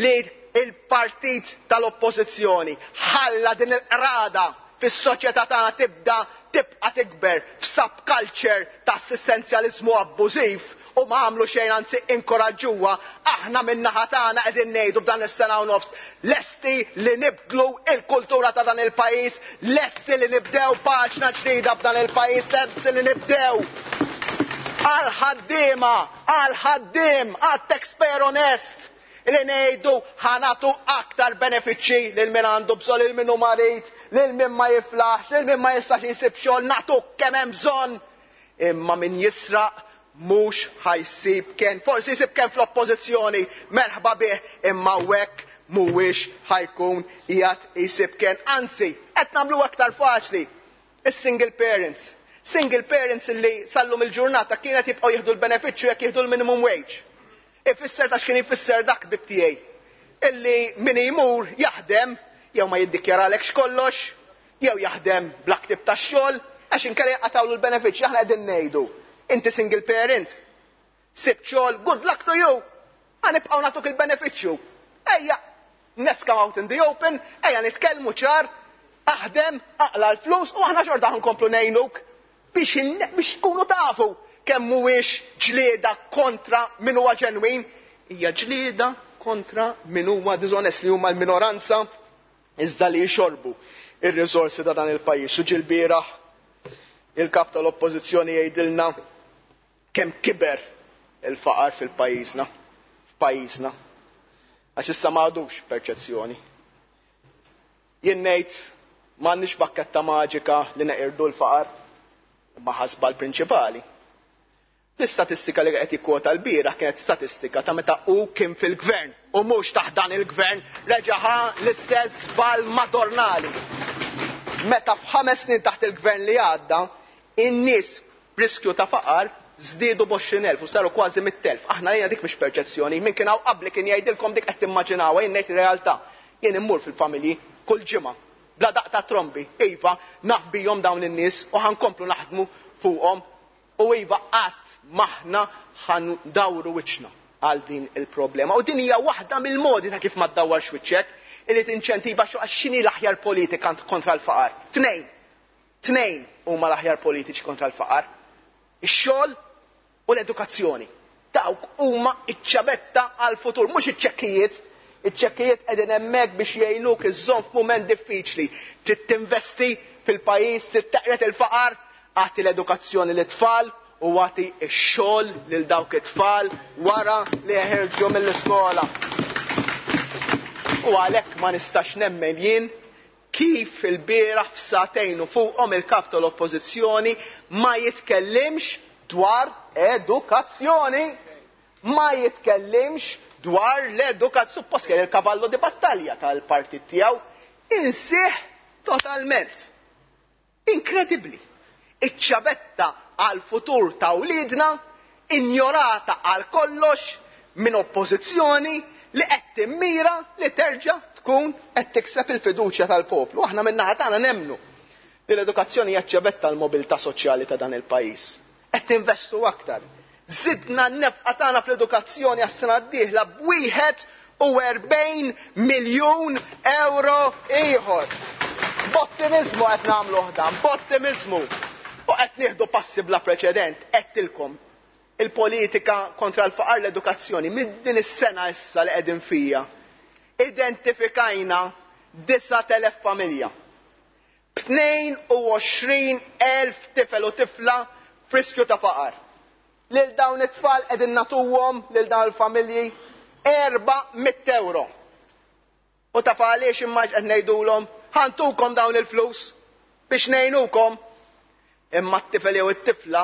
Speaker 10: li il-partit tal-oppożizzjoni ħalla din il-qrada fis-soċjetà tagħna tibda tibqa' tikber f'subculture ta' assistenzjaliżmu abbużiv u ma għamlu xejn, anzi inkoraġġuha, aħna min-naħa tagħna qegħdin ngħidu f'dan is-sena u nofs lesti li nibdlu il-kultura ta' dan il-pajjiż, lesti li nibdew paġna ġdida f'dan il-pajjiż, lesti li nibdew għal ħaddiema, għal ħaddiem, għal taxpayer onest, li ngħidu ħanatu aktar benefiċċji lil min għandu bżonn, lil min hu marid, lil min ma jiflaħx, lil min ma jistax jsib xogħol, nagħtu kemm hemm bżonn. Imma min jisraq mhux ħajsib kien, forsi jsib kien fl-oppożizzjoni, merħba bih, imma hekk mhuwiex ħajkun qiegħed jsib kien. Anzi, qed nagħmlu aktar faċli. Is-single parents. Single parents illi sallum il-ġurnata kienet jibqgħu jieħdu l-benefiċċju jekk jieħdu l-minimum wage. Ifisser ta' x'kien ifisser dak bib tiegħi. Illi min imur jaħdem jew ma jiddikjaralekx kollox, jew jaħdem bla ktib tax-xogħol, għax inkella jaqatawlu l-benefiċċji. Aħna qegħdin ngħidu, inti single parent, sib xogħol, good luck to you, ħa nibqgħu nagħtuk il-benefiċċju. Ejja, let's come out in the open, ejja nitkellmu ċar, aħdem, aqla l-flus u aħna xorta ħankomplu ngħinuk biex in-, biex tkunu tafu kemm mhuwiex ġlieda kontra min huwa ġenwin, hija ġlieda kontra min huwa diżonest, li huma l-minoranza iżda li jxorbu ir-riżorsi ta' dan il-pajjiż. U ġil-bieraħ il-kap tal-oppożizzjoni jgħidilna kemm kiber il-faqar fil-pajjiżna, f'pajjiżna. Għax issa ma għadux perċezzjoni. Jien ngħid m'għandniex bakketta maġika li neqirdu l-faqar, imma ħasba l-prinċipali. L-istatistika li qed jikkwota l-bieraħ kienet statistika ta' meta hu kien fil-gvern u mhux taħt dan il-gvern reġa' ħa l-istess żball madornali. Meta f'ħames snin taħt il-gvern li għadda, in-nies b'riskju ta' faqar żdiedu b'għoxrin elf u saru kważi mitt elf. Aħna lejna dik mhix perċezzjoni, min kien hawn qabli kien jgħidilkom dik qed timmaġinawha, jien ngħid ir-realtà. Jien immur fil-familji kull ġimgħa bla daq ta' trombi, iva, naf bihom dawn in-nies u ħankomplu naħdmu fuqhom. U iva, qatt maħna ħandawru wiċċna għal din il-problema. U din hija waħda mill-modi ta' kif ma ddawwarx wiċċek, illi tinċentiva xo għax x'inhi l-aħjar politika kontra l-faqar. Tnejn. Tnejn huma l-aħjar politiċi kontra l-faqar. Ix-xogħol u l-edukazzjoni. Dawk huma iċ-ċabetta għal-futur, mhux iċ-ċekkijiet. Iċ-ċekkijiet qegħdin hemmhekk biex jgħinuk iżżomm f'mument diffiċli. Trid tinvesti fil-pajjiż, trid teqret il-faqar, agħti l-edukazzjoni lit-tfal u agħti x-xogħol lil dawk it-tfal wara li jeħirġu mill-iskola. U għalhekk ma nistax nemmen jien kif il-bieraħ f'satejn u fuqhom il-kap tal-oppożizzjoni ma jitkellimx dwar edukazzjoni. Ma jitkellimx dwar l-edukazzjoni. Suppost kien il-kavallo di battalja tal-partit tiegħu insih totalment. Inkredibbli. Iċ-ċabetta għal futur ta' wliedna injorata għal kollox Minn oppożizzjoni li qed timmira li terġa' tkun qed tikseb il-fiduċja tal-poplu. Aħna min-naħa tagħna nemmnu li l-edukazzjoni hija ċ-ċavetta l-mobilità soċjali ta' dan il-pajjiż. Qed ninvestu aktar. Żidna n-nefqa tagħna fl-edukazzjoni għas-sena d-dieħla b'wieħed u erbgħin miljun euro ieħor. B'ottimiżmu qed nagħmluh dan, b'ottimiżmu. U qed nieħdu passi bla preċedent, għedtilkom il-politika kontra l-faqar l-edukazzjoni minn din is-sena issa li qegħdin fija. Identifikajna disat elef familja. B'tnejn u għoxrin elf tifel u tifla f'riskju ta' faqar. Lil dawn it-tfal qegħdin nagħtuhom lil dawn il-familji erba' mitt euro. U taf għaliex imma qed ngħidulhom ħantukom dawn il-flus biex ngħinukom. Imma t-tifel jew it-tifla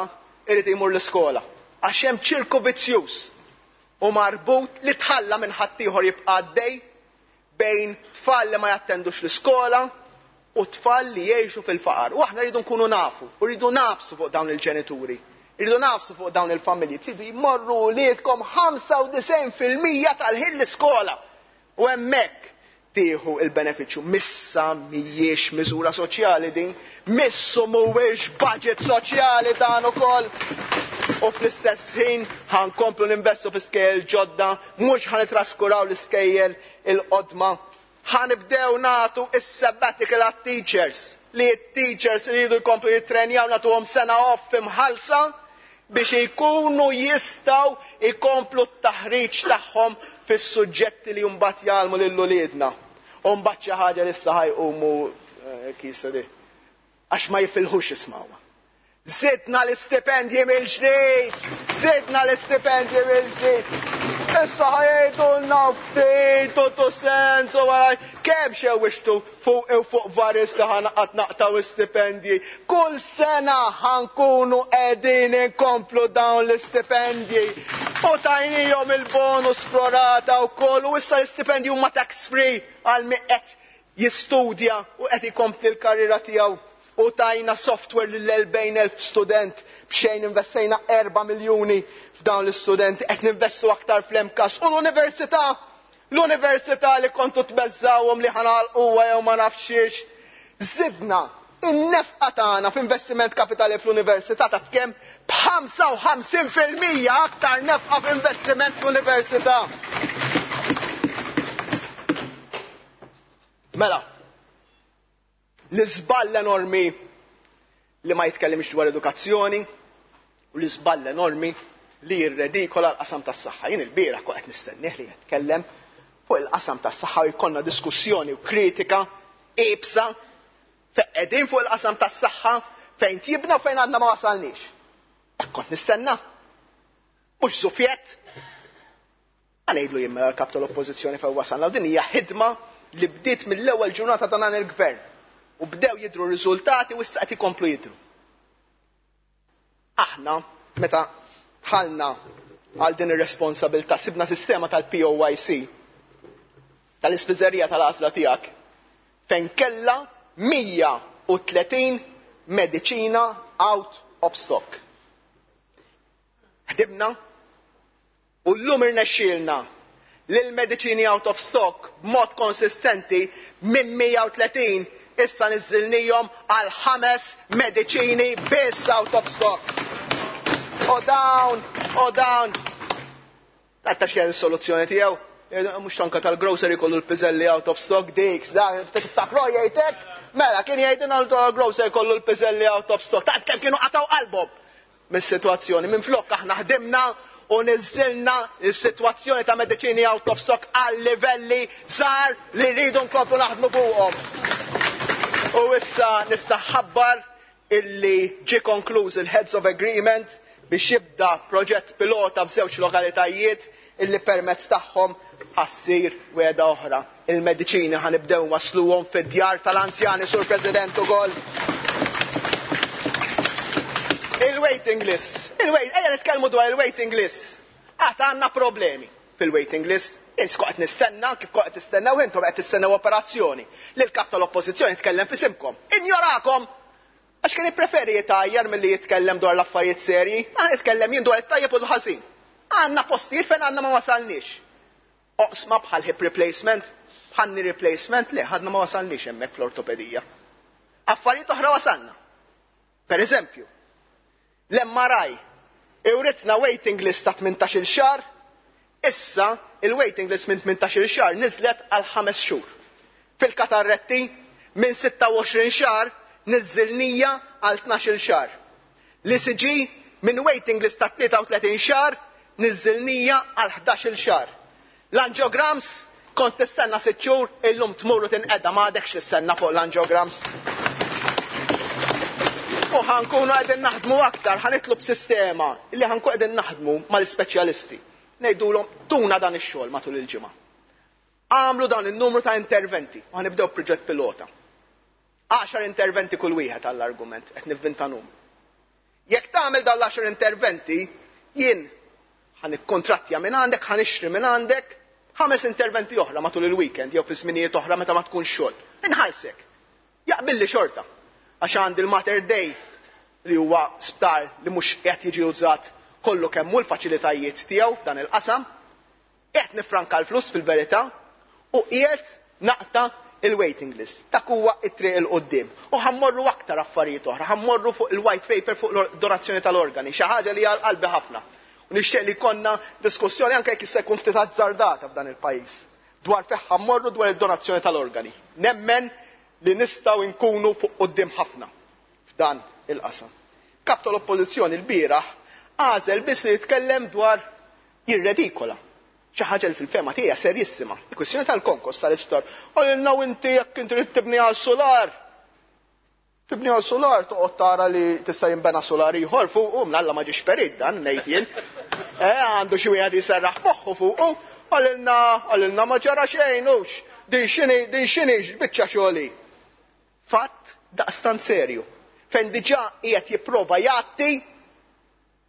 Speaker 10: irid imur l-iskola. Għax hemm ċirku vizzjuż u marbut li tħalla minn ħaddieħor jibqa' għaddej bejn tfal li ma jattendux l-iskola u tfal li jgħixu fil-faqar. U aħna rridu nkunu nafu, u rridu nafsu fuq dawn il-ġenituri, rridu nafsu fuq dawn il-familji. Tridu jmorru wliedkom ħamsa u disgħin fil-mija tal-ħin l-iskola. U hemmhekk tieħu il-benefiċċju. Missa mhijiex miżura soċjali din, missu mhuwiex budget soċjali dan ukoll. U fl-istess ħin ħankomplu ninvestu fi skejjel ġodda, mhux ħanitraskuraw l-iskejjel il-qodma. Ħanibdew nagħtu is-sabbatical għat-teachers, li t-teachers iridu jkomplu jittrenjaw, nagħtuhom sena off imħallsa biex ikunu jistgħu jkomplu t-taħriġ tagħhom fis-suġġetti li mbagħad jgħallmu lil uliedna. U mbagħad xi ħaġa li issa ħajqumu, eh, kisa di, għax ma jifilħux jismawha. Zidna l-istipendji mill-ġdid! Zidna l-istipendji mill-ġdid! Issa ħajdulna ftit u tu sens u għaraj. Kemm xewixtu fuq u fuq varis li ħanaqat naqtaw istipendji. Kull sena ħankunu qegħdin inkomplu dawn l-istipendji. U tajnihom il-bonus prorata u koll, u issa l-istipendji huma tax free għal min qed jistudja u qed ikompli l-karriera tiegħu. U tajna software lil erbgħin elf student b'xejn, investejna erba' miljuni f'dawn l-istudenti, qed ninvestu aktar fl-M C A S. U l-università, l-università li kontu tbeżżawhom li ħanalquha jew ma nafxiex. Zidna in-nefqa tagħna f'investiment kapitali fl-università taf kemm? B'ħamsa u ħamsin fil-mija aktar nefqa f'investiment fl-università. Mela, l-iżball enormi li ma jitkellimx dwar edukazzjoni u l-iżball enormi li jirredikola l-qasam tas-saħħa. Jien il-bieraħ kont qed nistennieh li jitkellem fuq il-qasam tas-saħħa u jkollna diskussjoni u kritika iebsa fejn qegħdin fuq il-qasam tas-saħħa, fejn tjibna u fejn għadna ma wasalniex. Hekk kont nistenna. Mhux żufjett. Għanejdlu jien mela l-kap tal-oppożizzjoni fejn wasalna. Din hija ħidma li bdiet mill-ewwel ġurnata ta' dan il-gvern. U bdew jidhru riżultati u issa qed ikomplu jidhru. Aħna, meta dħalna għal din ir-responsabilità, sibna sistema tal-P O Y C, tal-ispiżerija tal-għażla tiegħek, fejn kellha mija u tletin mediċina out of stock. Ħdimna u llum irnexxielna li l-mediċini out of stock b'mod konsistenti minn mija u tletin issa niżilnihom għal ħames mediċini biss out of stock. U dawn, u dawn. Għatta x'kien is-soluzzjoni tiegħu? Mhux tanka tal-grocery kollu l-piżelli out of stock dik, da, tiftakru jgħidlek? Mela, kien jgħidilna l-grocery kollu l-piżelli out of stock. Tant kemm kienu qataw qalbhom mis-sitwazzjoni. Minflok aħna ħdimna u niżilna s-sitwazzjoni ta' mediċini out of stock għal livelli żgħar li rridu nkomplu naħdmu fuqhom. U issa nista' nħabbar illi ġie konkluż il-Heads of Agreement biex jibda proġett pilota f'żewġ lokalitajiet illi permezz tagħhom ħassir wegħda oħra. Il-mediċini ħanibdew wasluhom fid-djar tal-anzjani, Sur President, ukoll. Il-waiting list. Il-wait, ejja nitkellmu dwar il-waiting list. Għad għandna problemi fil-waiting list. Jien kont qed nistenna, kif kont qed tistennew intom qed tistennew operazzjoni. Li l-kap tal-oppożizzjoni tkellem f'isimkom. Injorakom! Għax kien jippreferi jitajjar milli jitkellem dwar l-affarijiet serji, għan jitkellem jien dwar it-tajjeb u l-ħażin. Għandna postijiet fejn għandna ma wasalniex. Oqsma bħal hip replacement, bħal knee replacement, le, għadna ma wasalniex hemmhekk fl-ortopedija. Affarijiet oħra wasalna. Per eżempju, l-M R I iwritna waiting list ta' tmintax-il xahar, issa il-waiting list minn tmintax-il xahar niżlet għal ħames xhur. Fil-katarretti minn sitta u għoxrin xahar niżżilnieha għal tnax-il xahar. L-E C G minn waiting list ta' tlieta u tletin xahar niżżilnieha għal ħdax-il xahar. L-angiograms kont tistenna sitt xhur, illum tmur u tinqeda, m'għadekx tistenna fuq l-angiograms. U ħa nkunu qegħdin naħdmu aktar, ħa nitlu b'sistema li ħa nkunu qegħdin naħdmu mal-ispeċjalisti. Ngħidulhom tuna dan ix-xogħol matul il-ġimgħa. Għamlu dan il-numru ta' interventi, u ħa nibdew proġett pilota. Għaxar interventi kull wieħed għall-argument, qed nivvinta numru. Jekk tagħmel dan l-għaxar interventi, jien ħa nikkontrattja minn għandek, ħa nixtri minn għandek ħames interventi oħra matul il-weekend jew fi żminijiet oħra meta ma tkun xogħol. Inħallsek. Jaqbilli xorta. Għax għandi l-Mater Dei li huwa sptar li mhux qed jiġi użat kollu kemm hu l-faċilitajiet tiegħu f'dan il-qasam, qed nifranka l-flus fil-verità u qiegħed naqta' il-waiting list. Dak huwa it-triq 'il quddiem. U ħa mmorru aktar affarijiet oħra, ħa mmorru fuq il-white paper fuq donazzjoni tal-organi, xi ħaġa li għal qalbi ħafna. U nixtieq li konna diskussjoni, anke jekk issa jkun ftit azzardata f'dan il-pajjiż, dwar fejn ħa mmorru dwar id-donazzjoni tal-organi. Nemmen li nistgħu nkunu fuq quddiem ħafna f'dan il-qasam. Kap tal-Oppożizzjoni l-bieraħ għażel biss li jitkellem dwar jirredikola xi ħaġa li fil-fehma tiegħi serjissima. Il-kwistjoni tal-konkos tal-isptar. Għalilna inti jekk inti trid tibni għal solar. Tibni għal solar, toqgħod tara li tista' jinbena solar ieħor fuq, u mnalla ma ġiex perit dan ngħid jien. Eh, għandu xi wieħed jiserraħ moħħu fuqu, għalilna għalilna ma ġara xejn hux. Din x'inhi din x'inhi biċċa xogħli. Fatt daqstant serju. Fejn diġà qiegħed jipprova jgħatti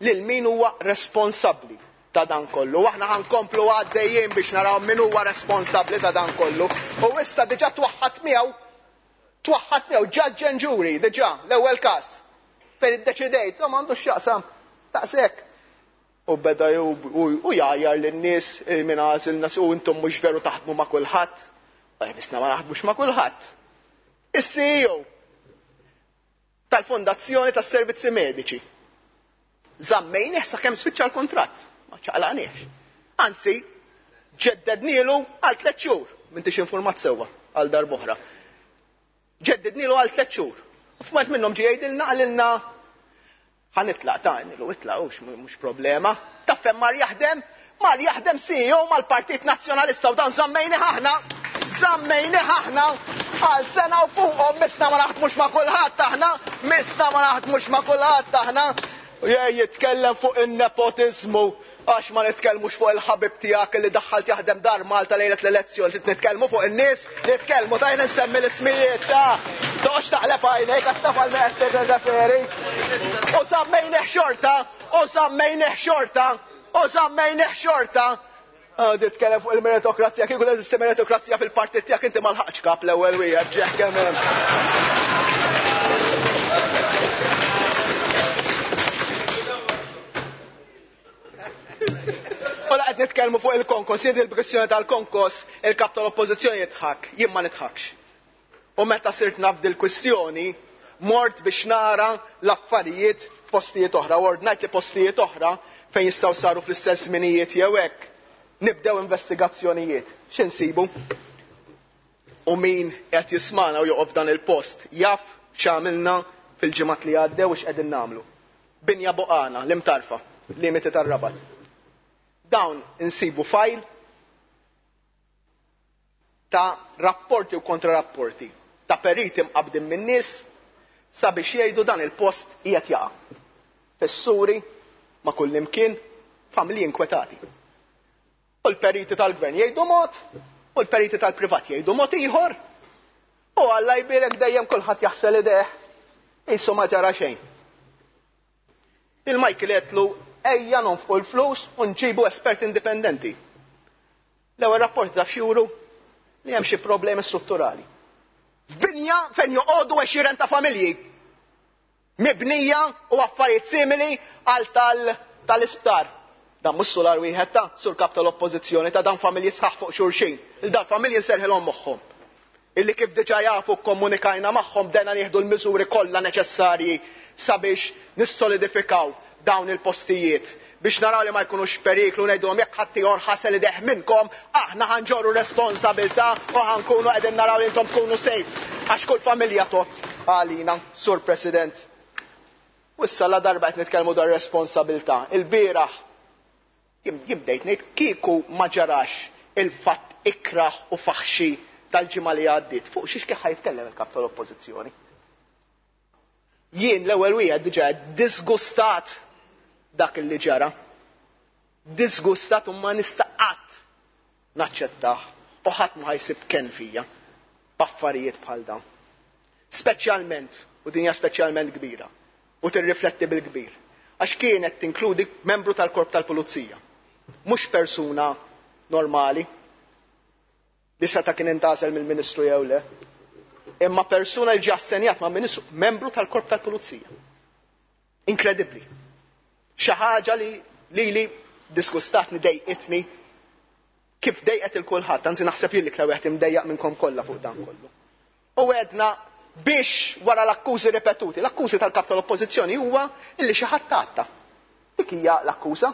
Speaker 10: lil min huwa responsabbli ta' dan kollu. Aħna ħa nkomplu għaddejjien biex naraw min huwa responsabbli ta' dan kollu. U issa diġà twaħħat miegħu, twaħħat miegħu judge and jury, diġà, l-ewwel każ. Fejn iddeċidejt, no, m'għandux x'jaqsam, daqshekk. U beda u jgħajjar lin-nies minn għażilna u intom mhux veru taħdmu ma' kulħadd. Bisna ma naħdmux ma' kulħadd. Is-C E O tal-Fondazzjoni tas-Servizzi Mediċi. Żammejnieh sakemm spiċċa l-kontratt. Ma ċaqlaqniex. Anzi, ġeddednielu għal tliet xhur. M'intix informat sewwa għal darb'oħra. Ġeddednielu għal tliet xhur. U f'mument minnhom ġie jgħidilna, qalilna ħa nitlaq ta' nilu itlaq, mhux problema. Taf fejn mar jaħdem? Mar jaħdem C E O mal-Partit Nazzjonalista u dan żammejnieh aħna. Żammejnieh aħna għal sena u fuqhom. Misna ma naħdmux ma' kulħadd aħna, misna ma naħdmux ma' kulħadd aħna. Jitkellem fuq in-nepotizmu għax ma nitkellmux fuq il-ħabib tiegħek li daħħalt jaħdem Dar Malta lejlet l-elezzjoni, nitkellmu fuq in-nies, nitkellmu tajna nsemmi l-ismijiet ta' toqgħodx taqleb għajnejk għax taf għal qed tirreferi. U żammejnieh xorta, u żammejnieh xorta, u żammejnieh xorta. Titkellem fuq il-meritokrazija, kieku teżisti meritokrazija fil-partit tiegħek inti ma lħaqx kap l-ewwel wieħed ġeħ kemm hemm. U la qed nitkellmu fuq il-konkos, jien il-kwestjoni tal-konkos, il-kap tal-Oppożizzjoni jidħak, jien ma nidħakx. U meta sirt naf dil-kwistjoni, mort biex nara l-affarijiet postijiet oħra, u ordnajt li postijiet oħra fejn jistgħu saru fl-istess żminijiet jew hekk, nibdew investigazzjonijiet. X'insibu? U min qed jismana u joqgħod dan il-post jaf x'għamilna fil-ġimgħat li għaddew u x'qegħdin nagħmlu. Binja Buqana, l-Imtarfa, limiti tar-Rabat. Dawn insibu fajl ta' rapporti u kontrarapporti ta' periti mqabdin minn nies sabiex jgħidu dan il-post qiegħed jaqa'. Fissuri ma' kull imkien, familji inkwetati. U l-periti tal-gvern jgħidu mod, u l-periti tal-privat jgħidu mod ieħor. U Alla jbirek dejjem kulħadd jaħsel idejh. Qisu ma ġara xejn. Il-Michael għedtlu ejja nonfqu l-flus u nġibu espert indipendenti. L-ewwel rapport taf x'juru? Li hemm xi problemi strutturali. F'binja fejn joqogħdu għexieren ta' familji. Mibnija u affarijiet simili għal tal-isptar. Dan mhux sular wieħed ta' sur kap tal-oppożizzjoni ta' dan familji sħaħ fuq xulxin. Il dan familji nserħilhom moħħhom. Illi kif diġà jafu kkomunikajna magħhom bdejna nieħdu l-miżuri kollha neċessarji sabiex nissolidifikaw dawn il-postijiet biex naraw li ma jkunux periklu ngħidulhom jekk ħadd ieħor ħasel idejh minnkom aħna ħanġorru responsabilità u ħankunu qegħdin naraw li intom tkunu safe għax kull familja tot għalina, Sur President. U issa la darba qed nitkellmu dwar responsabilità. Il-bieraħ jien bdejt ngħid kieku ma ġarax il-fatt ikraħ u faħxi tal-ġimgħa li għaddiet. Fuq xiex kif ħajtkellem il-kap tal-Oppożizzjoni. Jien l-ewwel wieħed diġà disgustat dak li ġara. Disgustat u ma nista' qatt naċċettah u ħadd ma ħajsib ken fija b'affarijiet bħal dawn. Speċjalment, u din hija speċjalment kbira, u tirrifletti bil-kbir, għax kienet tinkludi membru tal-korp tal-pulizija, mhux persuna normali li seta' kien intgħażel mill-Ministru jew le, imma persuna li ġie assenjat ma' Ministru, membru tal-korp tal-pulizija. Inkredibbli. Xi ħaġa li lili disgustatni, dejqitni, kif dejqet il kulħadd, anzi naħseb jien l-iktar wieħed imdejjaq minnkom kollha fuq dan kollu. U għedna biex wara l-akkużi ripetuti, l-akkużi tal-kap tal-oppożizzjoni huwa illi xi ħadd għatta. Dik hija l-akkuża,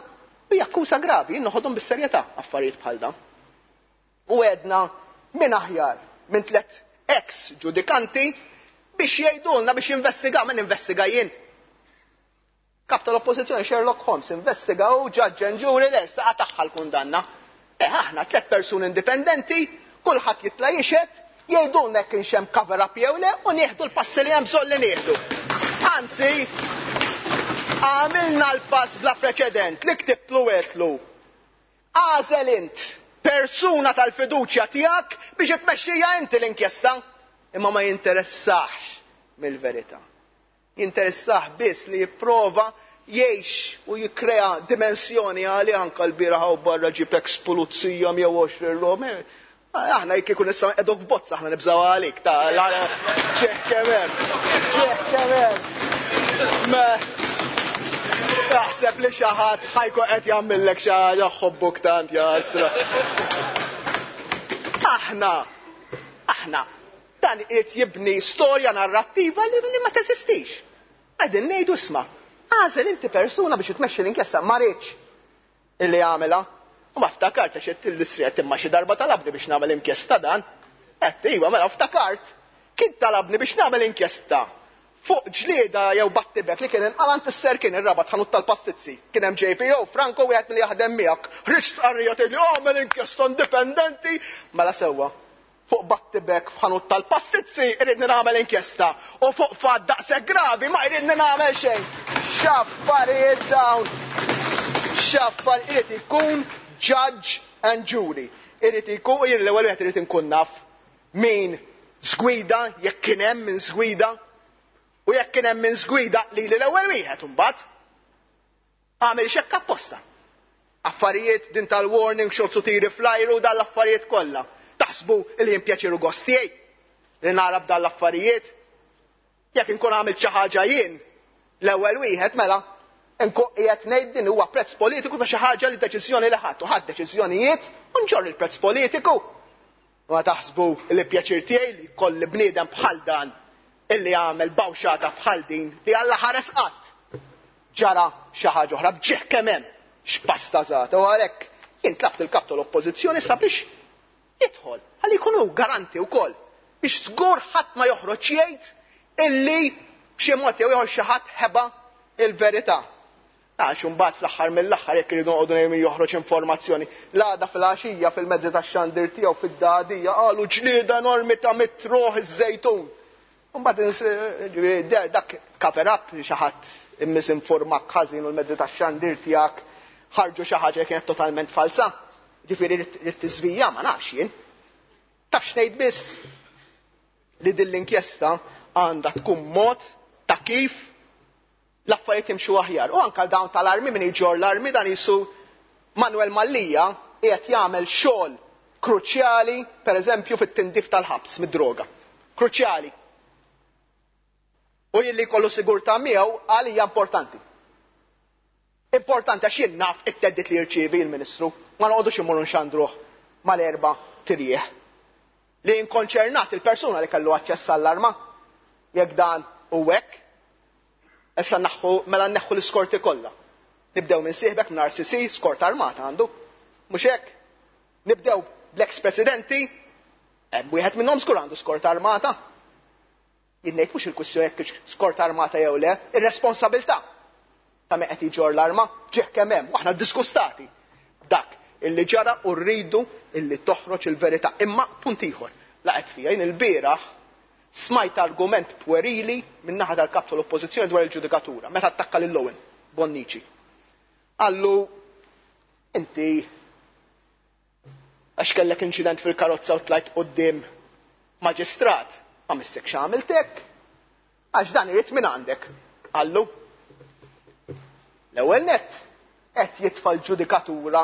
Speaker 10: hija akkuża gravi, jien noħodhom bis-serjetà affarijiet bħal dan. U għedna min aħjar minn tliet ex ġudikanti biex jgħidulna biex jinvestigaw, min investiga jien. Kap tal-oppożizzjoni Sherlock Holmes investiga u judge and jury lesta tagħha l-kundanna. Eh, aħna tliet persuni indipendenti, kulħadd jitla' jixhed, jgħidulna jekk kienx hemm cover up jew le u nieħdu l-passi li hemm bżonn li nieħdu. Anzi, għamilna l-pass bla preċedent li ktibtlu għedtlu. Għażel int persuna tal-fiduċja tiegħek biex tmexxija inti l-inkjesta, imma ma jinteressax mill-verità. Jinteressax biss li jipprova jgħix u jikkrea dimensjoni għali anka l-bieraħ u barra ġib ex pulizija jew għoxrin rom. Aħna jekk ikun issa qegħdok f'bozza aħna nibżgħu għalik ta' ċeħ kemm hemm. Ċeħ kemm hemm. Taħseb li xi ħadd ħajkun qed jagħmillek xi ħaġa ħobbuk tant ja asra. Aħna, aħna, dan irid jibni storja narrattiva li ma teżistix. Qegħdin ngħidu isma', għażel inti persuna biex tmexxi l-inkjesta, ma rridx illi għamilha. U ma ftakart għax qed l-isriet imma xi darba talabni biex nagħmel inkjesta dan. Qed iva, mela ftakart. Kien talabni biex nagħmel inkjesta fuq ġlieda jew battibek li kien inqalant is-ser kien ir-rabat ħanut tal-pastizzi. Kien hemm J P O, Franco wieħed milli jaħdem miegħek. Ħriġt stqarrija tgħidli għamel inkjesta indipendenti. Mela sewwa. Fuq battibek f'ħanut tal-pastizzi irridni nagħmel inkjesta u fuq fatt daqshekk gravi ma jridni nagħmel xejn. X'affarijiet dawn. X'affarijiet irid ikun judge and jury. Irid ikun jien l-ewwel wieħed irid inkun naf min żgwida, jekk kien hemm min żgwida, u jekk kien hemm min żgwida lili l-ewwel wieħed imbagħad għamel xekk apposta. Affarijiet din tal-warning shots u tiri fl-ajru dan l-affarijiet kollha. Taħsbu li jien pjaċir u gost tiegħi li nara b'dan l-affarijiet? Jekk inkun għamilt xi ħaġa jien l-ewwel wieħed mela nkun qiegħed ngħid din huwa prezz politiku ta' xi ħaġa li deċiżjoni li ħadd u ħadd deċiżjonijiet u nġorr il-prezz politiku. Ma taħsbu li pjaċir tiegħi li jkolli bniedem bħal dan illi għamel bawxata bħal din li Alla ħares qatt ġara xi ħaġa oħra b'ġieħ kemm hemm x'pasta żgħata u għalhekk jien tlaft il-kap tal-oppożizzjoni sabiex jidħol ħalli jkun hu garanti wkoll biex żgur ħadd ma joħroġ jgħid illi b'xi mod jew ieħor xi ħadd ħeba il-verità. Għax imbagħad fl-aħħar mill-aħħar jekk iridu noqogħdu ngħidu joħroġ informazzjoni. L-għada fil-għaxija fil-mezzi tax-xandir tiegħu fid-dagħdija qalu ġlieda enormi ta' mitruħ iż-żejtun. Imbagħad dak cover up li xi ħadd immisinformak ħażin u l-mezzi tax-xandir tiegħek ħarġu xi ħaġa li kienet totalment falsa. Ġifieri rrid tiżvija ma nafx jien. Taf x'ngħid biss li din l-inkjesta għandha tkun mod ta' kif l-affarijiet jimxu aħjar. U anke dawn tal-armi min iġor l-armi dan jisu Manuel Mallia qiegħed jagħmel xogħol kruċjali pereżempju fit-tindif tal-ħabs mid-droga. Kruċjali. U jilli jkollu sigurtà miegħu għalija importanti. Importanti għax jien naf it-theddid li jirċievi l-Ministru, ma noqogħdux immorru nxandruh mal-erba' tirjieħ. Li inkonċernat il-persuna li kellu aċċess għall-arma, jekk dan u hekk, issa naħħu mela nneħħu l-iskorti kollha. Nibdew minn sieħbek minn R C C, skort armata għandu. Mhux hekk? Nibdew bl-ex presidenti, hemm wieħed minnhom żgur għandu skort armata. Jien ngħid mhux il-kwistjoni jekk skort armata jew le, ir-responsabilità ta' min qed iġorr l-arma ġieħ kemm hemm, u aħna diskustati. Dak illi ġara u rridu illi toħroġ il-verità. Imma punt ieħor, laqgħet fija jien il-bieraħ smajt argument puerili minn naħa tal-kap tal-oppożizzjoni dwar il-ġudikatura, meta attakka lil Owen Bonnici. Qallu, inti għax kellek inċident fil-karozza u tlajt quddiem maġistrat, ma missek x'għamiltek, għax dan irid minn għandek. Qallu, l-ewwel nett qed jitfa' l-ġudikatura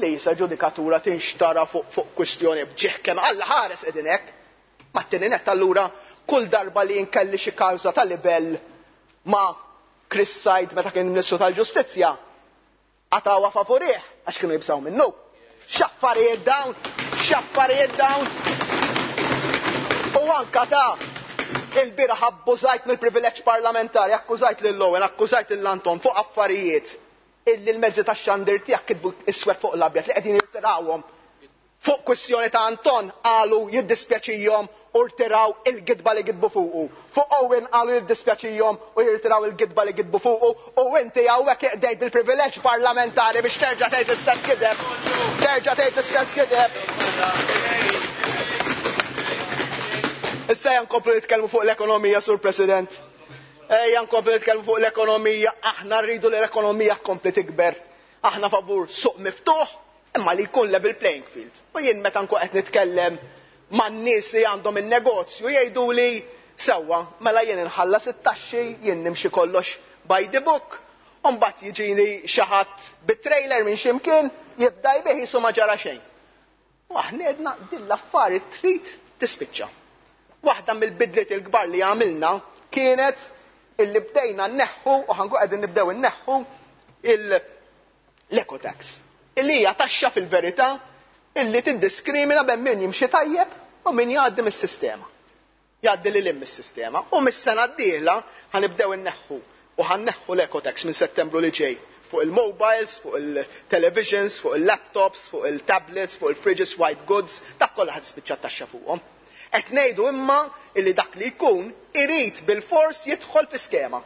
Speaker 10: li jisa ġudikatura tinxtara fuq fuq kwistjoni b'ġieħ kemm Alla ħares qegħdin hekk. Ma t-tieni nett allura kull darba li nkelli xi kawża ta' libel ma' Chris Said meta kien Ministru tal-Ġustizzja, qatgħuha favorih għax kienu jibżgħu minnu. X'affarijiet dawn, x'affarijiet dawn. U anka ta' il-bieraħ abbużajt mill-privileġġ parlamentari, akkużajt lil Owen, akkużajt lil Anton fuq affarijiet illi l-mezzi tax-xandir tiegħek kitbu iswed fuq l-abjad li qegħdin jirtirawhom. Fuq kwistjoni ta' Anton qalu jiddispjaċihom u rtiraw il-gidba li gidbu fuqu. Fuq Owen qalu jiddispjaċihom u jirtiraw il-gidba li gidbu fuqu u inti hawnhekk iqdejt bil-privileġġ parlamentari biex terġa' tgħid l-istess gideb. Terġa' tgħid l-istess gideb. Issa ejja nkomplu nitkellmu fuq l-ekonomija, Sur President. Ejja nkomplu nitkellmu fuq l-ekonomija, aħna rridu li l-ekonomija tkompli tikber. Aħna favur suq miftuħ, imma li jkun level playing field. U jien meta nkun qed nitkellem man-nies li għandhom in-negozju jgħidu li sewwa, mela jien inħallas it-taxxi, jien nimxi kollox by the book, u mbagħad jiġini xi ħadd bit-trailer minn x'imkien jibda jbigħ qisu ma ġara xejn. U aħna għedna din l-affari trid tispiċċa. Waħda mill-bidliet il-kbar li għamilna kienet illi bdejna nneħħu u ħa nkunu qegħdin nibdew inneħħu l-ecotax. Illi hija taxxa fil-verità illi tiddiskrimina bejn min jimxi tajjeb u min jgħaddi mis-sistema. Jgħaddi lil hemm mis-sistema. U mis-sena d-dieħla ħanibdew inneħħu u ħanneħħu l-ecotax minn Settembru li ġej fuq il-mobiles, fuq il-televisions, fuq il-laptops, fuq il-tablets, fuq il-fridges, white goods, dak kollha ħad tispiċċa taxxa fuqhom. Qed ngħidu imma illi dak li jkun irid bil-fors jidħol fi skema.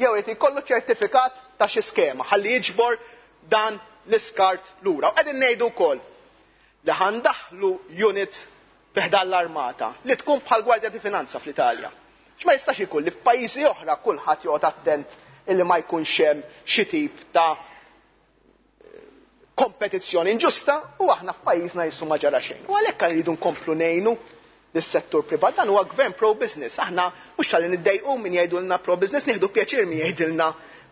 Speaker 10: Jew irid jkollu ċertifikat ta' xi skema ħalli jiġbor dan l-iskart lura. U qegħdin ngħidu wkoll li ħandaħlu unit fi ħdan l-armata li tkun bħal Gwardja di Finanza fl-Italja. X'ma jistax ikun li f'pajjiżi oħra kulħadd joqgħod attent illi ma jkunx hemm xi tip ta' kompetizzjoni inġusta u aħna f'pajjiżna qisu ma ġara xejn. U għalhekk rridu nkomplu ngħinu lis-settur privat. Dan huwa gvern pro-business. Aħna mhux talli niddejqu min jgħidulna pro-business, nieħdu pjaċir min jgħidilna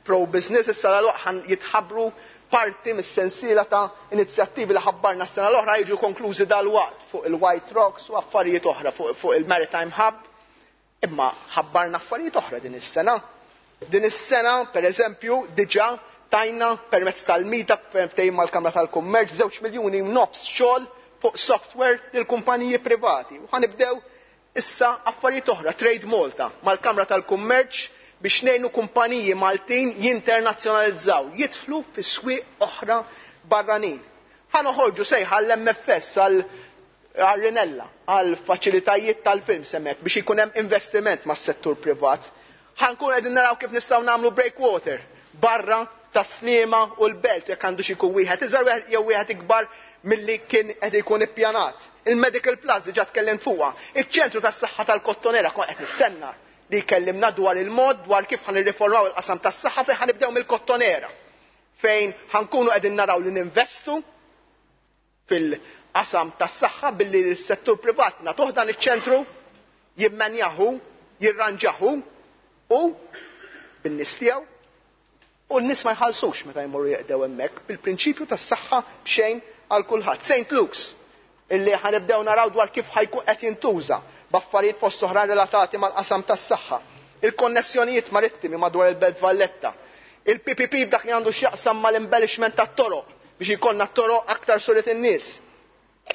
Speaker 10: pro-business. Issa l jitħabbru parti mis-sensiela ta' inizjattivi li ħabbarna s-sena l-oħra jiġu konklużi dal-waqt fuq il-White Rocks u affarijiet oħra fuq, fuq il-Maritime Hub. Imma ħabbarna affarijiet oħra din is-sena. Din is-sena, per eżempju, diġà tajna permezz tal-MITA ftehim mal-Kamra tal-Kummerċ b'żewġ miljuni nofs xogħol fuq software lil kumpaniji privati. U ħanibdew issa affarijiet oħra, Trade Malta, mal-Kamra tal-Kummerċ biex ngħinu kumpaniji Maltin jinternazzjonalizzaw, jidħlu fi swieq oħra barranin. Ħa noħorġu sejħa l-M F S għal Rinella, għal faċilitajiet tal-film semmek biex ikun hemm investiment mas-settur privat. Ħa nkun qegħdin naraw kif nistgħu nagħmlu breakwater barra tas-Sliema u l-Belt jekk għandu xi jkun wieħed iżgħar jew wieħed ikbar milli kien qed ikun ippjanat. Il-Medical Plus diġà tkellem fuqha. Iċ-ċentru tas-saħħa tal-Kottonera kont qed nistenna li jkellimna dwar il-mod dwar kif ħan irriformaw il-qasam tas-saħħa fejn ħanibdew mill-Kottonera, fejn ħankunu qegħdin naraw li ninvestu fil-qasam tas-saħħa billi s-settur privat nagħtuh dan iċ-ċentru jimmanjahu, jirranġahu u bin-nies tiegħu u n-nies ma jħallsux meta jmorru jeqdew hemmhekk bil-prinċipju tas-saħħa b'xejn għal kulħadd. Saint Luke's illi ħanibdew naraw dwar kif ħajkun qed jintuża b'affarijiet fost oħra relatati mal-qasam tas-saħħa. Il-konnessjonijiet marittimi madwar il-Belt Valletta. Il-P P P f'dak li għandu x'jaqsam mal-embellishment tat-toroq biex jkollna t-toroq aktar suret in-nies.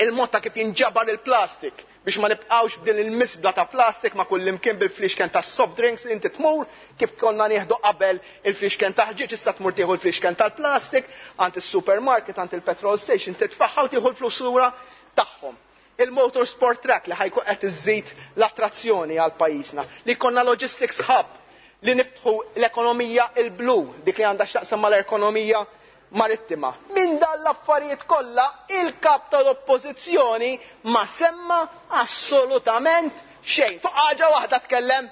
Speaker 10: Il-mod ta' kif jinġabar il-plastik biex ma nibqgħux b'din il-misbla ta' plastik ma' kull imkien bil-flixken ta' soft drinks li inti tmur, kif konna nieħdu qabel il-flixken ta' ħġieġ, issa tmur tieħu l-flixken tal-plastik għand is-supermarket, għand il-petrol station, titfaħħa u tieħu l-flus lura tagħhom. Il-motorsport track li ħajkun qed iżid l-attrazzjoni għal pajjiżna, li jkollna logistics hub, li niftħu l-ekonomija il-blu, dik li għandha x'taqsam mal-ekonomija marittima. Minn dan l-affarijiet kollha il-kap tal-oppożizzjoni ma semma assolutament xejn. Fuq ħaġa waħda tkellem.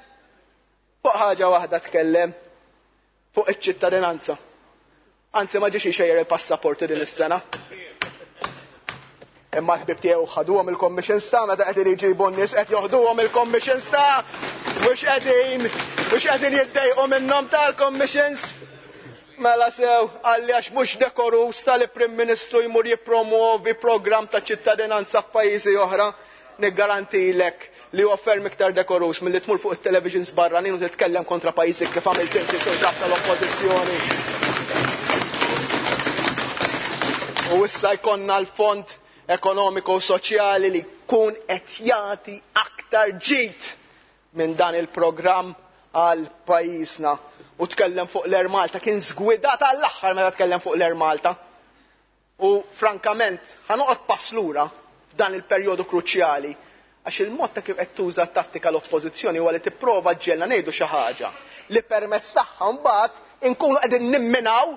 Speaker 10: Fuq ħaġa waħda tkellem. Fuq iċ-ċittadinanza. Anzi ma ġiex ixejjer il-passaporti din is-sena. Imma l-ħbib tiegħu ħaduhom il-commissions ta' meta qegħdin iġibu n-nies qed joħduhom il-commissions ta' mhux qegħdin mhux qegħdin jiddejqu minnhom tal-commissions. Mela sew, għalli għax mhux dekorus tal-Prim Ministru jmur jippromuovi programm ta' ċittadinanza f'pajjiżi oħra, niggarantilek li huwa ferm iktar dekorus milli tmur fuq it-televisions barranin u titkellem kontra pajjiżi kif għamilt inti sur kap tal-Oppożizzjoni. U issa jkollna l-Fond Ekonomiku u Soċjali li jkun qed jagħti aktar ġid minn dan il-programm għal pajjiżna. U tkellem fuq l-Air Malta, kien żgwidat għall-aħħar meta tkellem fuq l-Air Malta. U frankament, ħanoqgħod pass lura f'dan il-perjodu kruċjali, għax il-mod ta' kif qed tuża t-tattika l-oppożizzjoni huwa li tipprova ġġelna ngħidu xi ħaġa li permezz tagħha mbagħad inkunu qegħdin nimminaw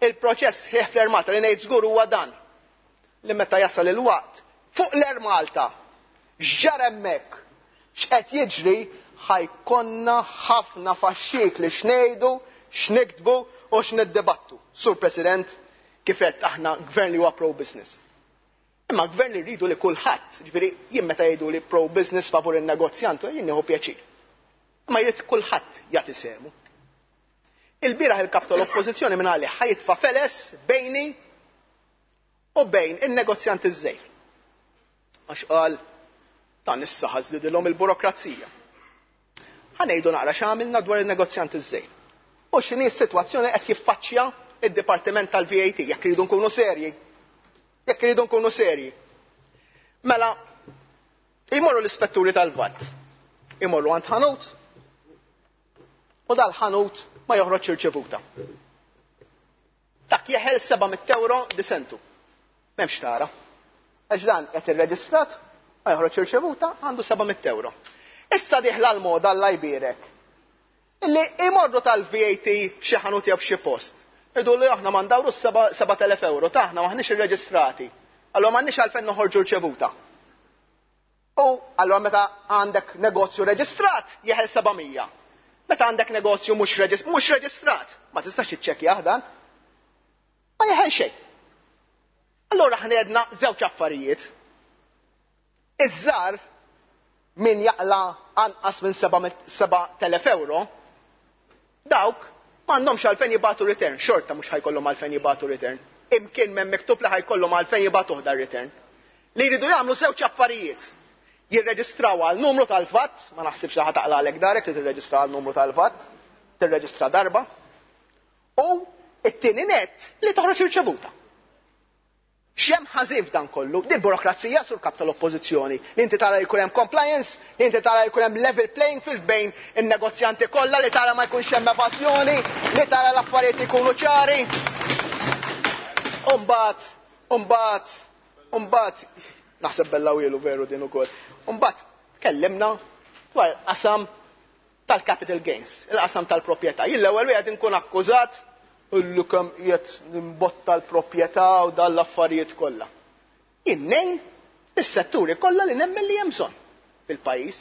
Speaker 10: il-proċess ħieħ fl-Air Malta. Li ngħid żgur huwa dan, li meta jasal il-waqt fuq l-Air Malta x'ġara hemmhekk, x'qed jiġri, ħajkonna ħafna faxxik li x'ngħidu, x'niktbu u x'niddibattu. Sur President, kif qed aħna gvern li huwa pro-business. Imma gvern li rridu li kulħadd, ġifieri jien meta jgħidu li pro-business favur in-negozjant, jien nieħu pjaċir. Imma jrid kulħadd jagħti sehmu. Il-bieraħ il-kap tal-Oppożizzjoni minn għalih ħajitfa' feles bejni u bejn in-negozjant iż-żejr. Għax qal dan issa ħażlidilhom il-burokrazija. Ħa ngħidu naqra x'għamilna dwar in-negozjant iż-żejr. U x'inhi s-sitwazzjoni qed jiffaċċja id-Dipartiment tal-V A T, jekk iridu nkunu serji. Jekk iridu nkunu serji. Mela, imorru l-ispetturi tal-V A T. Imorru għand ħanut u dal-ħanut ma joħroġ irċevuta. Dak jeħel seba' mitt euro disentu. M'hemmx tara. Għax dan qed irreġistrat, ma joħroġ irċevuta, għandu seba' mitt euro. Issa diħla l-moda Alla jbierek. Illi imorru tal-V A T f'xi ħanut jew f'xi post. Idu li aħna ma ndawru seba' telef euro, taħna maħniex irreġistrati. Allora m'għandniex għalfejn noħorġu rċevuta. U allora meta għandek negozju reġistrat jeħel seba' mija. Meta għandek negozju mhux reġis-, mhux reġistrat, ma tistax tiċċekkjah dan. Ma jeħel xejn. Allora aħna għedna żewġ affarijiet. Iż-żar min jaqla anqas minn seba' telef euro, dawk m'għandhomx għalfejn jibgħatu return, xorta mhux ħajkollhom għalfejn jibgħatu return. Imkien m'hemm miktub li ħajkollhom għalfejn jibgħatu dan return. Li jridu jagħmlu żewġ affarijiet. Jirreġistraw għal numru tal-V A T, ma naħsibx li ħataqla għalek darek li tirreġistra għal numru tal-V A T, tirreġistra darba. U it-tieni net li toħroġ irċevuta. X'hemm ħażin f'dan kollu? Din burokrazija sur kap tal-Oppożizzjoni. Li inti tara jkun hemm compliance, li inti tara jkun hemm level playing field bejn in-negozjanti kollha, li tara ma jkunx hemm evażjoni, li tara l-affarijiet ikunu ċari. Umbagħad, umbagħad, umbagħad, naħseb bella wielu veru din ukoll. Umbagħad tkellimna dwar qasam tal-capital gains, il-qasam tal-proprjetà. Jien l-ewwel wieħed inkun akkużat illu kemm qiegħed nimbotta l-proprjetà u dan l-affarijiet kollha. Jien ngħin is-setturi kollha li nemmen li hemm bżonn fil-pajjiż.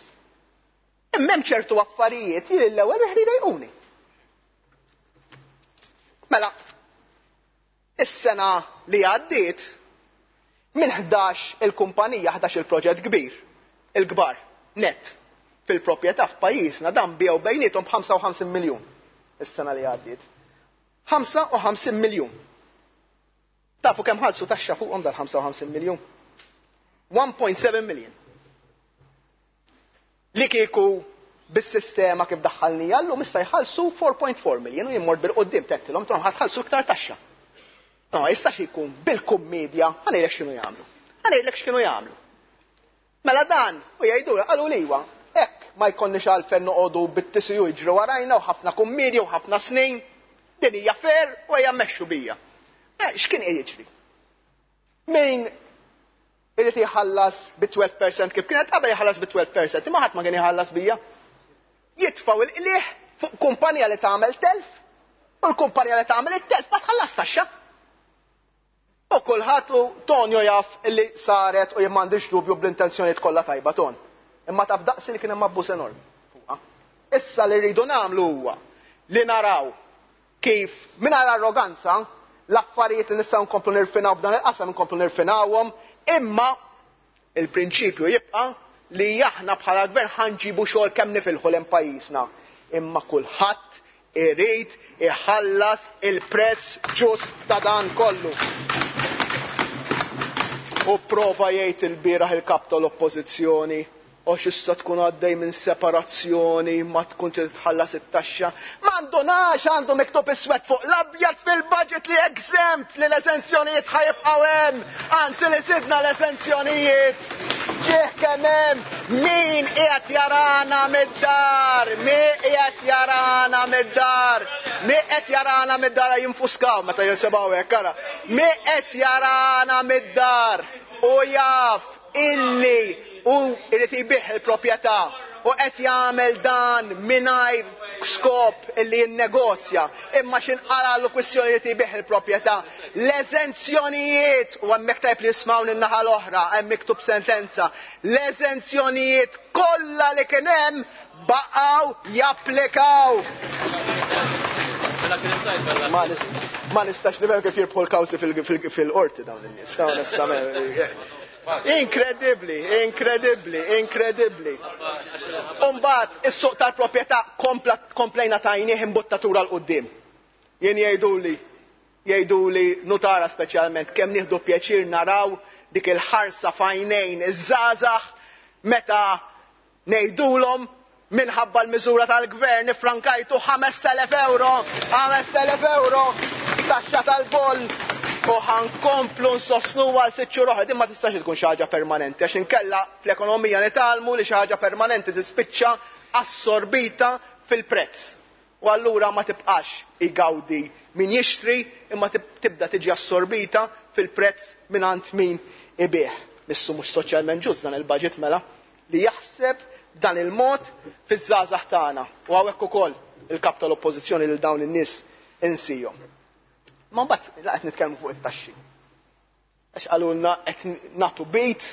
Speaker 10: Imma hemm ċertu affarijiet li l-ewwel wieħed jdejquni. Mela, is-sena li għaddiet minn ħdax il-kumpanija, ħdax il-proġett kbir, il-kbar, net, fil-proprjetà f'pajjiżna dan biegħu bejniethom b'ħamsa u ħamsin miljun is-sena li għaddiet. ħamsa u ħamsin miljun. Tafu kemm ħallsu taxxa fuqhom dal ħamsa u ħamsin miljun? one point seven million. Li kieku Bis-sistema kif daħħalnija llum issa jħallsu four point four million u jimmor bil-qudiem tettilhom intom ħa tħallsu iktar taxxa. No, ma jistax ikun bil-kummedja, ħa ngħidlek x'kienu jagħmlu. Ħa ngħidlek x'kienu jagħmlu. Mela dan, u jgħidu qalu li iwa, hekk ma jkollniex għalfejn noqogħdu bit-T C U jiġru warajna u ħafna kummedja u ħafna snin, din hija fair u ejja mmexxu bija. Eh, x'kien qed jiġri? Min irid jħallas bi twelve percent kif kienet qabel jħallas bi twelve percent, imma ħadd ma kien jħallas bija. Jitfgħu il-qliegħ fuq kumpanija li tagħmel telf u l-kumpanija li tagħmel it-telf ma tħallas taxxa. U kulħadd u Tonio jaf illi saret u jien m'għandix dubju bl-intenzjonijiet kollha tajba Ton. Imma taf daqsi li kien hemm abbuż enormi fuqha. Issa li rridu nagħmlu huwa li naraw kif mingħajr arroganza l-affarijiet li nistgħu nkomplu nirfinaw f'dan il-qasam nkomplu nirfinawhom, imma il-prinċipju jibqa' li aħna bħala gvern ħanġibu xogħol kemm nifilħu lejn pajjiżna. Imma kulħadd irid iħallas il-prezz ġust ta' dan kollu. U prova jgħid il-bieraħ il-kap tal-oppożizzjoni, għax issa tkun għaddej minn separazzjoni, ma tkun trid tħallas it-taxxa. Ma għandunax, għandu miktub iswed fuq l-abjad fil-budget li exempt li l-eżenzjonijiet ħajibqgħu hemm, anzi li sidna l-eżenzjonijiet. Ġieħ kemm hemm min qiegħed jarana mid-dar, min qiegħed jarana mid-dar, min qed jarana mid-dar jinfuskaw meta jinsebaw hekk, ara. Min qed jarana mid-dar u jaf illi u irid jbih il-proprjetà u qed jagħmel dan mingħajr skop illi jinnegozja, imma x'inqalgħu kwistjoni irid jbih il-proprjetà. L-eżenzjonijiet, u hemmhekk tajb li jismgħu lin-naħa l-oħra, hemm miktub sentenza, l-eżenzjonijiet kollha li kien hemm baqgħu japplikaw. Ma nis-, ma nistax nifhem kif jirbħu l-kawżi fil-, fil-, fil-qorti dawn in-nies, onestament. Inkredibbli, inkredibbli, inkredibbli. Umbagħad is-suq tal-proprjetà kompla, komplejna tajnieh imbuttatura l quddiem. Jien jgħiduli, jgħiduli nutara speċjalment kemm nieħdu pjaċir naraw dik il-ħarsa f'għajnejn iż-żgħażagħ meta ngħidulhom minħabba l-miżura tal-gvern ifrankajtu ħames telef euro, ħames telef euro taxxa tal-boll. U ħankomplu nsostnu għal sitt xhur oħra. Din ma tistax tkun xi ħaġa permanenti, għax inkella fl-ekonomija nitgħallmu li xi ħaġa permanenti tispiċċa assorbita fil-prezz. U allura ma tibqax igawdi min jixtri, imma tib-, tibda tiġi assorbita fil-prezz mingħand min ibih. Missu mhux soċjalment ġust dan il-budget mela li jaħseb dan il-mod fiż-żgħażagħ tagħna. U hawnhekk ukoll il-kap tal-oppożizzjoni lil dawn in-nies insihom. Ma mbagħad la qed nitkellmu fuq it-taxxi. Għax qalulna qed nagħtu bit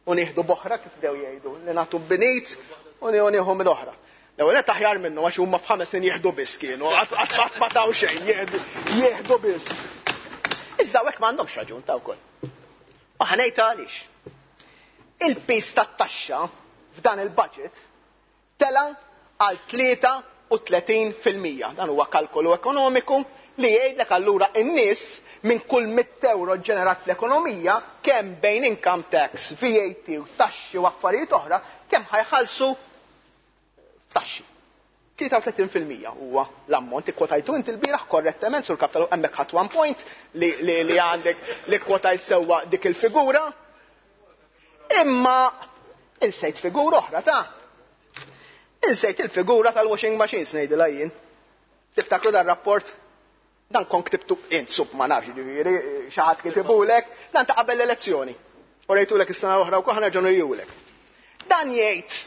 Speaker 10: u nieħdu boħra kif bdew jgħidu, li nagħtu binit u nieħu minn oħra. L-ewwel qed aħjar minnhom għax huma f'ħames snin jieħdu biss kienu, qatt qatt ma taw xejn, jieħdu, jieħdu biss. Iżda hekk m'għandhomx raġun ta' wkoll. U ħa ngħid għaliex. Il-pis tat-taxxa f'dan il-budget tela għal tlieta u tletin fil-mija. Dan huwa kalkolu ekonomiku li jgħidlek allura n-nies minn kull mitt euro ġenerat fl-ekonomija kemm bejn income tax, V A T u taxxi u affarijiet oħra, kemm ħajħallsu taxxi. Tlieta u tletin fil-mija huwa l-ammont. Ikkwotajtu inti l-bieraħ korrettament sur kapitalu hemmhekk ħadd one point li, li, li għandek li kwotajt sewwa dik il-figura. Imma insejt figura oħra ta' insejt il-figura tal-washing machines ngħidilha jien. Tiftakru dar-rapport? Dan kon ktibtu int sub ma nafx, ġifieri, xi ħadd kitibulek, dan ta' qabel l-elezzjoni. U rejtulek is-sena l-oħra wkoll ħanerġgħu nurjulek. Dan jgħid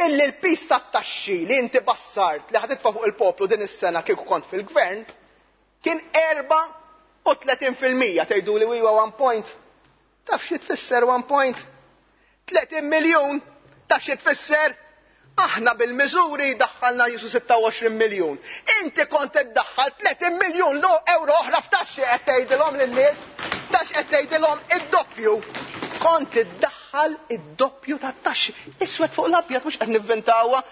Speaker 10: illi l-pis tat-taxxi li inti bassart li ħaditfa' fuq il-poplu din is-sena kieku kont fil-gvern kien erba' u tletin fil-mija. Tgħidu li huwa one point. Taf xi tfisser one point? Tletin miljun. Taf xi tfisser? Aħna bil-miżuri daħħalna jisu sitta u għoxrin miljun. Inti kont iddaħħal tletin miljun lo euro oħra f'taxxi qed tgħidilhom lin-nies, tax qed tgħidilhom id-doppju. Kont iddaħħal id-doppju tat-taxxi. Iswed fuq l-abjad mhux qed nivvintawha.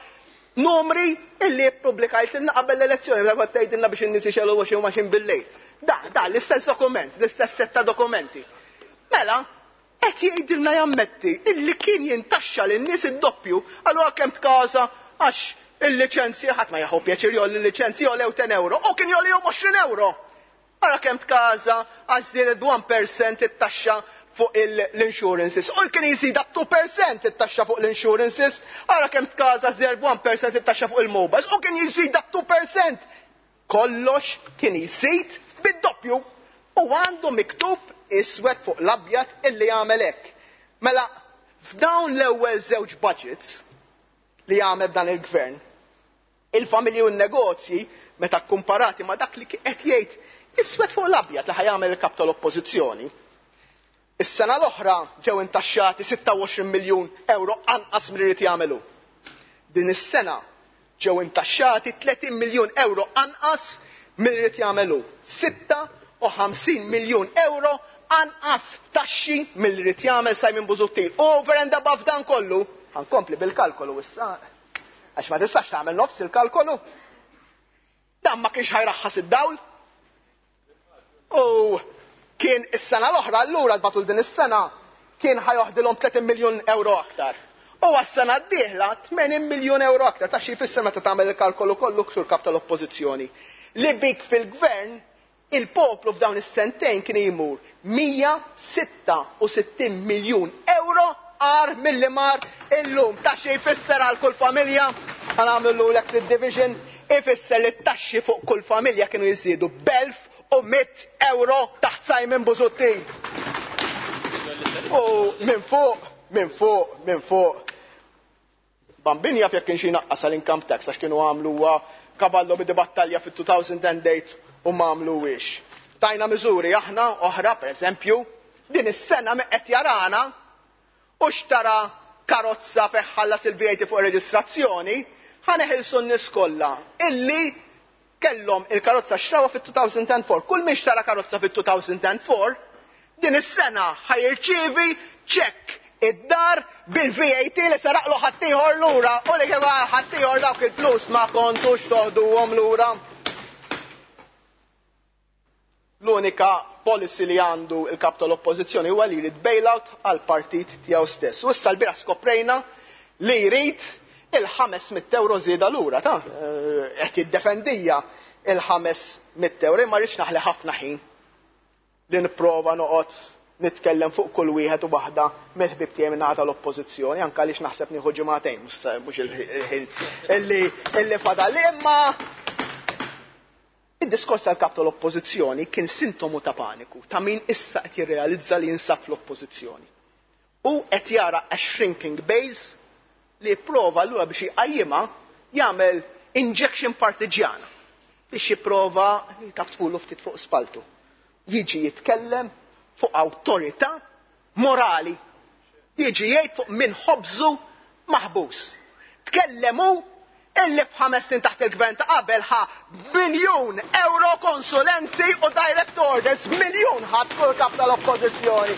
Speaker 10: Numri illi ppubblikajtilna qabel l-elezzjoni, meta kont tgħidilna biex in-nies ixegħlu washing machine bil-lejl. Da, da, l-istess dokument, l-istess set ta' dokumenti. Mela, qed jgħidilna jammetti illi kien jintaxxa lin-nies id-doppju, allura kemm tkaża Għax il-liċenzji ħadd ma jieħu pjaċir jolli l-liċenzji jolew ten euro, u kien jolihom għoxrin euro. Ara kemm tkaża għax żdiedet one percent it-taxxa fuq l-insurances. U kien jżida two percent it-taxxa fuq l-insurances. Ara kemm tkaża żdiedet one percent it-taxxa fuq il-mobiles. U kien jżida two percent. Kollox kien jżid bid-doppju. U għandu miktub iswed fuq l-abjad illi jagħmel hekk. Mela, f'dawn l-ewwel żewġ budgets li jagħmel dan il-gvern, il-familji u n-negozji meta kkumparati ma' dak li qed jgħid iswed fuq l-abjad li ħajamel il-kap tal-oppożizzjoni. Is-sena l-oħra ġew intaxxati sitta u għoxrin miljun euro anqas milli jrid jagħmelu. Din is-sena ġew intaxxati tletin miljun euro anqas milli jrid jagħmelu. Sitta u ħamsin miljun euro anqas taxxi milli jrid jagħmel Simon Busuttil. Over and above dan kollu, ħankompli bil-kalkolu issa, għax ma tistax tagħmel nofs il-kalkolu. Dan ma kienx ħajraħħas id-dawl. U kien is-sena l-oħra, allura l-batul din is-sena, kien ħajoħdilhom tletin miljun euro aktar. U għas-sena d-dieħla tmenin miljun euro aktar. Ta' xi jfisser meta tagħmel il-kalkolu kollu ksur kap tal-oppożizzjoni. Li bik fil-gvern, il-poplu f'dawn is-sentejn kien jmur mija sitta u sittin miljun euro għar milli mar illum. Ta' xi jfisser għal kull familja, ħanagħmlu l division, ifisser li t-taxxi fuq kull familja kienu jiżdiedu b'elf u mitt euro taħt Simon Busuttil. U minn fuq, minn fuq, minn fuq. Bambin jaf jekk kienx jinaqqas għall-income tax għax kienu għamluha kaballo bidi battalja fit-two thousand and eight u ma għamluhiex. Tajna miżuri aħna oħra, per eżempju, din is-sena min qed jarana u xtara karozza fejn ħallas il-V A T fuq ir-reġistrazzjoni, ħaneħilsu n-nies kollha illi kellhom il-karozza xrawa fit-two thousand and four. Kull min xtara karozza fit-two thousand and four, din is-sena ħajrċievi ċekk id-dar bil-V A T li saraqlu ħaddieħor lura u li kif ħaddieħor dawk il-flus ma kontux toħduhom lura. L-unika policy li għandu il-kap tal-oppożizzjoni huwa li jrid bailout għal partit tiegħu stess. U issa l-bieraħ skoprejna li jrid il-ħames mitt euro żieda lura, ta' qed jiddefendija il-ħames mitt euro, imma rridx naħli ħafna ħin li nipprova noqgħod nitkellem fuq kull wieħed u waħda mill-ħbieb tiegħi minn naħa tal-oppożizzjoni, anke għaliex naħseb nieħu ġimagħtejn, mhux il-ħin illi, illi fadal. Imma id-diskors tal-kap tal-oppożizzjoni kien sintomu ta' paniku, ta' min issa qed jirrealizza li jinsab fl-oppożizzjoni. U qed jara a shrinking base li jipprova allura biex jqajjimha jagħmel injection partiġjana biex jipprova taf tqulu ftit fuq spaltu. Jiġi jitkellem fuq awtorità morali. Jiġi jgħid fuq min ħobżu maħbus. Tkellem hu illi f'ħames snin taħt il-gvern ta' qabel ħa miljun euro konsulenzi u direct orders, miljun ħadd kull kap tal-oppożizzjoni,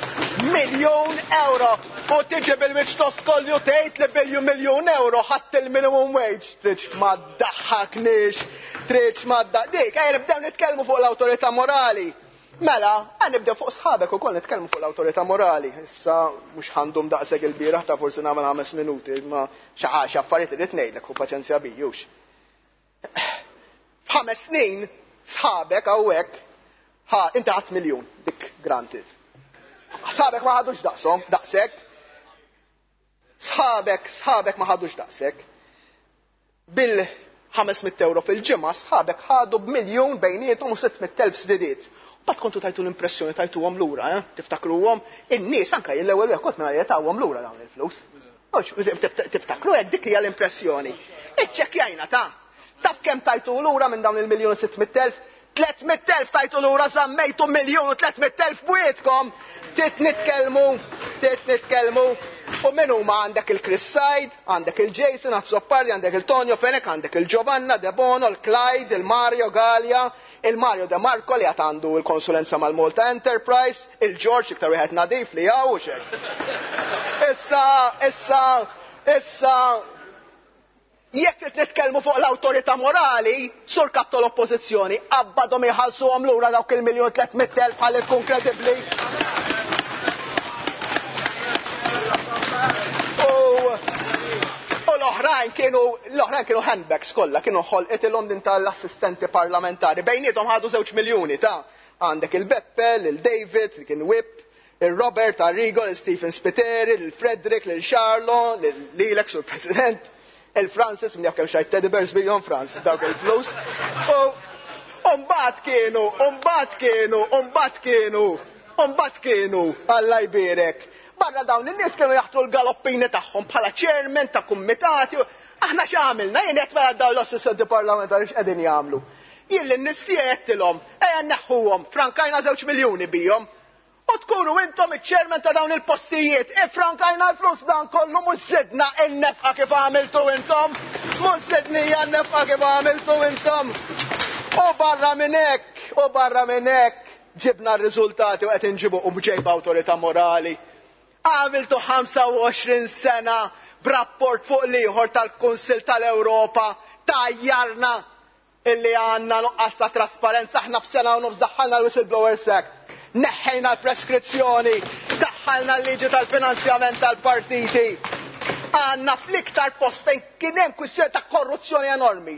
Speaker 10: miljun euro. U tiġi bil-wiċċ toskolju tgħid li biljun miljun euro ħadd il-minimum wage. Tridx ma ddaħħakniex, tridx ma ddaħ-, dik, ejja nibdew nitkellmu fuq l-awtorità morali. Mela, għan nibdew fuq sħabek ukoll nitkellmu fuq l-awtorità morali. Issa mhux ħandum daqshekk il-bieraħ ta' forsi nagħmel ħames minuti, imma xi ħaġa affarijiet irid ngħidlek u paċenzja bijux. F'ħames snin sħabek hawnhekk ħa inti ħadd miljun dik granted. Sħabek ma ħadux daqshom, daqshekk. Sħabek, sħabek ma ħadux daqshekk. Bil ħames mitt euro fil-ġimgħa sħabek ħadu b'miljun bejniethom u sitt mitt elf żdidiet. Bat kontu tajtu l-impressjoni tajtuhom lura, eh? Tiftakruhom, in-nies anke l-ewwel wieħed kont minn tawhom lura dawn il-flus. Mhux, tiftakru hekk dik hija l-impressjoni. Iċċekkjajna ta' taf kemm tajtu lura minn dawn il-miljun u sitt mitt elf? Tliet mitt elf tajtu lura, żammejtu miljun u tliet mitt elf bwietkom. Tit nitkellmu, tit nitkellmu. U min huma għandek il-Chris Said, għandek il-Jason Azzopardi, għandek il-Tonio Fenech, għandek il-Giovanna De Bono, il-Clyde, il-Mario Galea, il-Mario De Marco li għad għandu l-konsulenza mal-Malta Enterprise, il-George iktar wieħed nadif li hawn u xejn. Issa, issa, issa, jekk trid nitkellmu fuq l-awtorità morali, sur kap tal-oppożizzjoni, qabbadhom iħallsuhom lura dawk il-miljun tliet mitt elf ħalli tkun kredibbli. U, u L-oħrajn kienu l-oħrajn kienu handbags kollha, kienu ħolqitilhom din tal-assistenti parlamentari. Bejniethom ħadu żewġ miljuni ta' għandek il-Beppe, il-David, li kien Whip, il-Robert Arrigo, il-Stephen Spiteri, il-Frederick, il-Charlo, lilek sur President, il-Francis, min jaf kemm xtrajt teddy bears billion Franz, dawk il-flus. U mbagħad kienu, u mbagħad kienu, u mbagħad kienu, u mbagħad kienu, Alla jbierek. Barra dawn in-nies kienu jaħtru l-galoppini tagħhom bħala chairman ta' kumitati. Aħna x'għamilna? Jien qed mela dawn l-assistenti parlamentari x'qegħdin jagħmlu. Jien lin-nies tiegħi għedtilhom, ejja nneħħuhom, frankajna żewġ miljuni bihom. U tkunu intom iċ-chairman ta' dawn il-postijiet, ifrankajna l-flus dan kollu, mhux żidna n-nefqa kif għamiltu intom, mhux żidnija n-nefqa kif għamiltu intom. U barra minn hekk, u barra minn hekk, ġibna r-riżultati u qed inġibu u ġejba awtorità morali. Għamiltu ħamsa u għoxrin sena b'rapport fuq l-ieħor tal-Kunsill tal-Ewropa tajjarna illi għandna nuqqas ta' trasparenza. Aħna f'sena u nofs daħħalna l-Whistleblowers Act, neħħejna l-preskrizzjoni, daħħalna l-liġi tal-finanzjament tal-partiti. Għandna fl-iktar post fejn kien hemm kwistjoni ta' korruzzjoni enormi.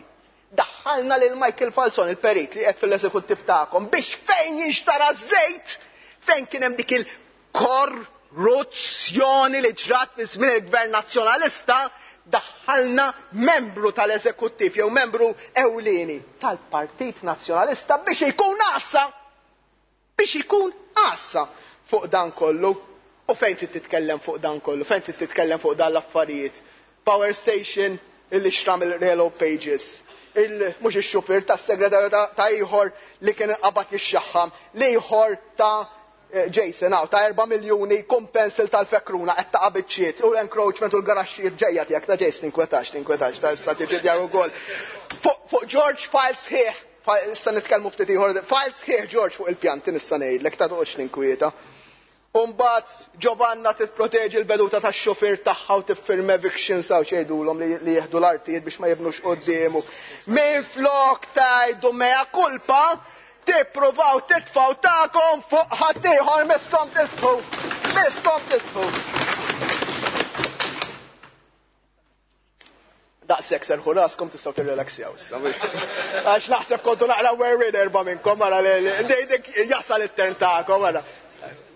Speaker 10: Daħħalna lil Michael Falzon, il-perit li qed fil-eżekuttiv tagħkom, biex fejn jinxtara żejt, fejn kien hemm dik il-korruzzjoni li ġrat fi żmien il-Gvern Nazzjonalista, daħħalna membru tal-eżekuttiv jew membru ewlieni tal-Partit Nazzjonalista biex ikun għassa, biex ikun għassa fuq dan kollu. U fejn trid titkellem fuq dan kollu, fejn trid titkellem fuq dan l-affarijiet? Power station illi xtram il-Yellow Pages, il mhux ix-xufier tas-segretarju ta' ieħor li kien qabad jixxaħħam, l-ieħor ta' Jason hawn ta' erba' miljuni kompensil tal-fekruna qed taqa' biċċiet u l-encroachment u l-garaxxijiet ġejja tiegħek ta' Jason, tinkwetax, tinkwetax, ta' issa tiġi tiegħek ukoll. Fuq George file sħiħ, issa nitkellmu ftit ieħor, file sħiħ George fuq il-pjanti nista' ngħidlek ta' toqgħodx ninkwieta. U mbagħad Giovanna titproteġi l-beduta tax-xufier tagħha u tiffirma evictions hawn xejdulhom li jieħdu l-artijiet biex ma jibnux quddiemu. Minflok tgħidu mea culpa, tippruvaw titfgħu tagħkom fuq ħaddieħor, miskom tisħu, miskom tisħu. Daqshekk serħu raskom tistgħu tirrelaxjaw issa. Għax naħseb kontu naqra worried erba' minnkom wara li dik jasal it-turn tagħkom wara.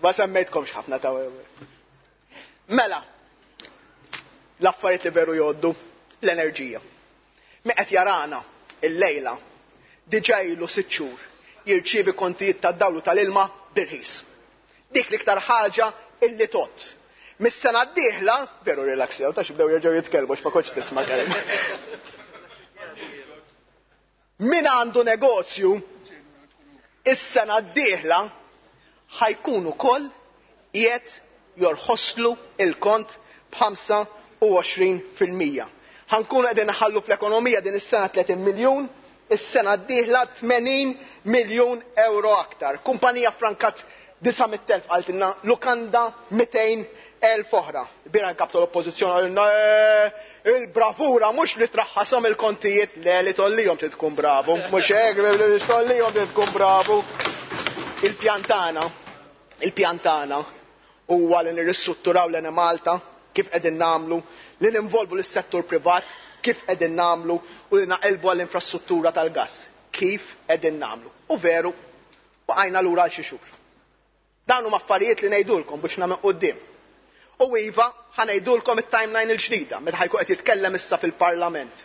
Speaker 10: Ma semmejtkomx ħafna ta' Mela, l-affarijiet li veru jgħoddu, l-enerġija. Mi qed jarana il-lejla diġà ilu sitt xhur jirċievi kontijiet tad-dawlu tal-ilma birħis. Dik l-iktar ħaġa illi tot. Mis-sena d-dieħla, veru relaxjaw, ta' xibdew jerġgħu jitkellmu għax ma kontx tisma' Karim. Min għandu negozju, is-sena d-dieħla ħajkun ukoll qiegħed jorħoslu il-kont b'ħamsa u għoxrin fil-mija. Ħankunu qegħdin naħallu fl-ekonomija din is-sena tletin miljun, is-sena d-dieħla tmenin miljun euro aktar. Kumpanija frankat disa' mitt elf qaltilna, lukanda mitejn elf oħra. Bira nkap tal-oppożizzjoni qalilna, eh, il-bravura mhux li traħħashom il-kontijiet, le li tollihom trid tkun bravu, mhux hekk li tollihom trid tkun bravu. Il-pjantana, il-pjantana huwa li nirristrutturaw l-Ene Malta kif qegħdin nagħmlu, li ninvolvu lis-settur privat kif qegħdin nagħmlu u li naqilbu għall-infrastruttura tal-gass kif qegħdin nagħmlu. U veru, baqajna lura għal xi xhur. Dawn huma affarijiet li ngħidulkom biex nagħmel quddiem. U iva, ħanejdulkom it-timeline il-ġdida, meta ħajkun qed jitkellem issa fil-Parlament,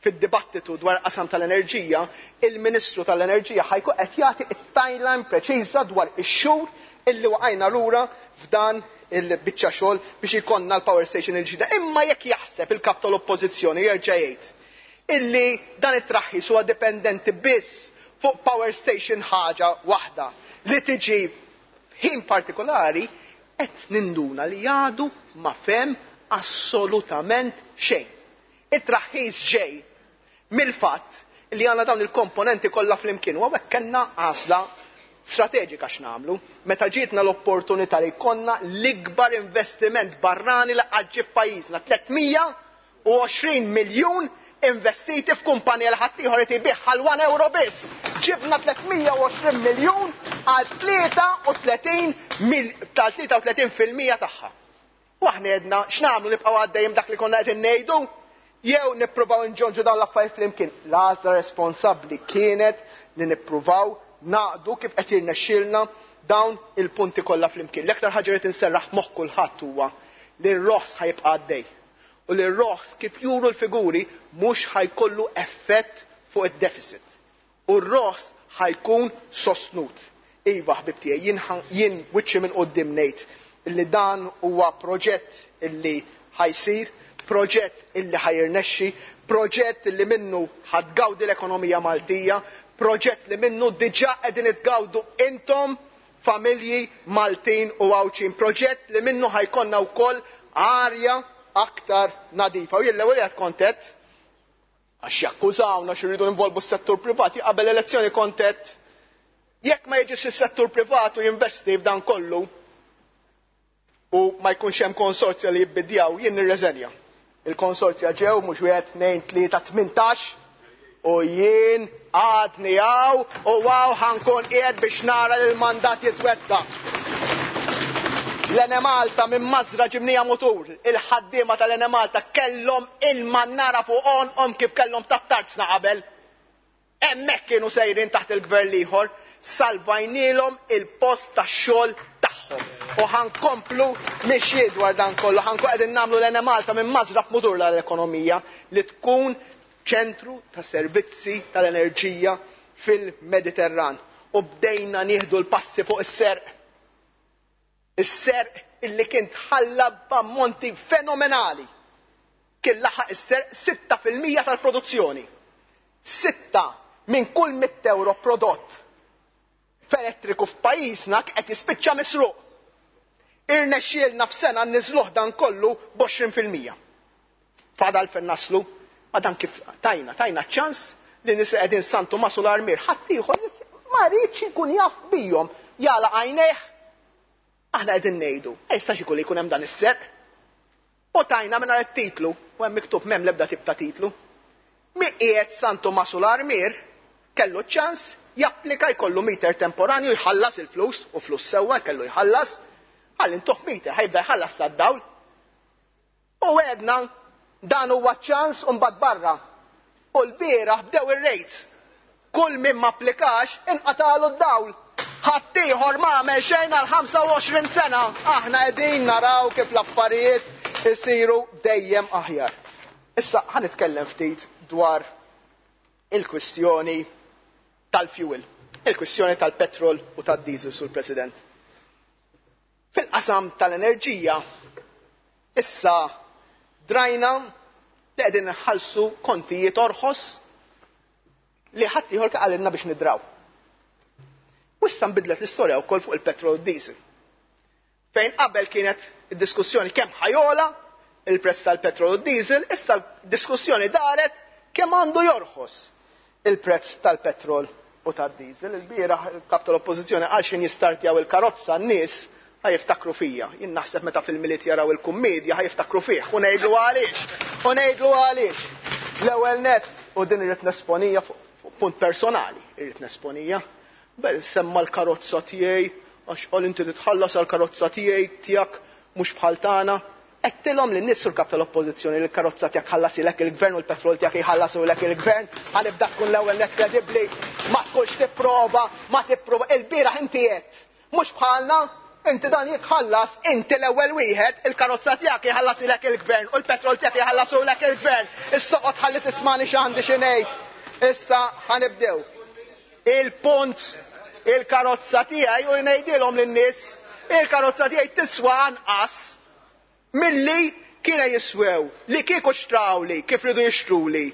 Speaker 10: fid-dibattitu dwar qasam tal-enerġija, il-Ministru tal-Enerġija ħajkun qed jagħti it-timeline preċiża dwar ix-xhur illi waqajna lura f'dan il-biċċa xogħol biex ikollna l-power station il-ġdida. Imma jekk jaħseb il-kap tal-oppożizzjoni jerġa' jgħid illi dan it-traħħis huwa dipendenti biss fuq power station ħaġa waħda li tiġi f'ħin partikolari, qed ninduna li għadu ma fem assolutament xejn. It-traħħis ġej mill-fatt li għandna dawn il-komponenti kollha flimkien u hawnhekk kellna għażla strateġika x'nagħmlu. Meta ġietna l-opportunità li jkollna l-ikbar investiment barrani li qatt ġie f'pajjiżna, tliet mija u għoxrin miljun investiti f'kumpanija li ħadd ieħor irid ibigħ għal one euro biss. Ġibna tliet mija u għoxrin miljun għal tlieta u tletin mil-, tal tlieta u tletin fil-mija tagħha. U aħna għedna x'nagħmlu, nibqgħu għaddejjem dak li konna qegħdin ngħidu? Jew nippruvaw nġonġu dawn l-affarijiet flimkien. L-għażla responsabbli kienet li nippruvaw naqdu kif qed jirnexxielna dawn il-punti kollha flimkien. L-aktar ħaġa li tinserraħ moħħ kulħadd huwa li r-roħs ħajibqa' għaddej. U li r-roħs kif juru l-figuri mhux ħajkollu effett fuq id-deficit. U r-roħs ħajkun sostnut. Iva ħbib tiegħi, jien wiċċi minn quddiem ngħid illi dan huwa proġett illi ħajsir, proġett illi ħajirnexxi, proġett illi minnu ħadgawdi l-ekonomija Maltija, proġett li minnu diġà qegħdin itgawdu intom familji Maltin u Għawdxin, proġett li minnu ħajkonna wkoll arja aktar nadifa. U jien l-ewwel qed kontet għax jakkużawna xi rridu involvu s-settur privati qabel elezzjoni kontet jekk ma jiġix is-settur privatu jinvesti f'dan kollu u ma jkunx hemm konsorzja li jibbidjaw, jien nirreżenja. Il-konsorzja ġew mhux wieħed, tnejn, tlieta, tmintax u jien għadni hawn u hawn ħankun qiegħed biex nara li l-mandat jitwettaq. L-Enemalta minn mażra ġibnija mutur, il-ħaddiema tal-Enemalta kellhom il-mannara fuq għonqhom kif kellhom tat-tarzna qabel. Hemmhekk kienu sejrin taħt il-gvern l-ieħor, salvajnielhom il-post tax-xogħol tagħhom. U ħankomplu mixji dwar dan kollu, ħankun qegħdin nagħmlu l-Enemalta minn mażra f'mutur l-ekonomija li tkun ċentru ta' servizzi tal-enerġija fil-Mediterran. U bdejna nieħdu l-passi fuq is-serq. Is-serq illi kien tħalla b'ammonti fenomenali. Kien laħaq is-serq sitta fil-mija tal-produzzjoni. Sitta minn kull mitt euro prodott f'elettriku f'pajjiżna qed jispiċċa misruq. Irnexxielna f'sena nniżluh dan kollu b'għoxrin fil-mija. Fadal fejn naslu, ma dan kif tajna, tajna ċans li nies qegħdin San Tumas u l-Armier, ħadd ieħor ma rridx ikun jaf bijhom, jala għajnejh. Aħna qegħdin ngħidu, ma jistax ikun li jkun hemm dan is-serq. U tajna mingħajr it-titlu, u hemm miktub m'hemm l-ebda tip ta' titlu. Mi qiegħed San Tumas u l-Armier kellu ċans japplika jkollu meter temporanju jħallas il-flus, u flus sewwa kellu jħallas, għal intuħ meter ħajbda jħallas tad-dawl. U għedna dan huwa ċans u mbagħad barra. U l-bieraħ bdew ir-rates. Kull min ma applikax inqatalu d-dawl. Ħaddieħor ma għamel xejn għal ħamsa u għoxrin sena. Aħna qegħdin naraw kif l-affarijiet isiru dejjem aħjar. Issa ħanitkellem ftit dwar il-kwistjoni tal-fuel, il-kwistjoni tal-petrol u tad-diesel, Sur President. Fil-qasam tal-enerġija, issa drajna li qegħdin nħallsu kontijiet orħos li ħadd ieħor qalilna biex nidraw. U issa nbidlet l-istorja wkoll fuq il-petrol u d-diesel. Fejn qabel kienet id-diskussjoni kemm ħajola il-prezz tal-petrol u d-diesel, issa l-diskussjoni daret kemm għandu jorħos il-prezz tal-petrol u tad-diesel. Il-bieraħ il-kap tal-oppożizzjoni għal xejn jistartjaw il-karozza n-nies ħajiftakru fija. Jien naħseb meta fil-miliet jaraw il-kummedja ħajiftakru fih. U ngħidlu għaliex. U ngħidlu għaliex. L-ewwel nett, u din irrid nesponija fuq punt personali, irrid nesponija. Bel semma l-karozza tiegħi, għax qal inti titħallas għall-karozza tiegħi tiegħek mhux bħal tagħna. Għedtilhom lin nies sul kap tal-oppożizzjoni li l-karozza tiegħek ħallasilek il-gvern u l-petrol tiegħek jħallasulek il-gvern, ħanibda tkun l-ewwel nett kredibbli, ma tkunx tipprova, ma tipprova. Il-bieraħ inti qed, mhux bħalna, inti dan jitħallas, inti l-ewwel wieħed, il-karozza tiegħek jħallasilek il-gvern u l-petrol tiegħek jħallasulek il-gvern. Issa oqgħod ħalli tismani x'għandi xi ngħid. Issa ħanibdew. Il-punt, il-karozza tiegħi u ngħidilhom lin-nies, il-karozza tiegħi tiswa anqas milli kienu jiswew, li kieku xtrawli, kif ridu jixtruli.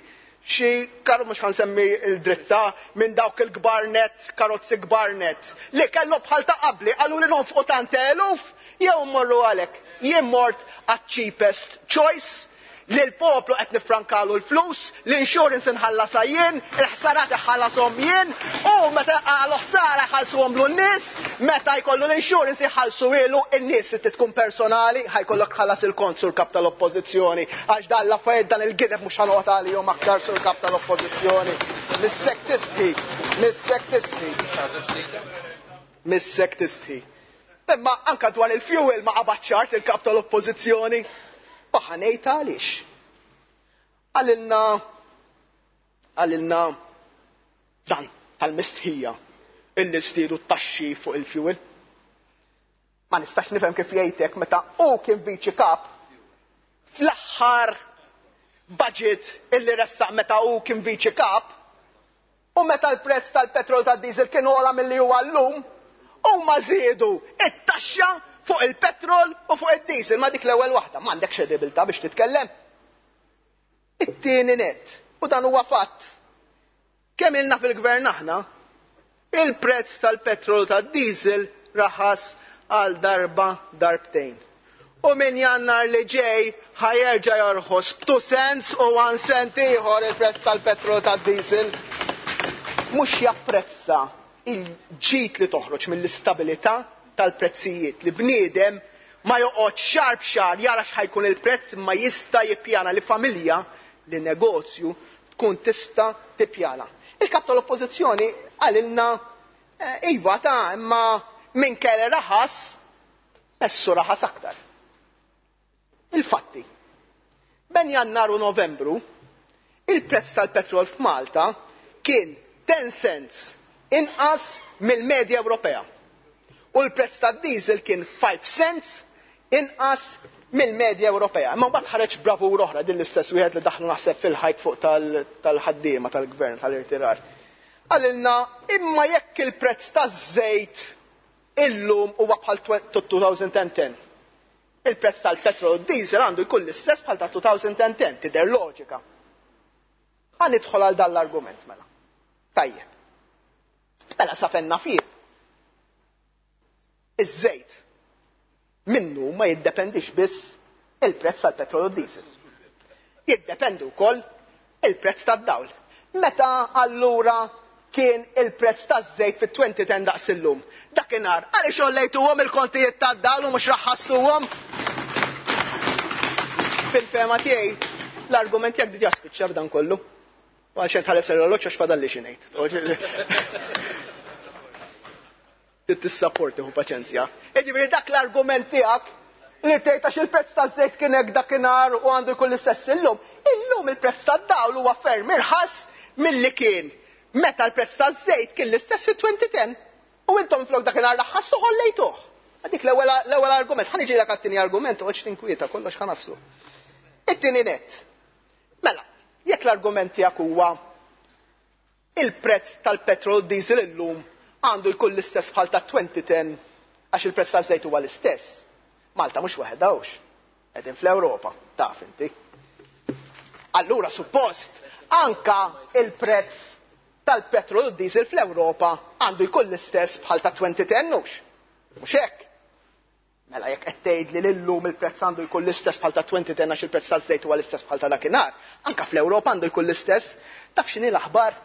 Speaker 10: Xi karru mhux ħansemmi l-dritta minn dawk il-kbar net, karozzi kbar net, li kellu bħal ta' qabli, qalu li nonfqu tant eluf, jew mmorru għalhekk. Jien mort għat-cheapest choice, li l-poplu qed nifrankalu l-flus, l-insurance inħallasha jien, il-ħsarat iħallasom jien, u meta qalu ħsara jħallsuhom lu n-nies, meta jkollu l-insurance jħallsu ilu n-nies li tkun personali, ħajkollok tħallas il-kont sur kap tal-oppożizzjoni, għax dan l-affarijiet dan il-gideb mhux ħanoqgħod għalihom aktar sur kap tal-oppożizzjoni. Missek tistħi, missek tistħi. Missek tistħi. Imma anka dwar il-fuel ma qabad ċart il-kap tal-oppożizzjoni. Baħanejt għaliex. Qalilna qalilna dan tal-mistħija illi żdiedu t-taxxi fuq il-fuel. Ma nistax nifhem kif jgħidlek meta hu kien viċi kap fl-aħħar budget illi ressaq meta hu kien viċi kap u meta l-prezz tal-petrol tad-diesel kien ogħla milli huwa llum, huma żiedu it-taxxa fuq il-petrol u fuq id-diesel. Ma dik l-ewwel waħda, m'għandekx kredibilità biex titkellem. It-tieni net, u dan huwa fatt. Kemm ilna fil-gvern aħna, il-prezz tal-petrol tad-diesel raħas għal darba darbtejn. U minn Jannar li ġej ħa jerġa' jorħos b'two cents u one cent ieħor il-prezz tal-petrol tad-diesel. Mhux japprezza il-ġid li toħroġ mill-istabilità tal-prezzijiet li bniedem ma joqgħodx xahar b'xahar jara x'ħa jkun il-prezz imma jista' jippjana li familja li negozju tkun tista' tippjana. Il-kap tal-oppożizzjoni qalilna iva ta' imma minn kelli raħas messu raħas aktar. Il-fatti. Bejn Jannar u Novembru il-prezz tal-petrol f'Malta kien ten cents inqas mill-medja Ewropea. U l-prezz tad-diesel kien five cents inqas mill-medja Ewropea. Imma mbagħad ħareġ bravur oħra din l-istess wieħed li daħlu naħseb fil-ħajt fuq tal-ħaddiema tal-gvern tal-irtirar. Qalilna imma jekk il-prezz taż-żejt illum huwa bħal two thousand and ten. Il-prezz tal-petrol u diesel għandu jkun l-istess bħal ta' two thousand and ten, tidher loġika. Ħa nidħol għal dan l-argument mela. Tajjeb. Mela sa fenna fih. Iż-żejt minnu ma jiddependix biss il-prezz tal-petrol u diesel. Jiddependi wkoll il-prezz tad-dawl. Meta allura kien il-prezz taż-żejt fit-twenty ten daqs illum? Dakinhar għaliex għollejtuhom il-kontijiet tad-dawl u mhux raħħastuhom? Fil-fehma tiegħi l-argument tiegħek diġà spiċċa b'dan kollu. U għalxejn tħares l-oroloġġ għax fadalli xi ngħid. Tissapporti hu paċenzja. Jiġifieri dak l-argument tiegħek li tgħid għax il-prezz taż-żejt kien hekk dakinhar u għandu jkun l-istess illum. Illum il-prezz tad-dawl huwa ferm irħas milli kien meta l-prezz taż-żejt kien l-istess fi twenty ten. U intom flok dakinhar raħħastu ħollejtuh. Dik l-ewwel argument. Ħa niġilek għat-tieni argument u għax tinkwieta kollox ħa naslu. It-tieni net. Mela, jekk l-argument tiegħek huwa il-prezz tal-petrol diesel illum għandu jkun l-istess bħal ta' twenty ten għax il-prezz taż-żejt huwa l-istess. Malta mhux waħedha hux. Qegħdin fl-Ewropa, taf inti. Allura suppost anka il-prezz tal-petrol u diesel fl-Ewropa għandu jkun l-istess bħal ta' twenty ten hux. Mhux hekk. Mela jekk qed tgħid li llum il-prezz għandu jkun l-istess bħal ta' twenty ten għax il-prezz taż-żejt huwa l-istess bħal ta' dakinhar, anka fl-Ewropa għandu jkun l-istess. Taf x'inhi l-aħbar?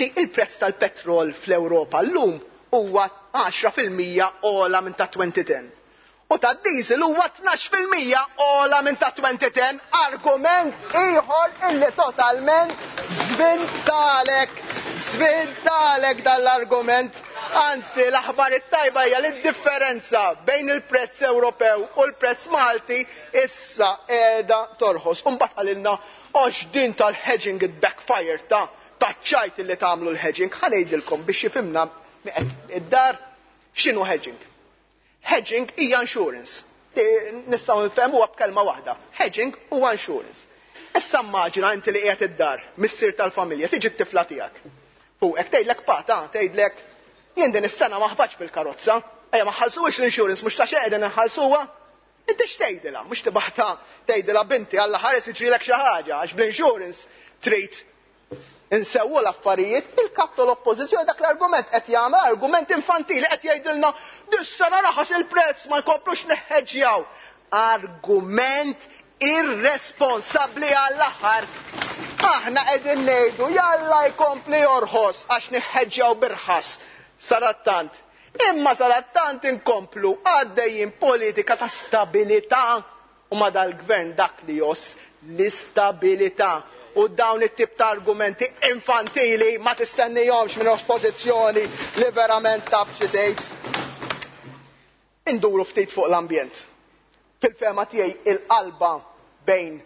Speaker 10: Li il-prezz tal-petrol fl-Ewropa llum huwa għaxra fil-mija ogħla minn ta' twenty ten. U ta' diesel huwa tnax fil-mija ogħla minn ta' twenty ten. Argument ieħor illi totalment żvintalek, żvintalek dan l-argument. Anzi, l-aħbar it-tajba hija li d-differenza bejn il-prezz Ewropew u l-prezz Malti issa qiegħda torħos. U mbagħad qalilna għax din tal-hedging it backfire ta' taċċajt illi tagħmlu l-hedging. Ħa ngħidilkom biex jifhimna id-dar x'inhu hedging. Hedging hija insurance. Nistgħu nifhmuha b'kelma waħda. Hedging huwa insurance. Issa immaġina inti li qiegħed id-dar, missier tal-familja, tiġi t-tifla tiegħek. Fuqek tgħidlek pata, tgħidlek jien din is-sena ma ħbatx bil-karozza, ejja ma ħallsuhiex l-insurance, mhux ta' xejn qegħdin inħallsuha. Inti x'tgħidilha? Mhux tibgħatha tgħidilha binti Alla ħares jiġrilek xi ħaġa għax bl-insurance trid insewwu l-affarijiet. Il-kap tal-oppożizzjoni dak l-argument qed jagħmel argument infantili, qed jgħidilna dis-sena raħas il-prezz ma nkomplux neħħeġġjaw. Argument irresponsabbli għall-aħħar. Aħna qegħdin ngħidu jalla jkompli jorħos għax neħħeġġjaw birħas sarattant. Imma sarattant inkomplu għaddejjin politika ta' stabilità u ma dal-gvern dak li joss l-istabilità. U dawn it-tip ta' argumenti infantili ma tistennihomx minn oppożizzjoni li verament taf xi tgħid. Induru ftit fuq l-ambjent. Fil-fehma tiegħi il-qalba bejn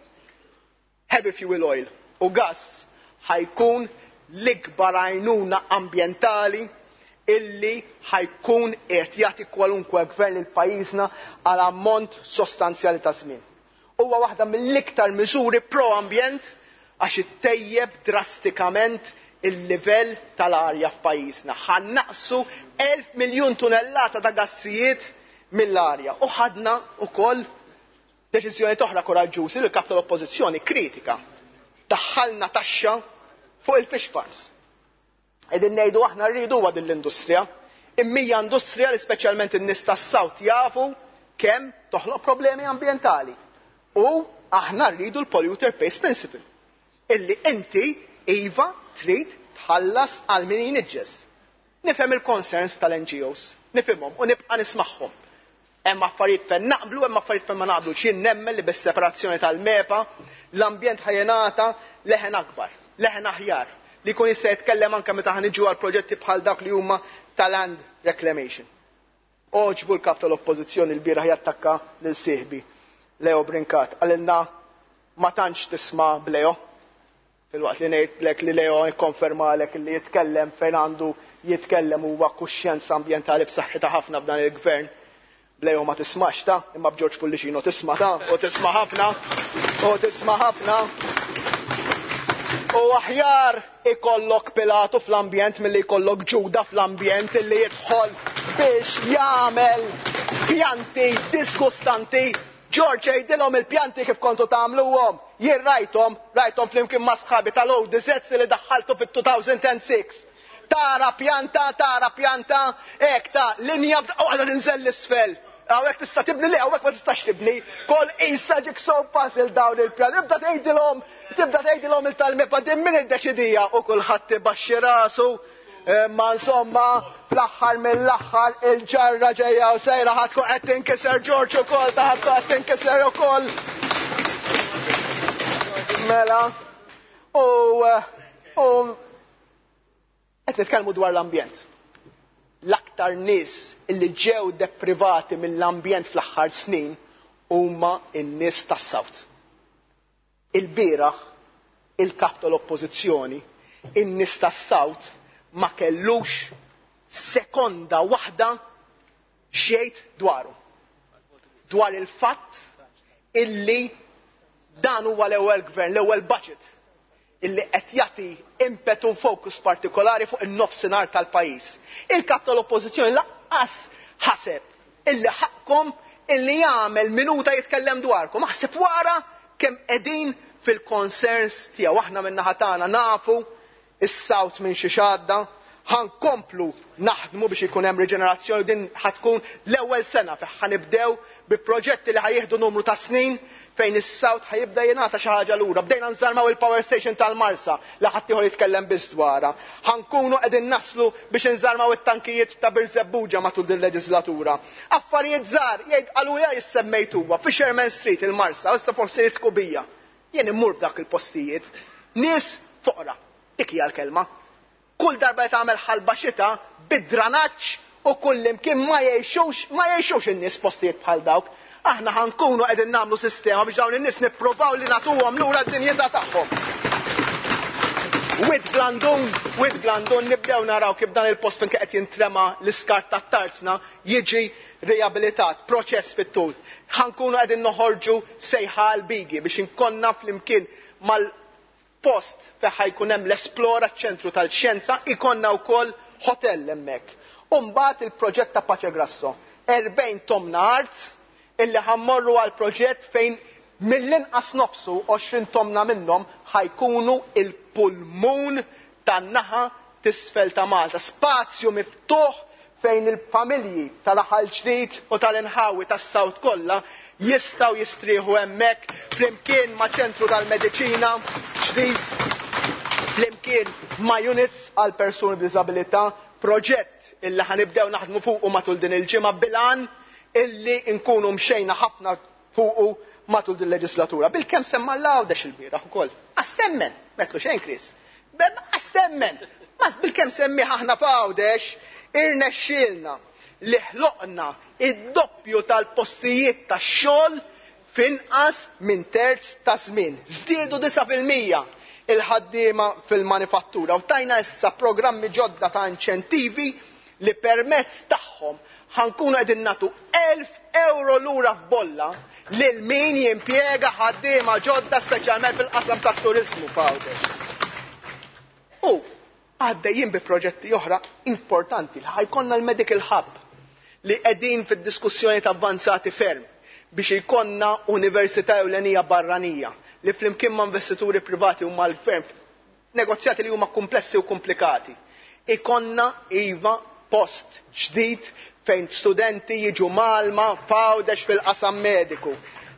Speaker 10: heavy fuel oil u gas ħa jkun l-ikbar għajnuna ambjentali illi ħa jkun qed jagħti kwalunkwe gvern lil pajjiżna għal ammont sostanzjali ta' żmien. Huwa waħda mill-iktar miżuri pro-ambjent għax ittejjeb drastikament il-livell tal-arja f'pajjiżna. Ħa nnaqqsu elf miljun tunellata ta' gassijiet mill-arja. U ħadna wkoll deċiżjoni oħra koraġġużi li l-kap tal-Oppożizzjoni kritika. Daħħalna taxxa fuq il-fish farms. Qegħdin ngħidu aħna rridu din l-industrija. Imma hija industrija li speċjalment in-nies tas-South jafu kemm toħloq problemi ambjentali. U aħna rridu l-polluter pays principle. Illi inti iva trid tħallas għal min jniġġes. Nifhem il-concerns tal-N G Os, nifhimhom u nibqa' nismagħhom. Hemm affarijiet fejn naqblu, hemm affarijiet fejn ma naqblu. Jien nemmen li bis-separazzjoni tal-MEPA l-ambjent ħa jingħata leħen akbar, leħen aħjar, li jkun jista' jitkellem anke meta ħa niġu għal proġetti bħal dak li huma tal-land reclamation. Għoġbu l-kap tal-Oppożizzjoni l-bieraħ jattakka lil sieħbi Leo Brincat. Qalilna ma tantx tisma' b'Leo. Filwaqt li ngħidlek li Leo jikkonfermalek li jitkellem fejn għandu jitkellem, huwa kuxjenza ambjentali b'saħħitha ħafna f'dan il-gvern. B'Leo ma tismax ta', imma b'George Pullicino tisma' ta', u tisma' ħafna, u tisma' ħafna. U aħjar ikollok Pilatu fl-ambjent milli jkollok Ġuda fl-ambjent illi jidħol biex jagħmel pjanti disgustanti. George, għidilhom il-pjanti kif kontu tagħmluhom. Jien rajthom, rajthom flimkien ma' sħabi tal-O D Zs li daħħaltu fit-elfejn u sitta. Tara pjanta, tara pjanta, hekk ta' linja u għadha tinżel l-isfel. Hawnhekk tista' tibni li, hawnhekk ma tistax tibni. Kol isa jigsaw puzzle dawn il-pjan. Tibda tgħidilhom, tibda tgħidilhom il tal-MEPA din min iddeċidija u kulħadd ibaxxi rasu. Ma insomma, fl-aħħar mill-aħħar il-ġarra ġejja u sejra ħa tkun qed tinkiser, George, ukoll, ta' ħa tkun qed tinkiser ukoll. Mela, u u qed nitkellmu dwar l-ambjent. L-aktar nies illi ġew deprivati mill-ambjent fl-aħħar snin huma n-nies tas-South. Il-bieraħ il-kap tal-Oppożizzjoni, in-nies tas-South ma kellux sekonda waħda xejt dwaru. Dwar il-fatt illi dan huwa l-ewwel gvern, l-ewwel budget illi qed jagħti impetu, focus partikolari fuq in-nofsinhar tal-pajjiż. Il-kap tal-Oppożizzjoni lanqas ħaseb illi ħaqkom illi jagħmel minuta jitkellem dwarkom. Aħseb wara kemm qegħdin fil-concerns tiegħu. Aħna min-naħa tagħna nafu is-South minn xi xadda, ħa nkomplu naħdmu biex ikun hemm riġenerazzjoni. Din ħa tkun l-ewwel sena fejn ħa nibdew bi proġetti li ħa jieħdu numru ta' snin fejn is-South ħa jibda jingħata xi ħaġa lura. Bdejna nżarmaw il-power station tal-Marsa li ħadd ieħor jitkellem biss dwarha. Ħa nkunu qegħdin naslu biex nżarmaw it-tankijiet ta' Birżebbuġa matul din leġislatura. Affarijiet żgħar jgħid qalu jissemmejt huwa Fisherman Street il-Marsa, issa forsi jitku bija. Jien immur f'dak il-postijiet. Nies foqra, dik hija l-kelma. Kull darba li tagħmel ħalba xita bid-dranaġġ u kull imkien, ma jgħixux, ma jgħixux in-nies postijiet bħal dawk. Aħna ħa nkunu qegħdin nagħmlu sistema biex dawn in-nies nippruvaw li nagħtuhom lura d-dinjità tagħhom. Wied Blandun, Wied Blandun, nibdew naraw kif dan il-post fejn qed jintrema l-iskart tat-tarzna jiġi riabilitat, proċess fit-tul. Ħa nkunu qegħdin noħorġu sejħa l-bigi biex inkonna flimkien mal-post fejn ħa jkun hemm l-Esplora, ċentru tal-xjenza, ikonna wkoll hotel hemmhekk. U mbagħad il-proġett ta' Pace Grasso. erbgħin tomna art illi ħa mmorru għal proġett fejn mill-inqas nofsu, għoxrin tomna minnhom, ħa jkunu il-pulmun tan-naħa t'isfel ta' Malta. Spazju miftuħ fejn il-familji tal-Raħal Ġdid u tal-inħawi tas-South kollha jistgħu jistrieħu hemmhekk flimkien ma' ċentru tal-mediċina ġdid, flimkien ma' units għal persuni b'diżabilità, proġett illi ħa nibdew naħdmu fuqu matul din il-ġimgħa bil-għan illi nkunu mxejna ħafna fuqu matul din leġislatura. Bil-kemm semma l-Għawdex il-bieraħ ukoll. Astemmen, metlu xejn Chris. Astemmen, mas bil-kemm semmi aħna f'Għawdex irnexxielna li ħloqna id-doppju tal-postijiet tax-xogħol F'inqas minn terz ta' żmien. Żdiedu disa' fil-mija il-ħaddiema fil-manifattura u tajna issa programmi ġodda ta' inċentivi li permezz tagħhom ħankunu qegħdin nagħtu elf euro lura f'bolla lil min jimpjega ħaddiema ġodda speċjalment fil-qasam tat-turiżmu f'Għawdex. U għaddejjin bi proġetti oħra importanti li ħajkonna l-Medical Hub li qegħdin fid-diskussjoni ta' avvanzati ferm biex jkollna università ewlenija barranija li flimkien ma' investituri privati u mal-gvern negozjati li huma komplessi u komplikati. Ikonna iva post ġdid fejn studenti jiġu Malma f'Għawdex fil-qasam mediku.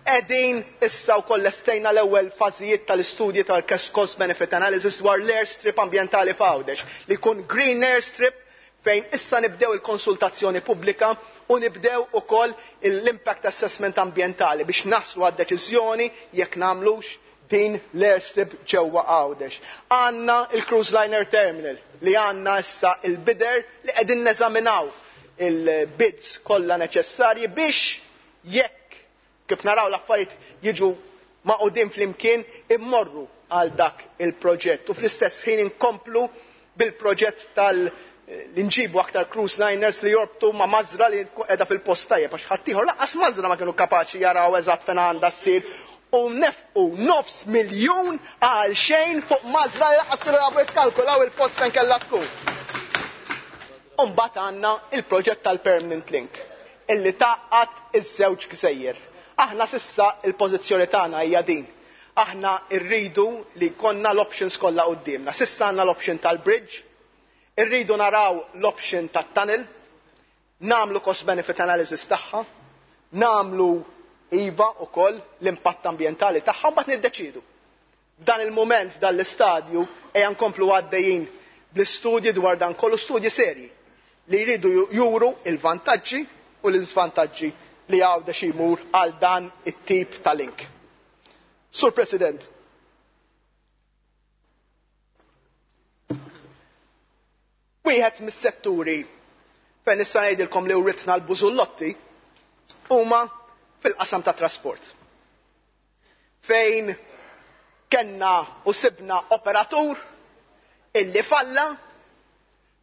Speaker 10: Qegħdin issa wkoll lestejna l-ewwel fażijiet tal-istudji tal-cost benefit analysis dwar l-airstrip ambjentali f'Għawdex li jkun green airstrip fejn issa nibdew il-konsultazzjoni pubblika u nibdew ukoll l-impact assessment ambjentali biex naslu għad-deċiżjoni jekk nagħmlux din l-airstrip ġewwa Għawdex. Għandna il-Cruise Liner Terminal li għandna issa il-bidder li qegħdin neżaminaw il-bids kollha neċessarji biex jekk kif naraw l-affarijiet jiġu maqudin flimkien immorru għal dak il-proġett u fl-istess ħin inkomplu bil-proġett tal- li nġibu aktar cruise liners li jorbtu ma' mażra li qiegħda fil-post tajjeb għax ħaddieħor lanqas mażra ma kienu kapaċi jaraw eżatt fejn għandha ssir u nefqu nofs miljun għal xejn fuq mażra li lanqas kienu jafu jikkalkulaw il-post fejn kellha tkun. U mbagħad għandna il-proġett tal-Permanent Link illi tgħaqqad iż-żewġ gżejjer. Aħna sissa il-pożizzjoni tagħna hija din. Aħna rridu li jkollna l-options kollha quddiemna. Sissa għandna l-option tal-bridge, irridu naraw l-option tat-tunnel, nagħmlu cost benefit analysis tagħha, nagħmlu iva wkoll l-impatt ambjentali tagħha u mbagħad niddeċiedu. F'dan il-mument, f'dan l-istadju, ejja nkomplu għaddejjin bl-istudji dwar dan kollu, studji serji li jridu juru il-vantaġġi u l-iżvantaġġi li Għawdex imur għal dan it-tip ta' link. Sur President, wieħed mis-setturi fejn nista' ngħidilkom li writna l-bużullotti huma fil-qasam ta' trasport. Fejn kenna u sibna operatur illi falla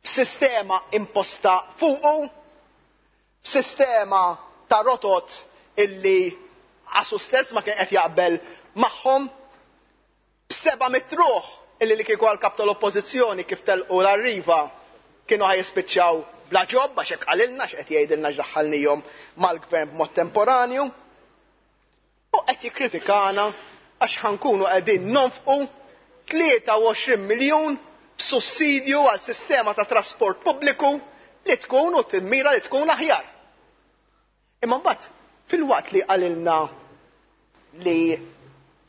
Speaker 10: b'sistema imposta fuqu, b'sistema ta' rotot illi għasu stess ma kien qed jaqbel magħhom, b'seba' mitruħ illi li kieku għal-kap tal-oppożizzjoni kif telqu l-Arriva kienu ħajjispiċċaw bla ġob għax hekk qalilna x'qed jgħidilna x'daħħalnihom mal-gvern b'mod temporanju. U qed jikkritikana għax ħankunu qegħdin nonfqu tlieta u għoxrin miljun b'sussidju għal sistema ta' trasport pubbliku li tkun u timmira li tkun aħjar. Imma mbagħad fil-waqt li qalilna li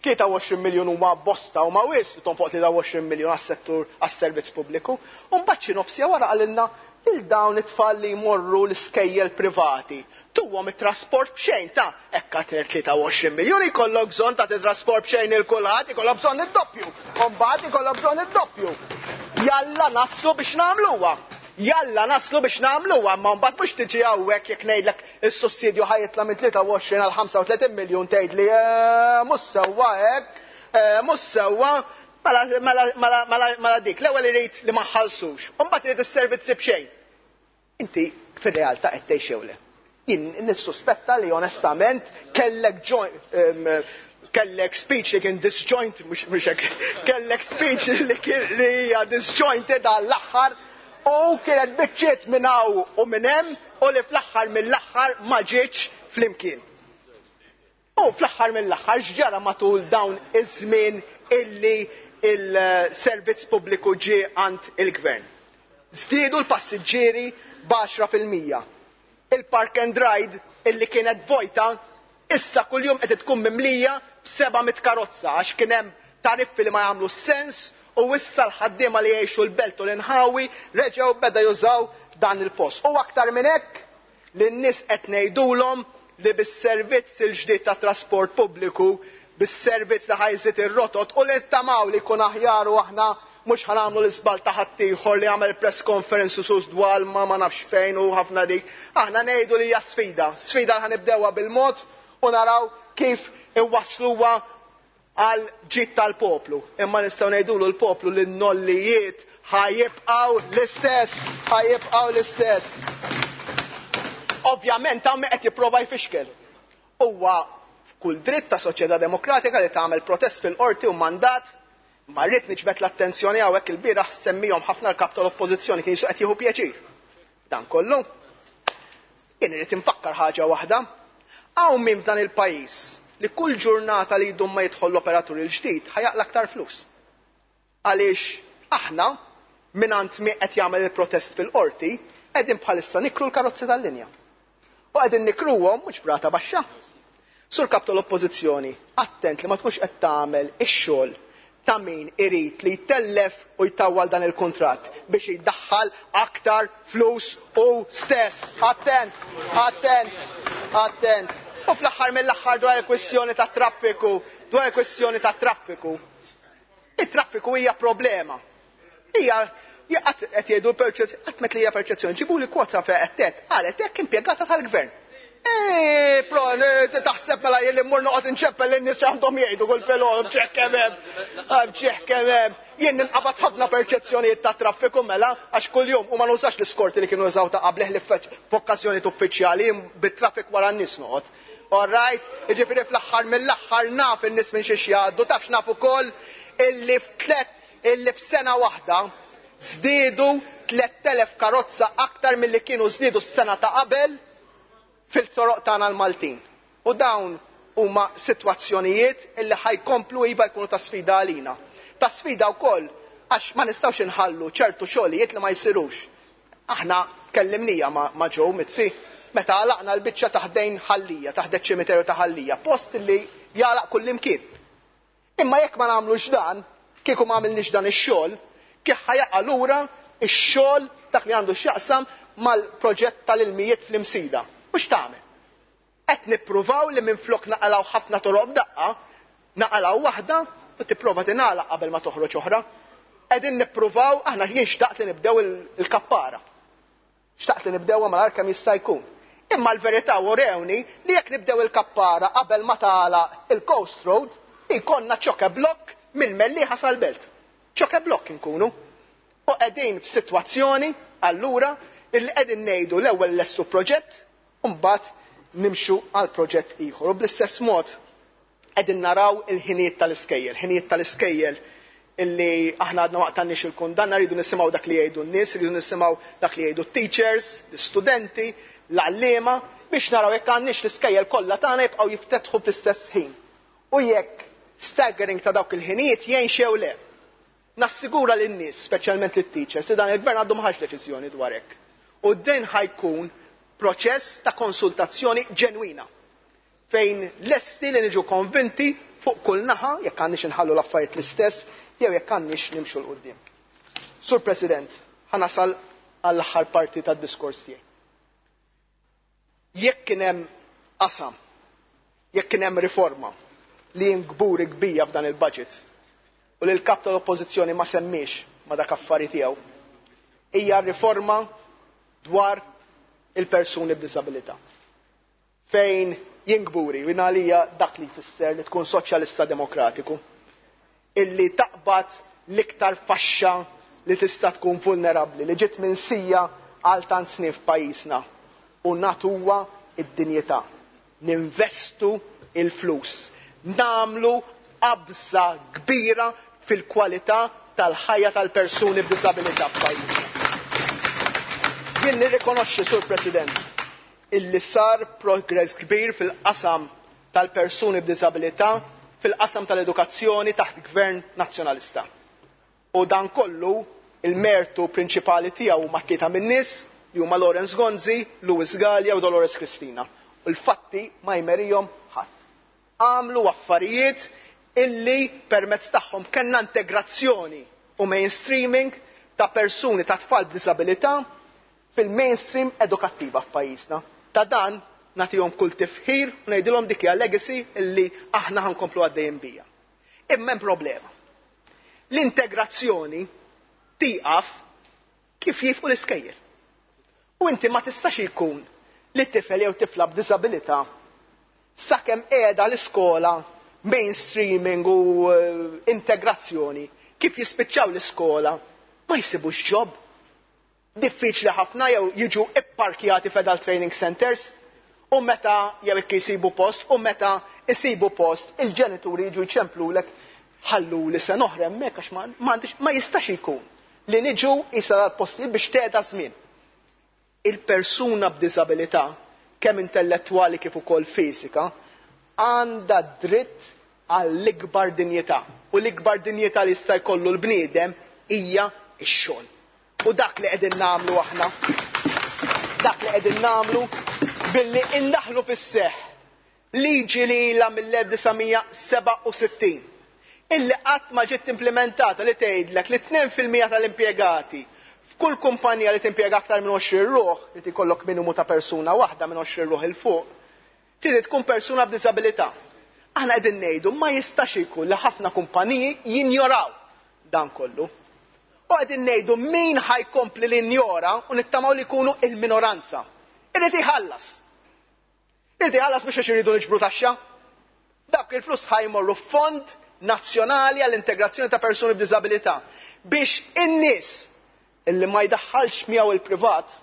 Speaker 10: tlieta u għoxrin miljun huma bosta u ma wisq li tonfoq tlieta u għoxrin miljun għas-settur għas-servizz pubbliku, u mbagħad xi nofsija wara qalilna lil dawn it-tfal li jmorru l-iskejjel privati. Tuhom it-trasport b'xejn ta' hekk għad tlieta u għoxrin miljun ikollok bżonn ta' trasport b'xejn il kulħadd ikollok bżonn id-doppju. U mbagħad ikollok bżonn id-doppju. Jalla naslu biex nagħmluha. Jalla naslu biex nagħmluha, ma mbagħad mhux tiġi hawnhekk jekk ngħidlek is-sussidju ħajitla minn tlieta u għoxrin għal ħamsa u tletin miljun tgħidli, eh, mhux sewwa hekk, eh, mhux sewwa, mela, mela, mela, mela, mela dik, l-ewwel irid li ma nħallsux, u mbagħad irid is-servizzi b'xejn. Inti fir-realtà qed tgħix jew le? Jien nissuspetta li onestament kellek joint, em, kellek speech li kien disjoint, mhux, mhux hekk, kellek speech li kien li hija disjointed għall-aħħar u kienet biċċiet minn hawn u minn hemm u li fl-aħħar mill-aħħar ma ġietx flimkien. U fl-aħħar mill-aħħar x'ġara matul dawn iż-żmien illi il-servizz pubbliku ġie għand il-gvern. Żdiedu l-passiġġieri b'għaxra fil-mija. Il-park and ride illi kienet vojta issa kuljum qed tkun mimlija b'seba' mitt karozza għax kien hemm tariffi li ma jagħmlu sens u issa l-ħaddiema li jgħixu l-belt u l-inħawi reġgħu beda jużaw dan il-post. U aktar minn hekk li n-nies qed ngħidulhom li bis-servizz il-ġdid ta' trasport pubbliku, bis-servizz li ħajżid ir-rotot u li ttamaw li jkun aħjar u aħna mhux ħanagħmlu l-iżball ta' ħaddieħor li għamel press conference u sus dwar ma ma nafx fejn u ħafna dik. Aħna ngħidu li hija sfida, sfida li ħanibdewha bil-mod u naraw kif iwassluha għal ġid tal-poplu. Imma nistgħu ngħidulu l-poplu li n-nollijiet ħajibqgħu l-istess, ħajibqgħu l-istess. Ovvjament hawn qed jipprova jfixkel. Huwa f'kull dritt ta' soċjetà demokratika li tagħmel protest fil-qorti u mandat, ma rrid niġbed l-attenzjoni hawnhekk il-bieraħ semmihom ħafna l-kap tal-Oppożizzjoni kien qed jieħu pjaċir. Dan kollu. Jien irid infakkar ħaġa waħda. Hawn min f'dan il-pajjiż li kull ġurnata li jdum ma jidħol l-operatur il-ġdid ħajaqla aktar flus. Għaliex aħna mingħand min qed jagħmel il-protest fil-qorti qegħdin bħalissa nikru l-karozzi tal-linja. U qegħdin nikruhom mhux brata baxxa. Sur kap tal-Oppożizzjoni, attent li ma tkunx qed tagħmel ix-xogħol ta' min irid li jtellef u jtawwal dan il-kuntratt biex jiddaħħal aktar flus u stess. Attent, attent, attent. U fl-aħħar mill-aħħar dwar il-kwistjoni ta' traffiku, dwar il-kwistjoni ta' traffiku. Il-traffiku hija problema. Hija qed jgħidu l-perċezzjoni, qatt met li hija perċezzjoni, ġibu li kwota fejn qed tgħid, qalet hekk impjegata tal-gvern. Eh, pro, taħseb mela jien li mmur noqgħod inċeppel lin-nies għandhom jgħidu kull filgħodu bċeħ kemm hemm, bċeħ kemm hemm. Jien ninqabad ħafna perċezzjonijiet ta' traffiku mela għax kuljum u ma nużax l-iskorti li kienu jużaw ta' qabel li f'okkażjonijiet uffiċjali bit-traffic wara n-nies noqgħod. All right, jiġifieri fl-aħħar mill-aħħar naf in-nies minn xiex jgħaddu, tafx naf ukoll illi f'tlet illi f'sena waħda żdiedu tliet elef karozza aktar milli kienu żdiedu s-sena ta' qabel fil-toroq tagħna l-Maltin. U dawn huma sitwazzjonijiet illi ħajkomplu iva jkunu ta' sfida għalina. Ta' sfida wkoll għax ma nistgħux inħallu ċertu xogħlijiet li ma jsirux. Aħna tkellimnija ma', ma Joe Mizzi meta għalaqna l-biċċa taħdejn Ħallija, taħdejn ċimiterju ta' Ħallija, post li jagħlaq kullimkien. Imma jekk ma nagħmlux dan, kieku ma għamilniex dan ix-xogħol, kif ħajaqa' lura ix-xogħol dak li għandu x'jaqsam mal-proġett tal-ilmijiet fl-Imsida. U x'tagħmel? Qed nippruvaw li minflok naqalgħu ħafna toroq b'daqqa, naqalgħu waħda u tipprova tingħalaq qabel ma toħroġ oħra. Qegħdin nippruvaw, aħna jien xtaqt li nibdew il-kappara. Xtaqt li nibdewha malajr kemm jista' jkun. Imma l-verità urewni li jekk nibdew il-kappara qabel ma tagħlaq il-Coast Road, jkollna ċoke blokk mill-Mellieħa sal-Belt. Ċoke blokk inkunu. U qegħdin f'sitwazzjoni allura illi qegħdin ngħidu l-ewwel lestu proġett u mbagħad nimxu għal proġett ieħor. U bl-istess mod qegħdin naraw il-ħinijiet tal-iskejjel, ħinijiet tal-iskejjel illi aħna għadna waqt għandniex il-kundanna, rridu nisimgħu dak li jgħidu n-nies, rridu nisimgħu dak li jgħidu t-teachers, l-istudenti, l-għalliema, biex naraw jekk għandniex l-iskejjel kollha tagħna jibqgħu jiftetħu fl-istess ħin. U jekk staggering ta' dawk il-ħinijiet jgħin xew le. Nassigura lin-nies, speċjalment lit-teachers, li dan il-gvern għandu ma ħax deċiżjoni dwar hekk. U din ħajkun proċess ta' konsultazzjoni ġenwina fejn lesti li niġu konvinti fuq kull naħa jekk għandniex inħallu l-affarijiet l-istess jew jekk għandniex nimxu 'l quddiem. Sur President, ħanasal għall-aħħar parti tad-diskors tiegħi. Jekk kien hemm qasam, jekk kien hemm riforma li jien kburi kbija f'dan il-budget u li l-kap tal-Oppożizzjoni ma semmiex ma dak affari tiegħu, hija riforma dwar il-persuni b'diżabilità. Fejn jien kburi u għalija dak li jfisser li tkun soċjalista demokratiku, illi taqbad l-iktar faxxa li tista' tkun vulnerabbli, li ġiet minsija għal tant snin f'pajjiżna u natuwa id-dinjità. Ninvestu il-flus, namlu qabża kbira fil-kwalità tal-ħajja tal-persuni b'diżabilità f'pajjiżna. Jien nirrikonoxxi, Sur President, illi sar progress kbir fil-qasam tal-persuni b'diżabilità, fil-qasam tal-edukazzjoni taħt gvern nazzjonalista. U dan kollu il-mertu prinċipali tiegħu huma tlieta min-nies li huma Lawrence Gonzi, Louis Galea u Dolores Cristina. U l-fatti ma jmerihom ħadd. Għamlu affarijiet illi permezz tagħhom kellna integrazzjoni u mainstreaming ta' persuni ta' tfal b'diżabilità fil-mainstream edukattiva f'pajjiżna. Ta' dan nagħtihom kull tifħir u ngħidilhom dik hija legacy illi aħna ħankomplu għaddejjin bija. Imma hemm problema. L-integrazzjoni tieqaf kif jifqu l-iskejjel. U inti ma tistax ikun li tifel jew tifla b'diżabilità Sakemm qiegħda l-iskola mainstreaming u integrazzjoni, kif jispiċċaw l-iskola ma jsibux job. Diffiċli ħafna jew jiġu ipparkjati f'adult training centers u meta jew jekk jsibu post u meta jsibu post il-ġenituri jiġu jċemplulek ħallu li se noħra hemmhekk għax ma, ma jistax ikun li niġu jisa dal-postijiet biex tgħeda żmien. Il-persuna b'diżabilità, kemm intellettwali kif ukoll fiżika, għandha dritt għall-ikbar dinjità. U l-ikbar dinjità li jista' jkollu l-bniedem hija x-xogħol. U dak li qegħdin nagħmlu aħna, dak li qegħdin nagħmlu billi indaħlu fis-seħħ liġi li ilha mill-elf disa' mija sebgħa u sittin illi qatt ma ġiet implementata li tgħidlek li tnejn fil-mija tal-impjegati f'kull kumpanija li timpjega aktar minn għoxrin ruħ, li tikollok minimu ta' persuna waħda minn għoxrin ruħ il fuq, trid tkun persuna b'diżabilità. Aħna qegħdin ngħidu ma jistax ikun li ħafna kumpaniji jinjoraw dan kollu. U qegħdin ngħidu min ħajkompli li jinjora u nittamaw li jkunu il-minoranza. Irid iħallas. Irid iħallas biex għax iridu niġbru taxxa. Dak il-flus ħajmorru fond nazzjonali għall-integrazzjoni ta' persuni b'diżabilità biex in-nies illi ma jdaħħalx miegħu il-privat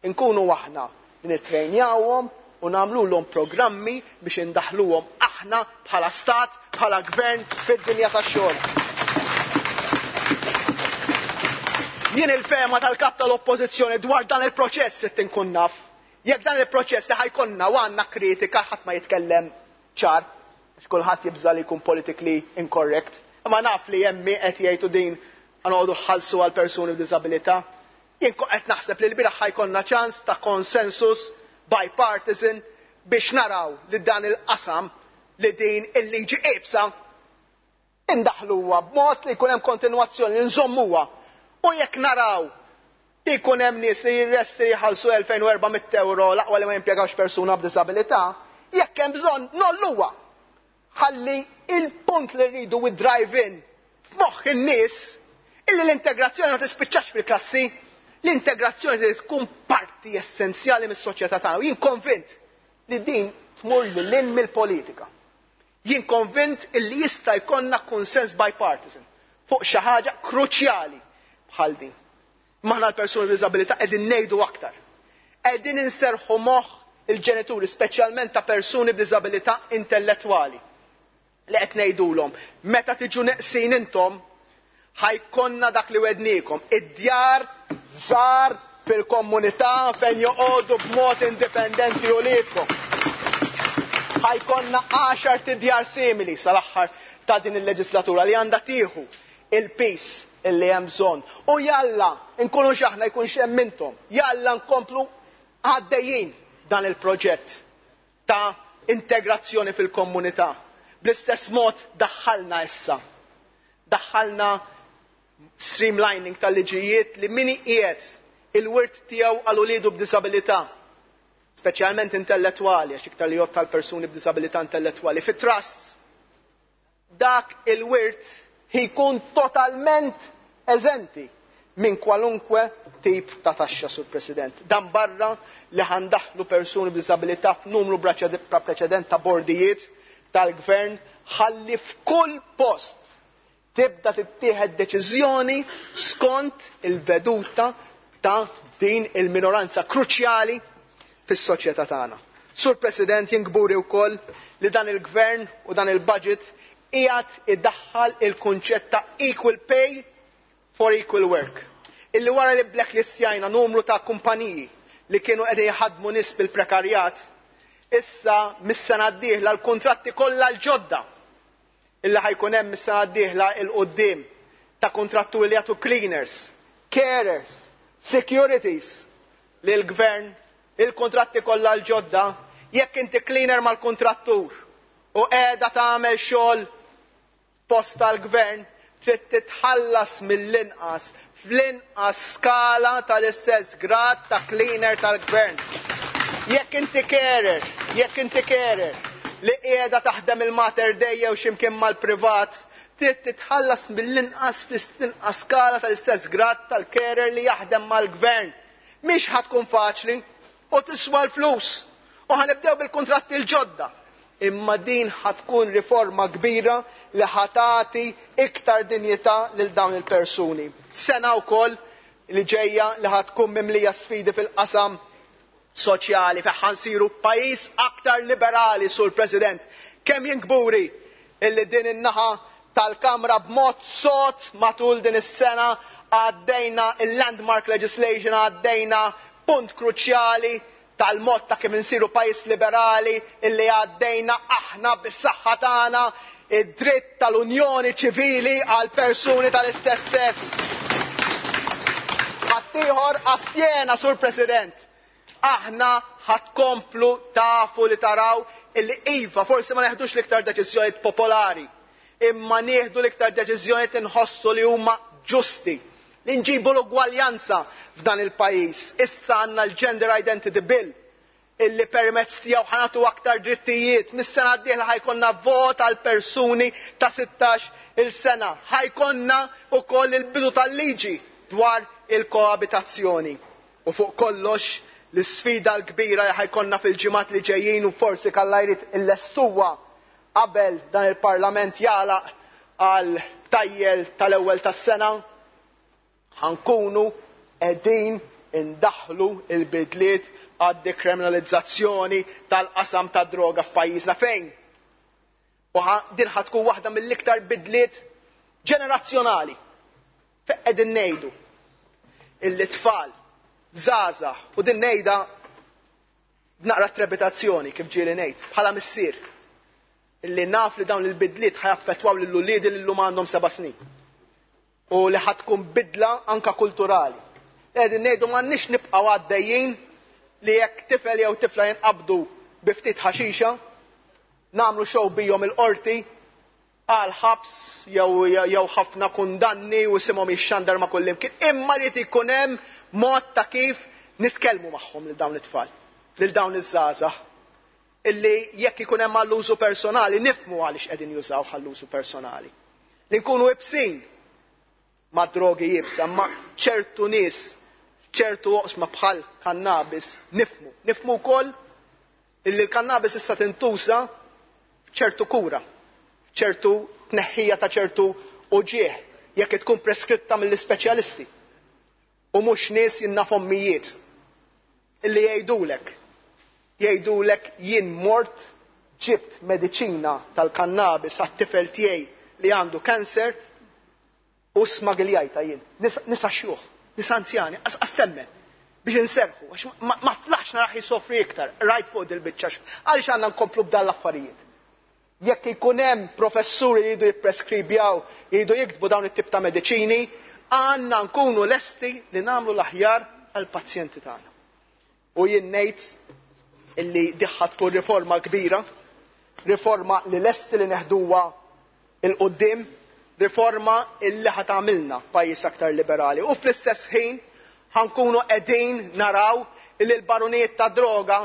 Speaker 10: inkunu aħna li nittrejnjawhom u nagħmluhom programmi biex indaħluhom aħna bħala stat, bħala gvern fid-dinja tax-xogħol. Jien il-fema tal-kap tal-oppożizzjoni dwar dan il-proċess trid inkun naf. Jekk dan il-proċess li ħajkonna u għandna kritika ħadd ma jitkellem ċar, għax kulħadd jibża' li jkun politically incorrect. Imma naf li jemmi qed jgħidu din għanoqogħdu ħallsu għal persuni b'diżabilità. Jien qed naħseb li l-bieraħ ħajkonna ċans ta' konsensus bipartisan biex naraw li dan il-qasam li din il-liġi iebsa indaħluha b'mod li jkun hemm kontinwazzjoni li nżommuha. U jekk naraw li jkun hemm nies li jirresti jħallsu elfejn u erba' mitt euro l-aqwa li ma jimpjegawx persuna b'diżabilità, jekk hemm bżonn nolluha. Ħalli il-punt li rridu we drive in f'moħħ in-nies illi l-integrazzjoni ma tispiċċax fil-klassi, l-integrazzjoni trid tkun parti essenzjali mis-soċjetà tagħna. U jien konvint li din tmur lil hinn mill-politika. Jien konvint illi jista' jkollna konsens bipartisan fuq xi ħaġa kruċjali bħal din. Maħna l-persuni b'diżabilità qegħdin ngħidu aktar. Qegħdin inserħu moħħ il-ġenituri, speċjalment ta' persuni b'diżabilità intellettwali, li qed ngħidulhom meta tiġu neqsin intom ħajkonna dak li wednikom, id-djar żgħar fil-komunità fejn joqogħdu b'mod indipendenti uliedkom. Ħajkonna għaxar tidjar simili sal-aħħar ta' din il-leġislatura li għandha tieħu il-pis illi hemm bżonn. U jalla nkunu x'aħna jkun x'hemm intom, jalla nkomplu għaddejjin dan il-proġett ta' integrazzjoni fil-komunità. Bl-istess mod daħħalna issa. Daħħalna streamlining tal-liġijiet li min qiegħed il-wirt tiegħu għal uliedu b'diżabilità, speċjalment intellettwali, għax iktar li jgħod tal-persuni b'diżabilità intellettwali, fit-trusts, dak il-wirt jkun totalment eżenti minn kwalunkwe tip ta' taxxa, Sur President. Dan barra li ħandaħlu persuni b'diżabilità f'numru bla preċedent ta' bordijiet tal-gvern, ħalli f'kull post tibda tittieħed deċiżjoni skont il-veduta ta' din il-minoranza kruċjali fis-soċjetà tagħna. Sur President, jien kburi wkoll li dan il-gvern u dan il-budget qiegħed iddaħħal il-kunċett ta' equal pay for equal work. Illi wara li blacklistjajna numru ta' kumpaniji li kienu qegħdin jħaddmu nies bil-prekarjat, issa mis-sena d-dieħla l-kuntratti kollha l-ġodda illi ħajkun hemm mis-sena d-dieħla il quddiem ta' kontratturi li jagħtu cleaners, carers, securities lil gvern, il-kontratti kollha l-ġodda, jekk inti cleaner mal-kontrattur u qiegħda tagħmel xogħol post tal-gvern, trid titħallas mill-inqas fl-inqas skala tal-istess grad ta' cleaner tal-gvern. Jekk inti carer, jekk inti carer li qiegħda taħdem il-Mater Dei jew x'imkien mal-privat, trid titħallas mill-inqas fl-inqas skala tal-istess grad tal-carer li jaħdem mal-gvern. Mhix ħa tkun faċli u tiswa l-flus. U ħanibdew bil-kuntratti l-ġodda Imma din ħa tkun riforma kbira li ħa tagħti iktar dinjità lil dawn il-persuni. Sena wkoll li ġejja li ħa tkun mimlija sfidi fil-qasam soċjali fejn ħa nsiru pajjiż aktar liberali, Sur President. Kemm jien kburi illi din in-naħa tal-Kamra b'mod sod matul din is-sena għaddejna il-landmark legislation, għaddejna punt kruċjali tal-mod ta' kif insiru pajjiż liberali, illi għaddejna aħna bis-saħħa tagħna id-dritt tal-unjoni ċivili għal persuni tal-istess sess. Ħaddieħor astjena, Sur President. Aħna ħa tkomplu tafu li taraw illi iva, forsi ma neħdux l-iktar deċiżjonijiet popolari, imma nieħdu l-iktar deċiżjonijiet inħossu li huma ġusti, li nġibu l-ugwaljanza f'dan il-pajjiż. Issa għandna l-Gender Identity Bill illi permezz tiegħu ħa nagħtu aktar drittijiet. Mis-sena d-dieħla ħa jkollna vot għal persuni ta' sittax il sena. Ħa jkollna wkoll il-bidu tal-liġi dwar il-koabitazzjoni. U fuq kollox l-isfida l-kbira li ħa jkollna fil-ġimgħat li ġejjin, u forsi Alla jrid illestuha qabel dan il-Parlament jagħlaq għal btajjel tal-ewwel tas-sena, ħa nkunu qegħdin indaħlu il-bidliet għad dekriminalizzazzjoni tal-qasam tad droga f'pajjiżna fejn. U din ħa tkun waħda mill-iktar bidliet ġenerazzjonali. Fejn qegħdin ngħidu illi tfal, żgħażagħ, u din ngħidha b'naqra trepitazzjoni, kif ġieli ngħid, bħala missier, illi naf li dawn il-bidliet ħa jaffettwaw lil uliedi li llum għandhom seba' snin. U li ħa tkun bidla anka kulturali. Qegħdin ngħidu m'għandniex nibqgħu għaddejjin li jekk tifel jew tifla jinqabdu bi ftit ħaxixa, nagħmlu show bihom il-qorti għal ħabs jew jew ħafna kundanni u isimhom jixxandar ma' kullimkien. Imma jrid ikun hemm mod ta' kif nitkellmu magħhom lil dawn it-tfal, lil dawn iż-żgħażagħ, illi jekk ikun hemm għall-użu personali nifhmu għaliex qegħdin jużaw għall-użu personali. Li nkunu iebsin ma' drogi iebsa, ma' ċertu nies, ċertu oqsma bħal kannabis nifhmu. Nifhmu wkoll illi l-kannabis issa tintuża f'ċertu kura, ċertu tneħħija ta' ċertu uġieħ, jekk tkun preskritta mill-ispeċjalisti. U mhux nies jien naf ommijiet illi jgħidulek, jgħidulek jien mort ġibt mediċina tal-kannabis għat-tifel tiegħi li għandu kanser u smagiljajta jien. Nisa xjuħ, nisa anzjani, qas temmen biex inserħu, għax ma flaħx narah jisofri iktar, rajt fuq dil-biċċa, għaliex għandna nkomplu b'dan l-affarijiet. Jekk ikun hemm professuri li jridu jippreskribjaw, jridu jiktbu dawn it-tip ta' mediċini, għandna nkunu lesti li nagħmlu l-aħjar għall-pazjenti tagħna. U jien ngħid illi din ħa tkun riforma kbira, riforma li lesti li neħduha 'l quddiem, riforma illi ħa tagħmilna pajjiż aktar liberali. U fl-istess ħin ħa nkunu qegħdin naraw illi l-barunijiet ta' droga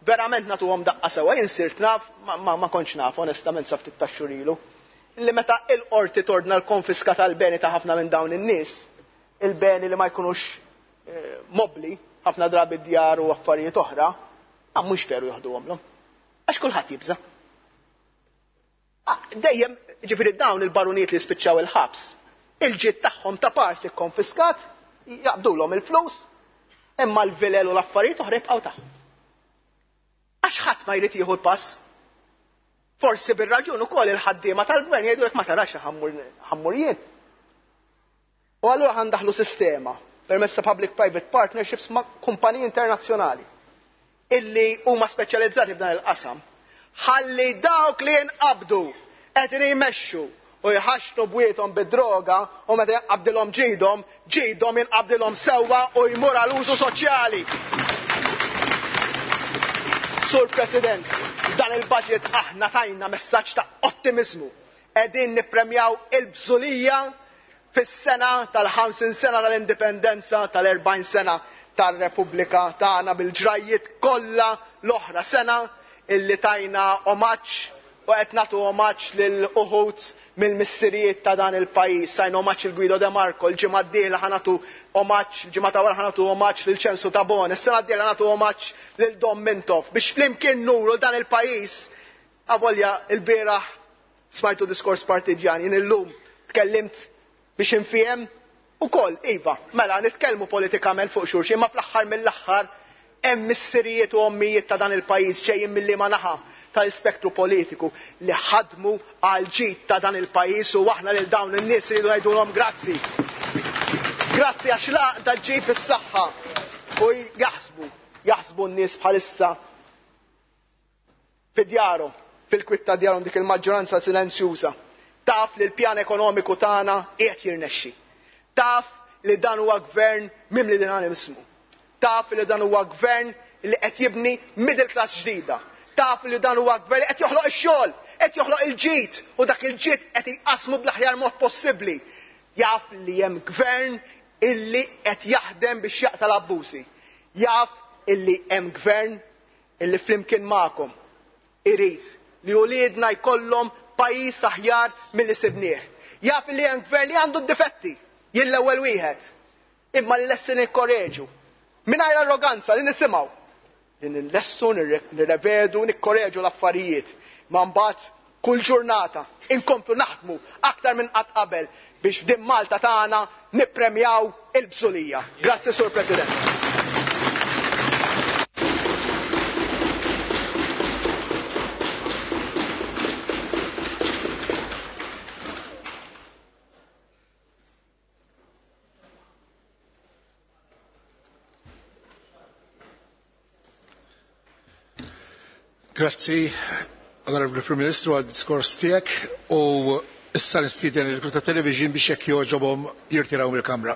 Speaker 10: verament nagħtuhom daqqa sewwa. Jien sirt naf, ma, ma, ma kontx naf onestament sa ftit tax-xhur ilu, illi meta il-qorti tordna l-konfiska tal-beni ta' ħafna minn dawn in-nies, il-beni li ma jkunux eh, mobli, ħafna drabi djar u affarijiet oħra, ma mhux veru joħduhomlhom. Għax kulħadd jibża. Ah, dejjem, ġifieri dawn il-barunijiet li spiċċaw il-ħabs, il-ġid tagħhom ta' parsi konfiskat, jaqbdulhom il-flus, imma l-vilel u l-affarijiet oħra jibqgħu tagħhom. Għax ħadd ma jrid jieħu l-pass. Forsi bir-raġun ukoll il-ħaddiema tal-gvern jgħidulek ma tarax ħa mmur jien. U allura ħa ndaħħlu sistema permezz ta' public-private partnerships ma' kumpaniji internazzjonali illi huma speċjalizzati f'dan il-qasam. Ħalli dawk li jinqabdu qed jmexxu u jħaxnu bwiethom bid-droga u meta jinqabdilhom ġidhom, ġidhom jinqabdilhom sewwa u jmur għal użu soċjali. Sur President, dan il-budget aħna tajna messaġġ ta' ottimizmu. Qegħdin nippremjaw il-bżulija fis-sena tal-ħamsin sena tal-indipendenza, tal-erbgħin sena tar-Repubblika tagħna bil-ġrajiet kollha l-oħra, sena illi tajna omaġġ u qed nagħtu omaġġ lil uħud mill-missirijiet ta' dan il-pajjiż. Tajna omaġġ il Guido De Marco, il-ġimgħa d-dieħla ħa nagħtu omaġġ, il-ġimgħa ta' wara ħa nagħtu omaġġ lil Ċensu Tabone, is-sena d-dieħla nagħtu omaġġ lil Dom Mintoff, biex flimkien nuru dan il-pajjiż Avolja il-bieraħ smajtu diskors partiġjan, jien illum tkellimt biex infiem ukoll, iva, mela nitkellmu politikament fuq xulxin, ma fl-aħħar mill-aħħar hemm missirijiet u ommijiet ta' dan il-pajjiż ġejjin mill-liema naħa tal-spektru politiku li ħadmu għal ġid ta' dan il-pajjiż u aħna lil dawn in-nies iridu ngħidulhom grazzi. Grazzi għax l-għaqda ġġib is-saħħa u jaħsbu, jaħsbu n-nies bħalissa fi djarhom, fil-kwitta ta' djarhom dik il-maġġoranza silenzjuża. Taf li l-pjan ekonomiku tagħna qiegħed jirnexxi. Taf li dan huwa gvern mimli dinamismu. Taf li dan huwa gvern li qed jibni middle class ġdida. Taf li dan huwa gvern li qed joħloq ix-xogħol, qed joħloq il-ġid u dak il-ġid qed jqasmu bl-aħjar mod possibbli. Jaf li hemm gvern illi qed jaħdem biex jaqta' l-abbużi. Jaf illi hemm gvern illi flimkien magħkom irid li uliedna jkollhom pajjiż aħjar milli sibnieh. Jaf li hemm gvern li għandu d-difetti, jien l-ewwel wieħed, imma li lesti nikkoreġu. Mingħajr arroganza li nisimgħu, li nillestu, nirrevedu, nikkoreġu l-affarijiet. Ma mbagħad kull ġurnata inkomplu naħdmu aktar minn qatt qabel biex f'din Malta tagħna nippremjaw il-bżulija. Grazzi, Sur President.
Speaker 1: Grazzi, Onorevoli Prim Ministru, għal diskors tiegħek u issa nistieden il-Kruta Television biex jekk jogħġobhom jirtiraw mill-Kamra.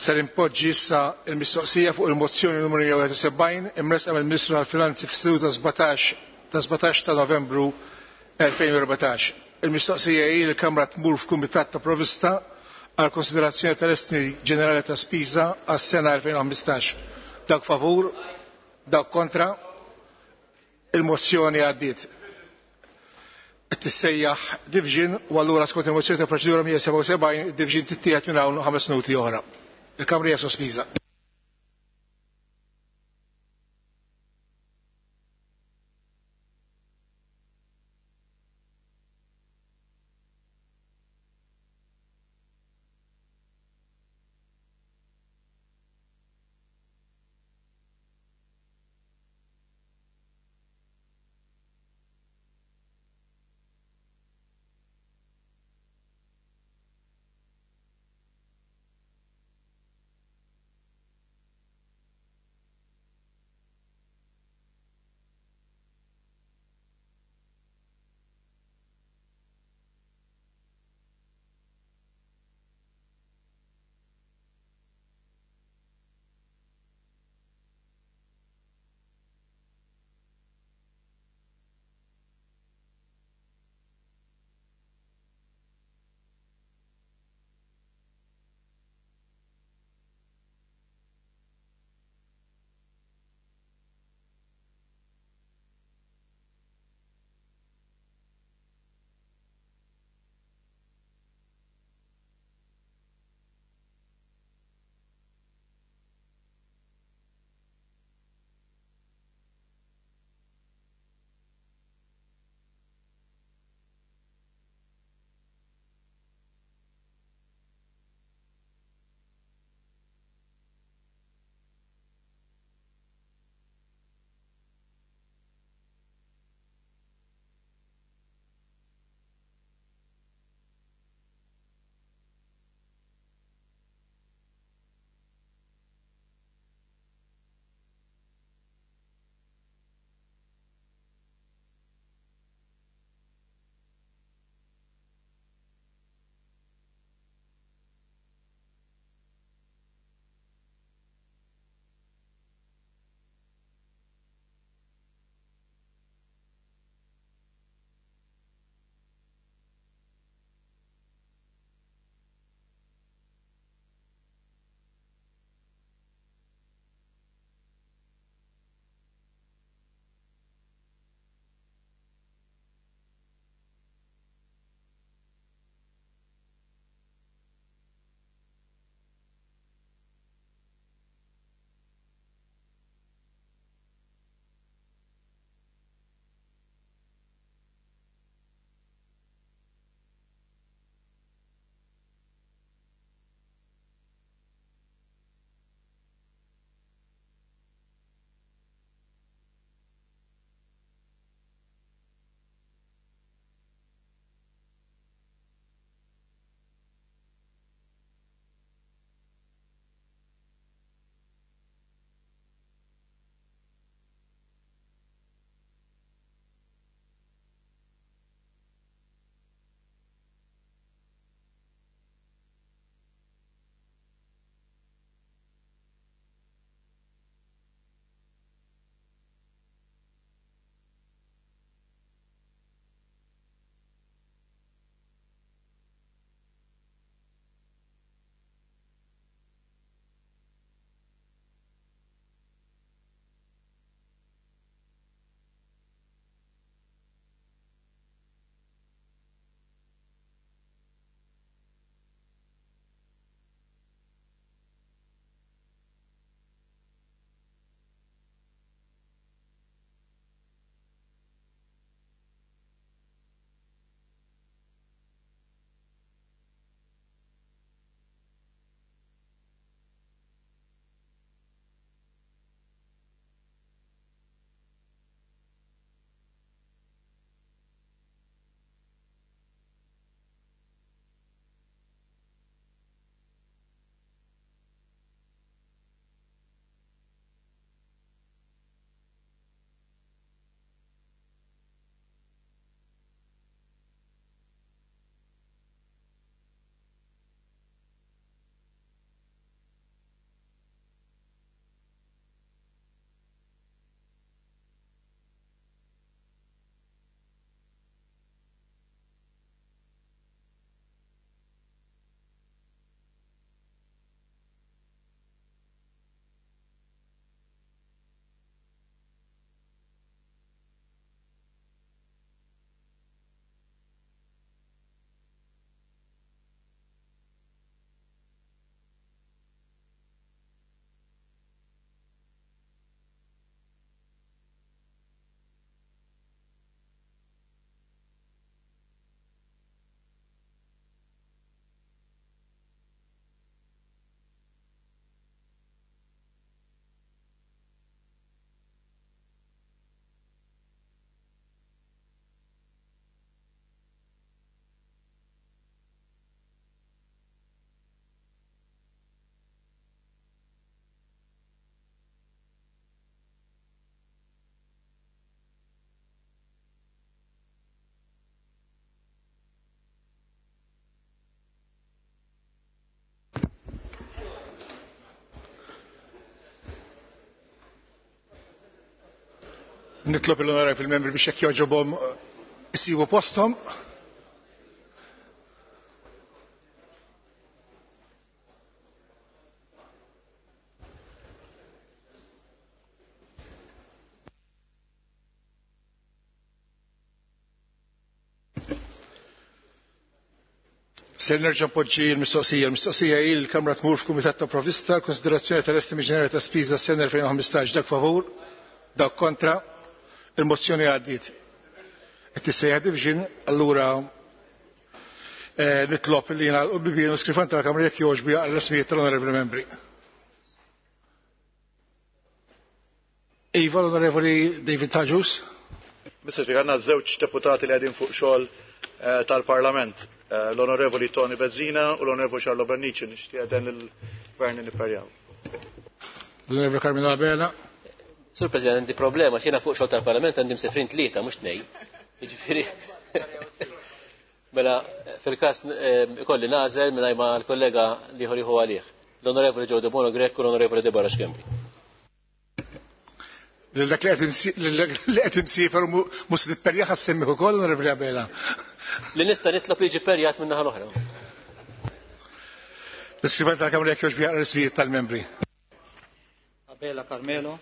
Speaker 1: Ser impoġġi issa il-mistoqsija fuq il-mozzjoni numru mija sebgħin imresqa mill-Ministru tal-Finanzi fis-seduta sbatax ta' sbatax ta' Novembru elfejn u erbatax. Il-mistoqsija hi li l-Kamra tmur f'Kumitat ta' Provista għal konsiderazzjoni tal-estimi ġenerali ta' spiża għas-sena elfejn u ħmistax. Dawk favur, dawk kontra, il-mozzjoni għaddiet. Qed tissejjaħ division u allura skont il-mozzjoni ta' proċedura mija sebgħa u sebgħin id-division tittieħed minn hawn ħames minuti oħra. Il-Kamra hija sospiża. Nitlob l-onorevoli membri biex jekk jogħġobhom isibu posthom. Ser nerġa' npoġġi l-mistoqsija. L-mistoqsija hi l-Kamra tmur f'Kumitat ta' Provvista l-konsiderazzjoni tal-estimi ġenerali ta' spiża s-sena elfejn u ħmistax. Dak favur, dak kontra, il-mozzjoni għaddiet. Qed tissejjaħ division, allura nitlob li jingħalqu l-bibien u skrifan tal-Kamra jekk jogħġbu jaqra l-ismijiet tal-onorevoli membri. Iva, l-Onorevoli David Taġus.
Speaker 11: Mister Speaker, għandna żewġ deputati li qegħdin fuq xogħol tal-Parlament, l-Onorevoli Tony Bezzina u l-Onorevoli Charlo Bernici, nixtieq dan il-Gvern nipperjaw.
Speaker 1: L-Onorevoli Carmelo Abela.
Speaker 3: Sur President, għandi problema, xina fuq xogħol tal-Parlament għandi msefrin tlieta, mhux tnejn. Jiġifieri. Mela, fil-każ ikolli nażel mingħajr ma l-kollega liħor jieħu għalih. L-Onorevoli Joe Debono Grech u l-Onorevoli Deborah Schembri.
Speaker 1: Lil dak li qed imsiefer mhux se titperjaħ għas-semmih ukoll, Onorevoli Abela.
Speaker 3: Li nista' nitlob li jiġi perjat minn naħa l-oħra.
Speaker 1: L-iskrivan tal-Kamra jekk jogħġbu jaqra l-ismijiet tal-membri.
Speaker 2: Abela Carmelo,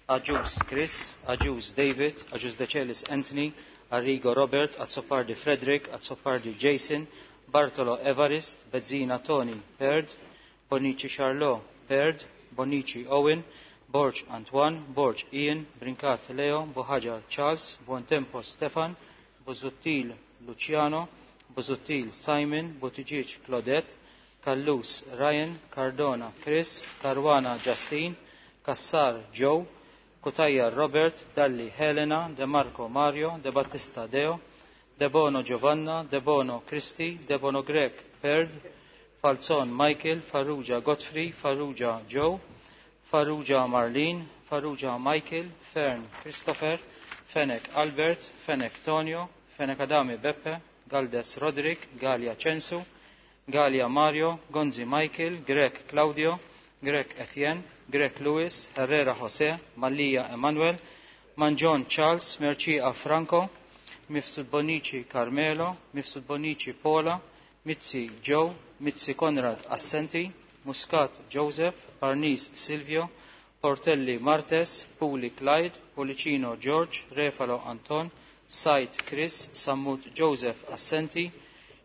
Speaker 2: Agius Chris, Agius David, Agius Decelis Anthony, Arrigo Robert, Azzopardi Frederick, Azzopardi Jason, Bartolo Evarist, Bezzina Tony Baird, Bonici Charlot Baird, Bonici Owen, Borg Antoine, Borg Ian, Brincat Leo, Buhaġar Charles, Buontempo Stefan, Busuttil Luciano, Busuttil Simon, Buttigieg Claudette, Callus Ryan, Cardona Chris, Caruana Justine, Cassar Joe, Cutajar Robert, Dalli Helena, De Marco Mario, De Battista Deo, De Bono Giovanna, De Bono Christi, De Bono Grech Perd, Falzon Michael, Farrugia Godfrey, Farrugia Joe, Farrugia Marlene, Farrugia Michael, Fern Christopher, Fenech Albert, Fenech Tonio, Fenech Adami Beppe, Galdes Roderick, Gallia Censu, Gallia Mario, Gonzi Michael, Grech Claudio, Grech Etienne, Grech Louis, Herrera Jose, Mallia Emanuel, Mangion Charles, Mercia Franco, Mifsud Bonici Carmelo, Mifsud Bonici Paula, Mizzi Joe, Mizzi Conrad Assenti, Muscat Joseph, Parnis Silvio, Portelli Martes, Puli Clyde, Policino George, Refalo Anton, Said Chris, Sammut Joseph Assenti,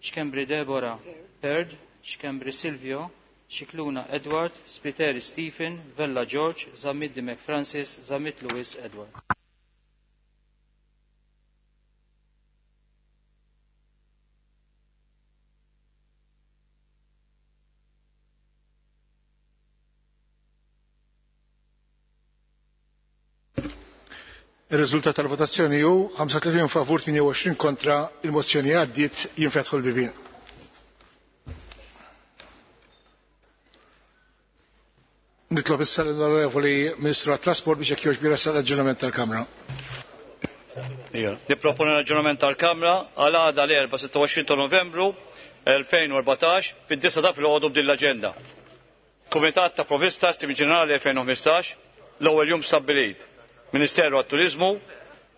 Speaker 2: Schembri Deborah Baird, Schembri Silvio, Scicluna Edward, Spiteri Stephen, Vella George, Zammit Dimech Francis, Zammit Lewis Edward.
Speaker 1: Il-riżultat tal-votazzjoni hu ħamsa u tletin favur, tmienja u għoxrin kontra, il-mozzjoni għaddiet, jinfetħu l-bibien. Nitlob issa l-Onorevoli Ministru għat-Trasport biex jekk jogħġbu jressaq l-aġġornament tal-Kamra.
Speaker 7: Nipproponi l-aġġornament tal-Kamra għal għada l-erba' sitta u għoxrin ta' Novembru elfejn u erbatax fid-disa ta' filgħodu b'din l-aġenda. Kumitat ta' Provvista Stimi Ġenerali elfejn u ħmistax, l-ewwel jum stabbilit. Ministeru għat-Turizmu,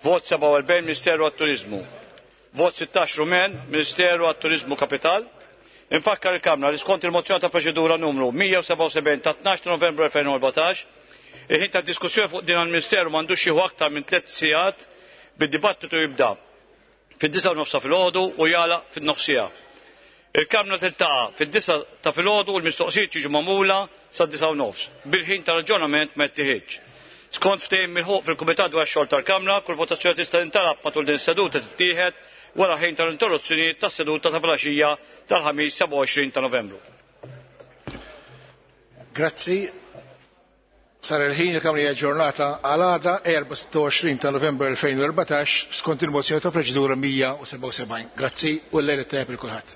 Speaker 7: vot sebgħa u erbgħin Ministeru għat-Turizmu, vot sittax Rumen, Ministeru għat-Turizmu Kapital. Infakkar il-Kamra li skont il-mozzjoni ta' proċedura numru mija u sebgħa u sebgħin ta' tnax ta' Novembru elfejn u erbatax, il-ħin ta' diskussjoni fuq din għall-Ministeru m'għandux jieħu aktar minn tliet sigħat bid-dibattitu jibda fid-disa' u nofsa filgħodu u jagħlaq fin-nofsija. Il-Kamra tiltaqa' fid-disa' ta' filgħodu u l-mistoqsijiet jiġu magħmula sad-disa' u nofs bil-ħin tal-aġġornament ma jittieħedx. Skont ftehim milħuq fil-Kumitat dwar ix-xogħol tal-Kamra, kull votazzjoni tista' tintalab matul din is-seduta tittieħed wara ħin tal-interruzzjonijiet tas-seduta ta' filgħaxija tal-ħamis sebgħa u għoxrin ta' Novembru.
Speaker 1: Grazzi. Sar il-ħin il-Kamra hija ġurnata għal għada erba' sitta u għoxrin ta' Novembru elfejn u erbatax skont il-mozzjoni ta' proċedura mija u sebgħa u sebgħin. Grazzi u l-lejl it-tajjeb lil kulħadd.